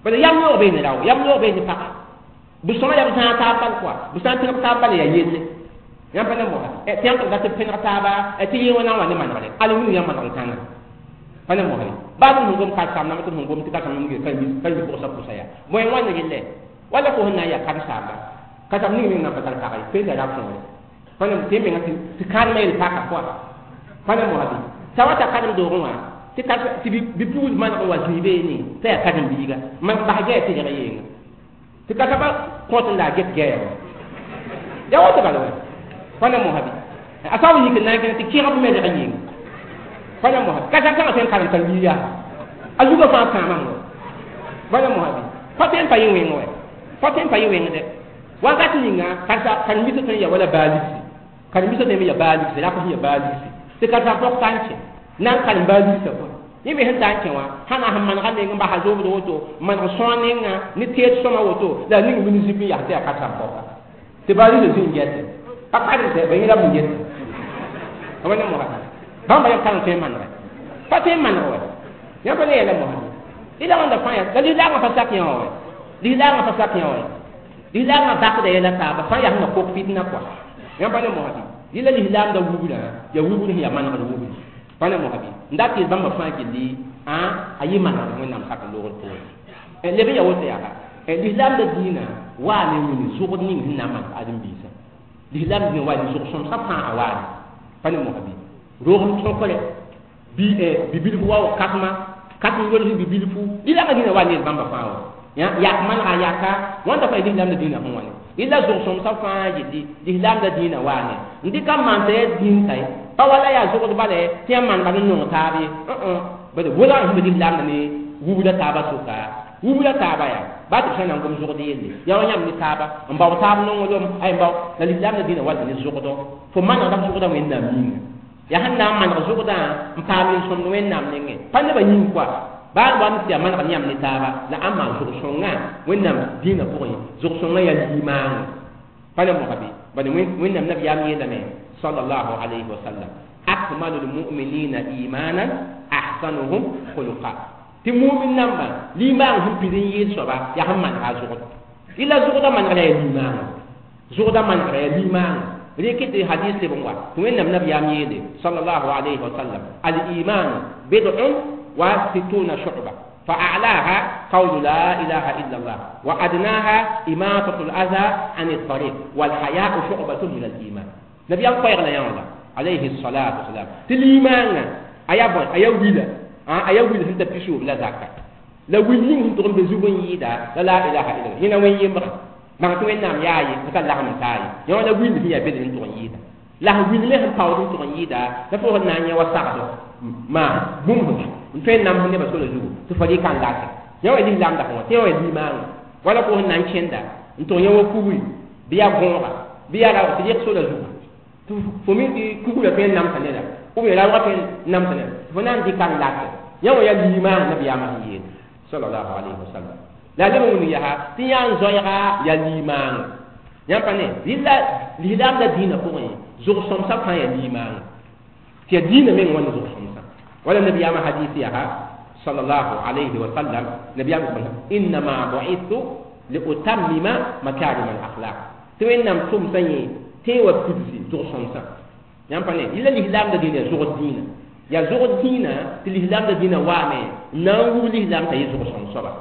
Bad yam noog bee ne rao, yam noog bee ne paga. B sõma yaa b zãag taab bal kɔa, b sã n tẽg taab bala yaa yelle. Yãmb pa ne mosã, tɩ yãmb tɩ b dat b pẽneg taaba, tɩ yẽ wã na n wa ne manegre, al wilg yãmb manegr kãngã. Pa ne mosã ye. Baa tɩ sẽn gom karsaam namba, tɩ sẽn gom tɩ karsaam namba ka mi pʋgsa pʋsa yaa. Bõe wãnd rɩllɛ, wala fo sẽn na n yaa karsaamba, karsaam ning meng na n pa tar pag ye, tõe n tara võore. Pa ne tɩ menga tɩ kãadmã yel paka pʋga. Pa ne mosã bɩ? Sã wa ta karen-doogẽ wã, tɩ bi-pugl maneg n wa zĩig beene, t'a yaa karen-biiga, man bas gɛɛ tɩ reg yeenga. Tɩ ka-soabã kõt n la a get gɛɛga wã. Yaa woto bala wɛ. Pa ne mosã bɩ? A sã n wa yik n na n kẽng tɩ kẽgb me reg yeenga. Pa ne mosã bɩ? Ka-sã kãngã tõe n karem karen-biig yaa. A zugã fãa kãamame wɛ. Pa ne mosã bɩ? Pa tõe n pa yẽ wẽng wɛ. Pa tõe n pa yẽ wẽngdɛ. Wakat ninga, karen-biisã tõe n yaa wala baa libsi. Karen-biisã tõe n ya baa ligse rap sẽn ya baa ligse tɩ karen-saam-pɔg ta n kẽ na n karem baa ligsã kõ yẽ me sẽn ta n kẽ wã sã na sẽn manega neng n basa zoobd woto n maneg sõa nenga ne teed sõma woto la a ning bɩ ne zip n yas tɩ yaa karen-saam-pɔga tɩ baa ligsã zĩ n gɛte pa karemsɛ ba yẽ rab n geta pa ne mosa bãmba yam karem tõe n manegɛ pa tõe n maneg wɛ yãmb pa ne yɛla mosa ila wãnda fãa ya la lislaagã pa sak yã wã wɛ lislaagã pa sak yã wã lislaagã bakda yɛla taaba fãa yaa sẽn na kok fitna kɔa yãmb pa ne mosa bɩ yɩla lislaamda wubrã yaa wubr sẽn yaa manegd wubri pa ne mosa bɩ n dat tɩ bãmba fãa gilli a yɩ manegd wẽnnaam sak n loogd poore leb n yaa woto yaa lislaamda dĩinã waa ne wĩni zʋgd ning sẽn na n maan ãdem-biisã lislaam dĩinã waa ne zʋg-sõmsã fãa a waane pa ne mosa bɩ roogem tõkre bɩ bibilfu wa kasma kasem yolg bibilfu lislaamã dĩinã waa ne bãmba fãa wa yak manega yaka wãnda fãa lislaamda dĩinã sẽn wãne ila zʋg-sõmsã fãa yelli lislaamda dĩinã waane n dɩka n maan t'a yaa dĩin ka ye pa wala yaa zʋgd bala tɩ yãmb maan bal n nong taab ye bad wʋlga sẽn be lislaamda ne wubda taaba sʋka wubda taaba yaa baa tɩ b sã na n gom zʋgd yelle yaa wa yãmb ne taaba n bao taab nonglem ay n bao la lislaamda dĩinã wa ne zʋgdɔ fo manegda f zʋgda wẽnnaam yĩnga yaa sẽn na n maneg zʋgdã n paam yel-sõmd wẽnnaam nengẽ pa nebã yĩng koa baa wa tɩ yaa maneg yãmb ne taaba la ãmb maan zʋg-sõngã wẽnnaam dĩinã pʋgẽ zʋg-sõngã yaa limaango pa ne mosa bɩ bad wẽnnaam nabiyaam yeelame sallallahu alayhi wa sallam akmalu lmuminina imanan ahsanuhum khuluqa tɩ mumin nambã limaang sẽn pid n yɩɩd soaba yaa sẽn manega a zʋgd ila zʋgdã manegra yaa limaango zʋgdã manegra yaa limaango rɩkɩ tɩ hadis leb n wa tɩ wẽnnaam nabiyaam yeele sallallahu alayhi wa sallam al iman bid'un wa sittuna shu'ba فأعلاها قول لا إله إلا الله وأدناها إماطة الأذى عن الطريق والحياء شعبة من الإيمان نبي الله يلا عليه الصلاة والسلام تليمان أيا بون أيا ويلا أيا ويلا هنت بيشو لا زكاة لا ويلين هنت تقوم بزوجين يدا لا لا إله إلا الله هنا وين يمر ما تقول نعم ياي مثلا لا من تاي يوم لا ويل هي بيد هنت تقوم يدا لا ويل له باور هنت تقوم يدا لا فوق نانيا وسعده ما بوم n tõe n namsd nebã sola zugu tɩ fo rɩka n lake yã wa lislaamda sẽn wa tɩ yã wa limaanga wala fo sẽn na n kẽnda n tʋg yã wa kugri bɩ yaa gõoga bɩ yaa raoog tɩ rɩk sola zugu tɩ fo mi tɩ kugrã tõe n namsa neda ou bien raoogã tõe n namsa neda tɩ fo na n dɩka n lake yã wa yaa limaang nabiyaamã sẽn yeel sallallahu alayhi wa sallam la leb n wĩng yaa tɩ yã n zoɛɛga yaa limaanga yãmb pa ne lislaamda dĩinã pʋgẽ zʋg-sõmsã fãa yaa limaanga tɩ yaa dĩinã meng wãna zʋg-sõmsã ولا النبي ما حديثها صلى الله عليه وسلم نبي يقول إنما بعثت لأتمم مكارم الأخلاق توين نم توم سني تي وبتسي زور سنسا يام باني إلا الإسلام ده دين زور الدين يا زور الدين الإسلام ده دين وامي نانغو الإسلام تي زور سنسا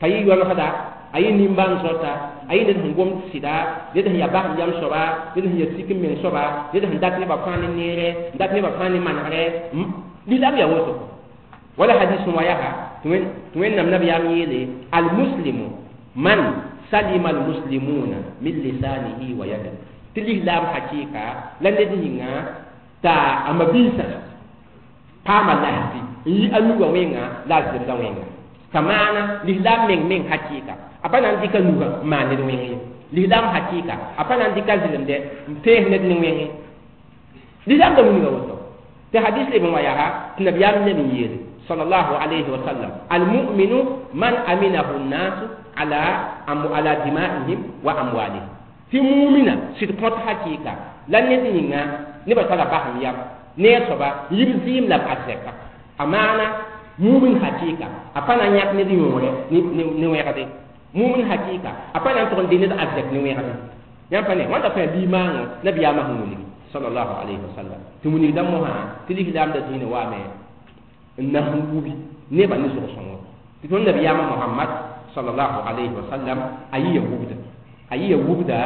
تاي يوانا خدا أي نيمبان سوتا أي ند هنغوم سيدا ند هي باخ يام سوبا ند هي سيكم من سوبا ند هندات ني با فاني نيره ندات ني با فاني مانغره lislaam yaa woto wala hadis wa yaa tɩ wẽnnaam nabiyaam yeele almuslimu man salima almuslimuna min lisanihi wa yadihi tɩ lislaam hakɩɩka la ned yĩnga t'a a mabiisã paama lasɩ n yi a nugã wẽnga la a zemda wẽnga t'a maana lislaam meng meng hakɩɩka a pa na n dɩka nugã n maan ned wẽng ye lislaam hakɩɩka a pa na n dɩka zɩlemdɛ n pees ned ne wẽng ye lislaam da wilga woto في حديث ابن وياها النبي النبي صلى الله عليه وسلم المؤمن من أمنه الناس على على دمائهم وأموالهم في مؤمنة سيد حقيقة لن يدينا نبى تلا بهم يام نيسوبا يبزيم لا أزكى أمانة مؤمن حقيقة أفنا نياك نديونه نويرده مؤمن حقيقة أفنا نتون دينه أزكى نويرده يام فني وانت في ليمان نبي يامه صلى الله عليه وسلم تمني دمها تلي لام دين وامه انه وبي نيبا نزو سونو تون نبي ياما محمد صلى الله عليه وسلم اي يهودا اي يهودا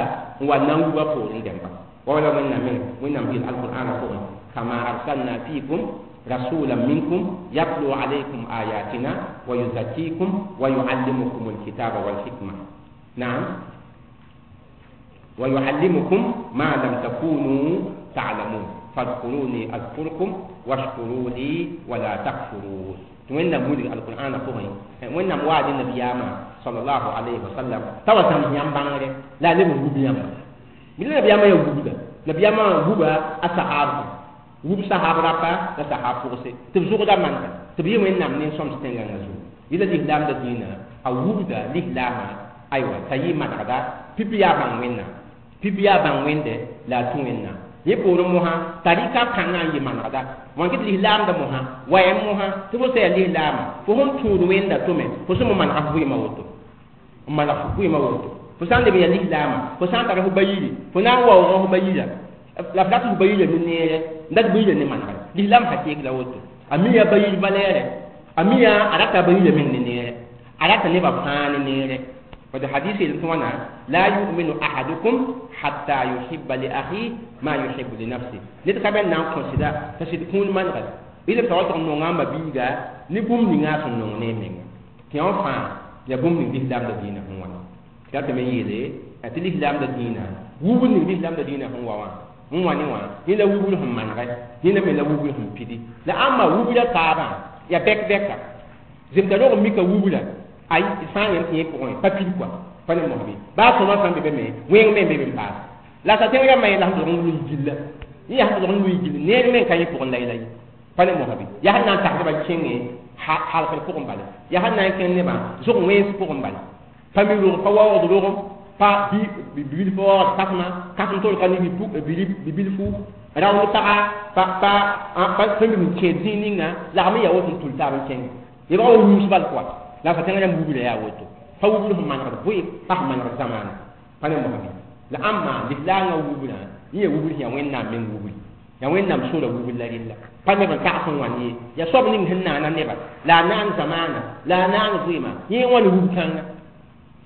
وانا وبا فورين دمبا ولا من من من في القران فوق كما ارسلنا فيكم رسولا منكم يتلو عليكم آياتنا ويزكيكم ويعلمكم الكتاب والحكمة نعم ويعلمكم ما لم تكونوا تعلمون فاذكروني أذكركم واشكروا لي ولا تكفرون وين مولي القرآن فوقي وين وعد النبي صلى الله عليه وسلم توا سام يام بانغري لا لم يغوب يام من النبي يام يغوب Nabiyama wuba a sahab wub sahab rapa la sahab pʋgse tɩ b zʋgda manega tɩ b yɩ Wẽnnaam nin-sõms tẽngãngã zugu. Yɩla lislaamda dĩinã a wubda lislaamã aywa t'a yɩ manegda pipi yaa bãng Wẽnnaam pipi yaa bãng Wẽnde la a tũ Wẽnnaam. Yẽ poorẽ mosã tarika kãngã n yɩ manegda wãn kɩ tɩ lislaamda mosã wayam mosã tɩ fo sã yaa lislaama fo sẽn tũud Wẽnda tʋme fo sẽn mo manega fo vɩɩmã woto n maneg fo vɩɩmã woto fo sã n leb n yaa lislaama fo sã n tara fo ba yiri fo na n waoogã fo ba yira la f rat fo ba yira ne neere n dat ba yira ne manegre lislaam hakɩɩk la woto a mi yaa ba yir valɛɛrɛ a mi yaa a rata ba yira meng ne neere a rata nebã fãa ne neere. Wad hadis yel tɩ wãna la yuminu ahadukum hatta yuhibba li akhi ma yuhibbu li nafsi ned ka bɛ n na n kõ sɩda t'a sɩd kũun manegre yɩl b t'a wa tʋg n nonga a ma-biiga ne bũmb ninga a sẽn nong ne a menga tɩ yã fãa yaa bũmb ning lislaamda dĩinã sẽn wãna tɩ ratame n yeele tɩ lislaamda dĩinã wubr ning lislaamda dĩinã sẽn wa wã n wa ne wã yẽ la wubr sẽn manegɛ yẽ la me la wubr sẽn pidi la ãmba wubra taabã yaa bɛk-bɛka zemta rog n mika wubra ay sã n yẽm tɩ yẽ pʋgẽ pa pid kɔa pa ne mosbe baa sõma sãn be be me wẽng me n be be n paas la sa tẽng rãmbã yẽ la sẽn tʋg n lʋɩ gilla yẽ yaa sẽn tʋg n lʋɩ gill neer me n ka yẽ pʋgẽ la ye pa ne mosbe yaa sẽn na n tagsdbã kẽnge halgr pʋgẽ bala yaa sẽn na n kẽng nebã zʋg wẽns pʋgẽ bala pa mi rog pa waoogd rogem pa bibilf waoogd kasma kasem tol ka ne bibilfu raoond paga pa pa pa sẽn n kẽed zĩig ninga lagm n yaa woto n tul taab n kẽng yebg wa rũus bal kɔa la fa tẽng rãmb wubra yaa woto pa wubr sẽn manegd vʋɩ pa sẽn manegd zamaana pa ne mosbi la ãmba lislaangã wubrã yẽ yaa wubr sẽn yaa Wẽnnaam meng wubri yaa Wẽnnaam sora wubr la rella pa neb n tags n wãn ye yaa soab ning sẽn naana neba la a naan zamaana la a naan vɩɩma yẽ wãn wub-kãnga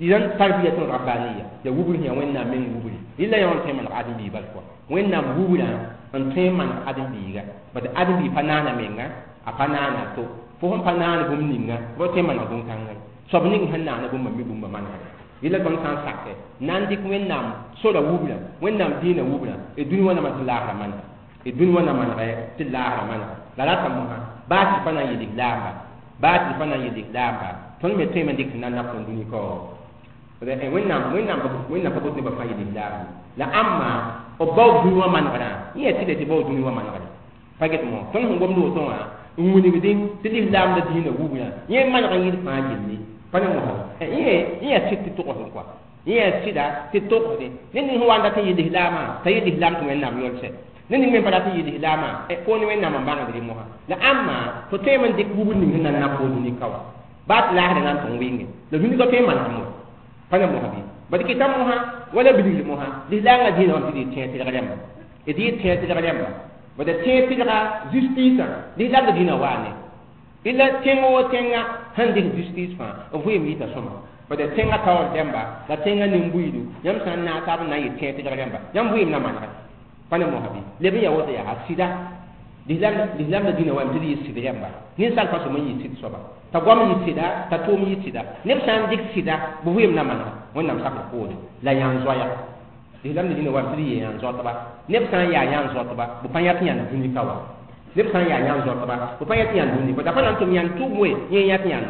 idan tarbiyatun rabbaniya ya wubr sẽn yaa Wẽnnaam meng wubri rɩla yã wã n tõe n maneg ãdem-biig bal kɔa Wẽnnaam wubrã n tõe n maneg ãdem-biiga bad ãdem-biig pa naana menga a pa naana to fo sẽn pa naan bũmb ninga fo tõe n maneg bũn-kãngã soab ning sẽn naana bũmba mi bũmba manegre yella tõnd sã n sakɛ na n dɩk Wẽnnaam sora wubra Wẽnnaam dĩinã wubra d dũni wã na man tɩ laasra manega d dũni wã na manegɛ tɩ laasra manega la rata mosã baa tɩ pa na n yel lislaamba baa tɩ pa na n yel lislaamba tõnd me tõeme n dɩk sẽn na n nak tõnd dũni kaoor Wẽnnaam Wẽnnaam Wẽnnaam pa bot nebã fãa yel lislaamba la ãmba b baoog dũni wã manegrã yẽ yaa tɩ tɩ baoog dũni wã manegre pa get mo tõnd sẽn gomd woto wã n wilgdẽ tɩ lislaamda dĩinã wubra yẽ maneg n yɩl fãa yelle pa ne mosã yẽ yaa sɩd tɩ togsd kɔa yẽ yaa sɩda tɩ togsdẽ ned ning sẽn wa n dat n yɩ lislaamã t'a yɩ lislaam tɩ Wẽnnaam yolsɛ ned ning me n pa rat n yɩ lislaamã foon Wẽnnaam n bãngd rẽ mosã la ãmba fo tõeme n dɩk wubr ning sẽn na n nak fo dũni ka wã baa tɩ laasdã na n tʋg wɩnge la dũni ka tõe n manegem wa pa ne mosã bɩ bad kɩta mosã wala bilgr mosã lislaangã dĩinã wã tɩ d yɩ tẽeg tɩlg rãmba d yɩ tẽeg tɩlg rãmba bad tẽeg tɩlga justice lislaamda dĩinã waa ne ila tẽng wo tẽnga sẽn dɩk justice fãa b vɩɩm yita sõma bad tẽngã taoor dẽmba la tẽngã nin-buiidu yãmb sã n naag taab n na n yɩ tẽeg tɩlg rãmba yãmb vɩɩm na manegɛ pa ne mosã bɩ leb n yaa woto yaa sɩda lislaamda dĩinã wame tɩ d yɩ sɩd rãmba ninsaal fãa sõm n yɩ sɩd soaba t'a goam yɩ sɩda t'a tʋʋm yɩ sɩda neb sã n dɩk sɩda bɩ vɩɩm na manega Wẽnnaam sakr poore la yãn-zoaya lislaamda dĩinã wame tɩ d yɩ yãn-zoatba neb sã n yaa yãn-zoatba b pa yãt yãnd dũni ka wa neb sã n yaa yãn-zoatba b pa yãt yãnd dũni da pa na n tʋm yãnd tʋʋm we yẽ yãt yãnd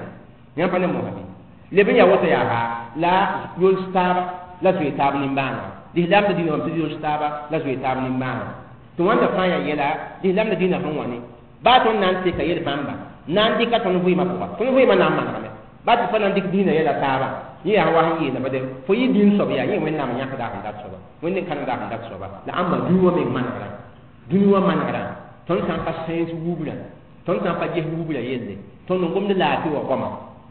yãmb pa ne mosã bɩ leb n yaa woto yaa la yols taaba la zoe taab nimbãanega lislaamda dĩinã wame tɩ d yols taaba la zoe taab nimbãanega tɩ wãnda fãa yaa yɛla lislaamda dĩinã sẽn wã ne baa tõnd na n teka yel bãmba na n dɩka tõnd vɩɩmã pʋga tõnd vɩɩmã na n manegame baa tɩ pa na n dɩk dĩinã yɛla taaba yẽ yaa wa sẽn yeela bade fo yɩ dĩin soab yaa yẽ Wẽnnaam yãkda sẽn dat soaba Wẽnd n kãnemda sẽn dat soaba la ãmba dũni wã meng manegrã dũni wã manegrã tõnd sã n pa sẽns wubra tõnd sã n pa ges wubra yelle tõnd n gomd laafɩ wã goama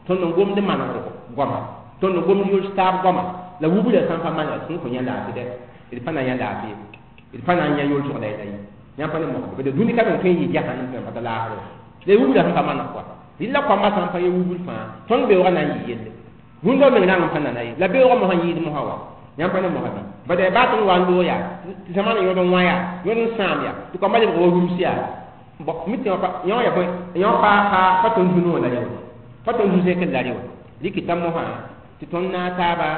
tõnd n gomd manegr goama tõnd n gomd yols taab goama la wubra sã n pa manegr tõnd fo yã laafɩ dɛ d pa na n yã laafɩ d pa na n yã yolsg la yɛla ye yãmb pa ne mosã bade dũni ka meng tõe n yɩ jahannam tɩ pa ta laasr la wubra sẽn pa maneg kɔa rɩla koambã sã n pa yã wubr fãa tõnd beoogã na n yɩ yelle rũndã meng rãng n pa nana ye la beoogã mosã yɩɩd mosã wa yãmb pa ne mosã bɩ bad baa tõnd wa n loog yaa tɩ zamaana yõd n wã yaa yõd n sãam yaa tɩ koambã lebg wa rũms yaa mi tɩ yõ ya bõe yõ pa pa tõnd zu-noog la rẽ wã pa tõnd zu-zẽkr la rẽ wã rɩkɩta mosã tɩ tõnd naag taaba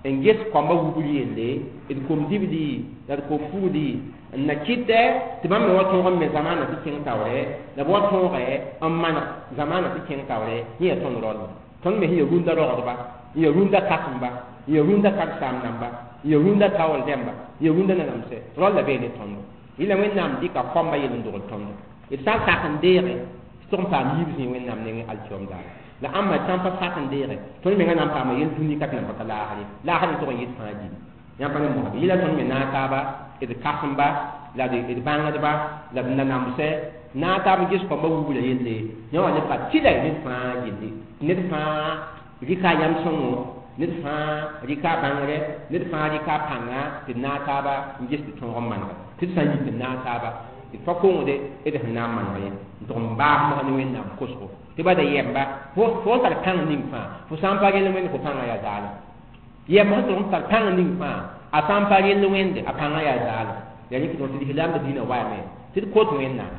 n ges koambã wubr yelle d kom dibli la d kom pugli n na kɩtɛ tɩ bãmb me wa tõog n me zamaana tɩ kẽng taoorɛ la b wa tõogɛ n maneg zamaana tɩ kẽng taoorɛ yẽ yaa tõnd rõll tõnd me sẽn ya rũndã rogdba n ya rũndã kakemba n ya rũndã karsaam namba Ya rũndã taoor rẽmba, ya rũndã nanamsɛ, rao la bee ne tõndo. Yɩla Wẽnnaam dɩka kõmba yel n dogl tõndo. D sã n sak n deege, tɩ tʋg n paam yiib zĩig Wẽnnaam nengẽ alkiom daara. La ãmba sã n pa sak n deege, tõnd menga na n paama yel dũni ka tɩ nan pa ta laasr ye. Laasr n tʋg n yɩt fãa gilli. Yãmb pa ne mosã. Yɩla tõnd me naag taaba, d kãsemba, la d bãngdba, la d nanamsɛ, naag taab n ges kõmba wubra yelle, yã wã lebga tɩla ned fãa gilli. Ned fãa rɩka a yam sõngo, ned fãa rɩka a bãngre, ned fãa rɩka a pãnga tɩ d naag taaba n ges tɩ tõog n manega. Tɩ d sã n yik n naag taaba, d pa kongde d sẽn na n maneg ye, n tʋg n baas mosã ne Wẽnnaam kosgo. Tɩ ba da yɛmba, fo sẽn tar pãng ning fãa, fo sã n pa rel Wẽnd, fo pãngã yaa zaalem. Yɛmb sẽn tʋg n tar pãng ning fãa, a sã n pa rel Wẽnde, a pãngã yaa zaalem. Yaa rẽ tɩ lislaamdã dĩinã waame tɩ d kot Wẽnnaam.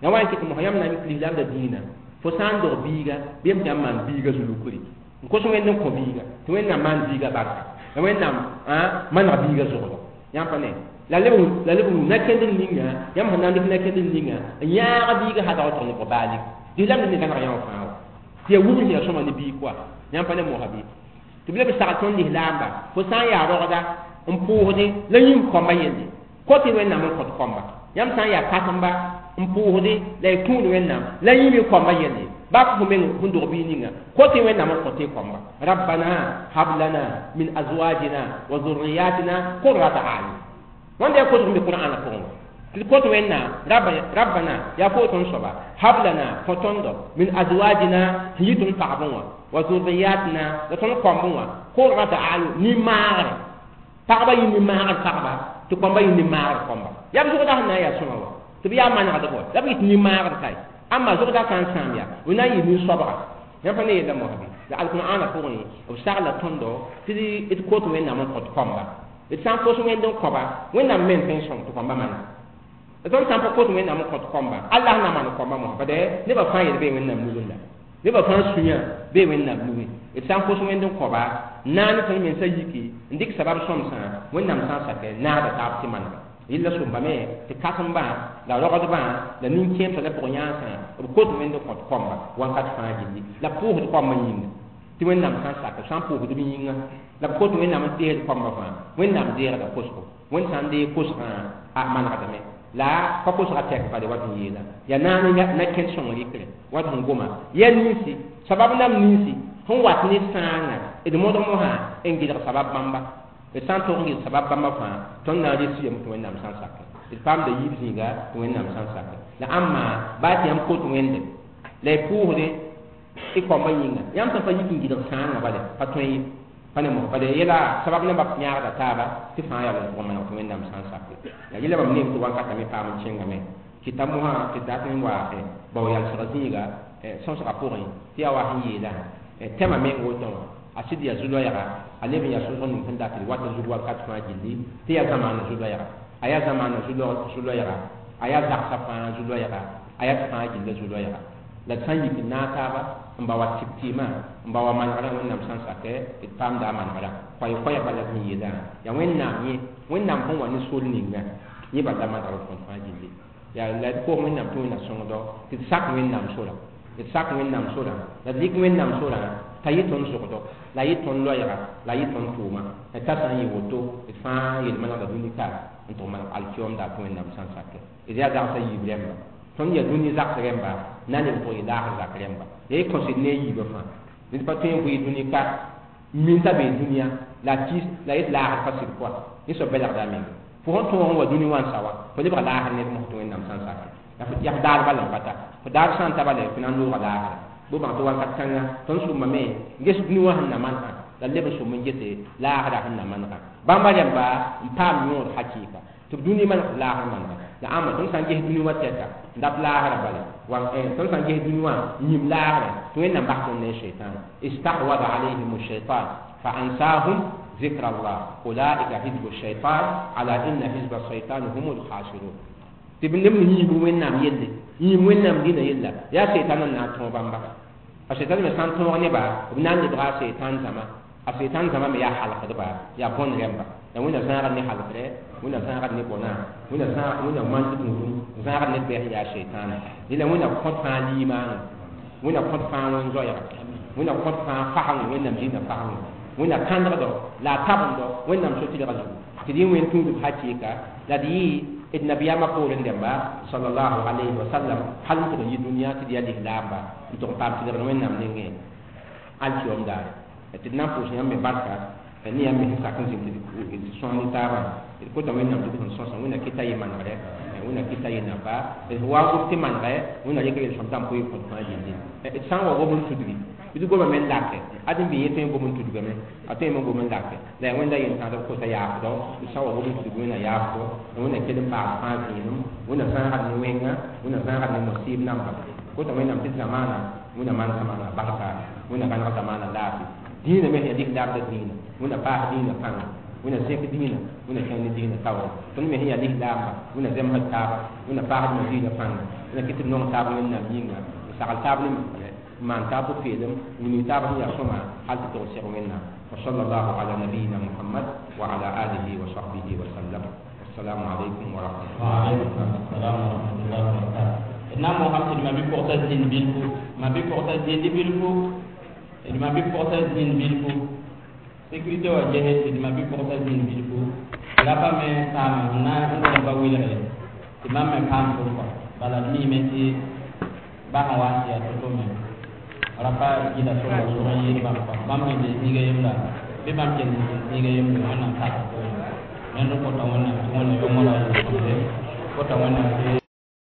Ya wa n kɩt mosã yãmb na n yik lislaamdã dĩinã, fo sã n dog biiga, bɩ yem tɩ yãmb maan biiga zulukri. N kos Wẽnd n kõ biiga, tɩ Wẽnnaam maan biiga barka. La Wẽnnaam maneg biiga zʋgdo. Yãmb pa ne. La leb wũ na-kẽndr ninga, yãmb sẽn na n dɩk na-kẽndr ninga, n yãag biiga hadg tʋg ne baalg. Lislaamdã ne gãneg yã wã fãa wa. Tɩ yaa wubr sẽn yaa sõma ne biig koa. Yãmb pa ne mosã bɩ. Tɩ b leb sagl tõnd lislaamba, fo sã n yaa rogda n pʋʋsdẽ la yĩng kõmba yelle. Kõt y Wẽnnaam n kõt kõmba. Yãmb sã n yaa kãsemba n pʋʋsdẽ la y tũud Wẽnnaam la yĩm y kõmba yelle. Bak fo meng sẽn dog biig ninga, kõt y Wẽnnaam n kõt y kõmba. Rabbana hab lana min azwajina wa zurriyatina qurrata a'yun. Wãnda yaa kosg n be Qur'aanã pʋgẽ wã. Tɩ d kõt Wẽnnaam, Rabbana, yaa fo tõnd soaba, hab lana, kõ tõndo, min azwajina, sẽn yɩ tõnd pagb wã, wa zurriyatina, la tõnd kõmb wã, qurrata a'yun, nin-maagre. Pagba yɩ nin-maagr pagba, tɩ kõmba yɩ nin-maagr kõmba. Yaa b zʋgda sẽn na n yaa sõma wã, tɩ b yaa manegdb wã, la b yɩ tɩ nin-maagr kae. Ãmba zʋgda sã n sãam yaa, b na n yɩ nin-soabga. Yãmb pa ne yella mosã bɩ? La alqur'aanã pʋgẽ, b sagla tõndo tɩ d kot Wẽnnaam n kõt kõmba. D sã n kos Wẽnd n kõba, Wẽnnaam meng tõe n sõng tɩ kõmba manega. La tõnd sã n pa kot Wẽnnaam n kõt kõmba, Allah na maan kõmba mosã. Bad nebã fãa yel bee Wẽnnaam nugẽ la. Nebã fãa sũyã bee Wẽnnaam nugẽ. D sã n kos Wẽnd n kõba, naane tõnd mensã yiki n dɩk sabab sõmsã, Wẽnnaam sã n sakɛ naagda taab tɩ manega. Yella sõmbame tɩ kãsembã la rogdbã la nin-kẽemsã la pʋg-yãansã b kot Wẽnd n kõt kõmba wãnkat fãa gilli la pʋʋsd kõmba yĩnga. Tɩ Wẽnnaam sã n sak, b sã n pʋʋsd b yĩnga la b kot Wẽnnaam n deegd kõmba fãa, Wẽnnaam deegda kosgo. Wẽnd sã n deeg kosgã a manegdame. La pa kosgã tɛk bale wat n yeela. Yaa naane na-kẽnd sõng rɩkre wat sẽn goma. Yaa ninsi, sabab nam ninsi sẽn wat ne sãangã d modg mosã n gɩlg sabab bãmba. D sã n tog n gɩlg sabab bãmba fãa, tõnd na n res yem tɩ Wẽnnaam sã n sakɛ. D paamda yiib zĩiga tɩ Wẽnnaam sã n sakɛ. La ãmba baa tɩ yãmb kot Wẽnde la y pʋʋsdẽ y kõmba yĩnga, yãmb sẽn pa yik n gɩlg sãangã bale pa tõe ye. Pa ne mosã bale yɛla sabab nambã yãagda taaba tɩ fãa yaa n tʋg n maneg tɩ Wẽnnaam sã n sakɛ. La yɛla bãmb neem tɩ wankatame paam n kẽngame. Kɩta mosã tɩ dat n wa bao yalsg zĩiga sõsgã pʋgẽ tɩ yaa wa sẽn yeelã tɛmã meng woto wã a sɩd yaa zu-loɛɛga, a leb n yaa sõsg ning sẽn dat d wat zug wakat fãa gilli tɩ yaa zamaana zu-loɛɛga, a yaa zamaana zu-loɛɛga, a yaa zagsã fãa zu-loɛɛga, a yaa fãa gilla zu-loɛɛga. La d sã n yik n naag taaba n ba wa tɩk-tɩɩmã, n ba wa manegrã Wẽnnaam sã n sakɛ d paamda a manegrã. Koɛɛ-koɛɛ bala sẽn yeelã yaa Wẽnnaam yẽ, Wẽnnaam sẽn wa ne sor ninga yẽ bala manegr b kõt fãa gilli. Yaa la d koos Wẽnnaam tɩ Wẽnna sõngdo tɩ d sak Wẽnnaam sorã, d sak Wẽnnaam sorã, la d rɩk Wẽnnaam sorã t'a yɩ tõnd zʋgdo, la yɩ tõnd loɛɛga, la yɩ tõnd tʋʋma. La t'a sã n yɩ woto, d fãa yel-manegda dũni ka n tʋg maneg alkiomda tɩ Wẽnnaam sã n sakɛ. D yaa zagsã yiib rẽmba. Tõnd yaa dũni zaks rẽmba, na n leb tʋg yɩ laasr zak rẽmba. La y kõsd ne a yiibã fãa. Ned pa tõe n vɩɩ dũni ka n min t'a bee dũniyã la kis la yet laasr pa sɩd koa. Yẽ soab belgda a menga. Fo sẽn tõog n wa dũni wã n sa wã, fo lebga laasr ned mosã tɩ Wẽnnaam sã n sakɛ. La fo yaa fo daar bala n pa ta. Fo daar sã n ta bala fo na n looga laasra. Bɩ bãng tɩ wakat kãnga tõnd sʋmbame n ges dũni wã sẽn na manegã, la leb n sʋm n gese laasrã sẽn na manegã. Bãmba rẽmba n paam yõod hakɩɩka tɩ b dũni maneg tɩ laasr manega. La ãmba tõnd sã n ges dũni wã tɛka n dat laasrã bala, tõnd sã n ges dũni wã n yĩm laasrã tɩ Wẽnnaam bas tõnd ne shaitan. Istahwada alayhim shaitan fa ansahum ذكر الله أولئك حزب الشيطان على إن حزب الشيطان هم الخاسرون. Tɩ b neb yĩib Wẽnnaam yelle, yĩib Wẽnnaam dĩnã yella, yaa seitan n na n tõog bãmba. A seitan me sã n tõog neba, b na n lebga a seitan zãma. A seitan zãma me yaa halkdba, yaa bõn rẽmba. La Wẽnna zãagd ne halkre, Wẽnna zãagd ne bõna, Wẽnna Wẽnna man tɩ tũudum, zãagd ned bɛs n yaa seitaana. Yẽla Wẽnna kõt fãa liimaanã, Wẽnna kõt fãa wẽn-zoɛɛga, Wẽnna kõt fãa fasengẽ, Wẽnnaam dĩnã fasengẽ. Wẽnna kãndgdo la a tabendo Wẽnnaam so-tɩlgã zugu tɩ d yẽ wẽn tũudb hakɩɩka la d yɩ d nabiyaamã poorẽ dẽmba sallallahu alayhi wa sallam hal n tʋg n yi dũniyã tɩ d yaa lislaamba n tʋg n paam tɩlgr Wẽnnaam nengẽ alkiyom daare tɩ d na n pʋʋs yãmb me barka ne yãmb me sẽn sak n zĩnd tɩ d sõs ne taabã. D kota Wẽnnaam tɩ d sẽn sõsa, Wẽnna kɩta yɩ manegre, Wẽnna kɩta yɩ napa d wa n gom tɩ manegɛ Wẽnna rɩka yel-sõm tã n pʋɩ kõt fãa yelle. D sã n wa gom n tudgi d goma me n lake ad n bɩ yẽ tõe n gom n tudgame, a tõe me n gom n lake la yaa Wẽnda yentãadb kota yaafdɔ. D sã n wa gom n tudg, Wẽnna yaafdɔ, Wẽnna kell n paas fãa zĩinem, Wẽnna zãagd ne wẽnga, Wẽnna zãagd ne mosɩɩb namba. Kota Wẽnnaam tɩ zamaana Wẽnna maan zamaana barka, Wẽnna gãneg zamaana laafɩ. Dĩinã me sẽn yaa lislaamda dĩinã, Wẽnna paas dĩinã pãnga, Wẽnna zẽk dĩinã, Wẽnna kẽng ne dĩinã taoore. Tõnd me sẽn yaa lislaamba, Wẽnna zemsd taaba, Wẽnna paasd ma-dĩinã pãnga, Wẽnna kɩt tɩ d nong taab Wẽnnaam yĩnga, n sagl taab ne n maan taab pʋ-peelem, n wilg taab sẽn yaa sõma hal tɩ tog seg Wẽnnaam. Wa sallallahu ala nabiyina Muhammad wa ala alihi wa sahbihi wa sallam. Wassalamu alaikum wa rahmatullahi. Wa alaikum assalam wa rahmatullahi wa barakatuh. D na n moosame tɩ d ma-bi-pʋgsa zĩnd bilfu, ma-bi-pʋgsa zĩnd bilfu, d ma-bi-pʋgsa zĩnd bilfu. Sécurité wa ges tɩ d ma-bi-pʋgsa zĩnd bilfu rapa me paame n na n gõd pa wilge tɩ mam me paam tʋm kɔ. Bala d miime tɩ ba sẽn wa n tɩ yaa to-to me rapa gɩda sõma zʋg n yɩɩd bãmb kɔ. Bãmb sẽn zoe zĩiga yembra bɩ bãmb kell n zĩnd zĩiga yembre, Wẽnnaam sak poorẽ. Rẽnd n kota Wẽnnaam tɩ Wẽnna yomra yel-sõmde, kota Wẽnnaam tɩ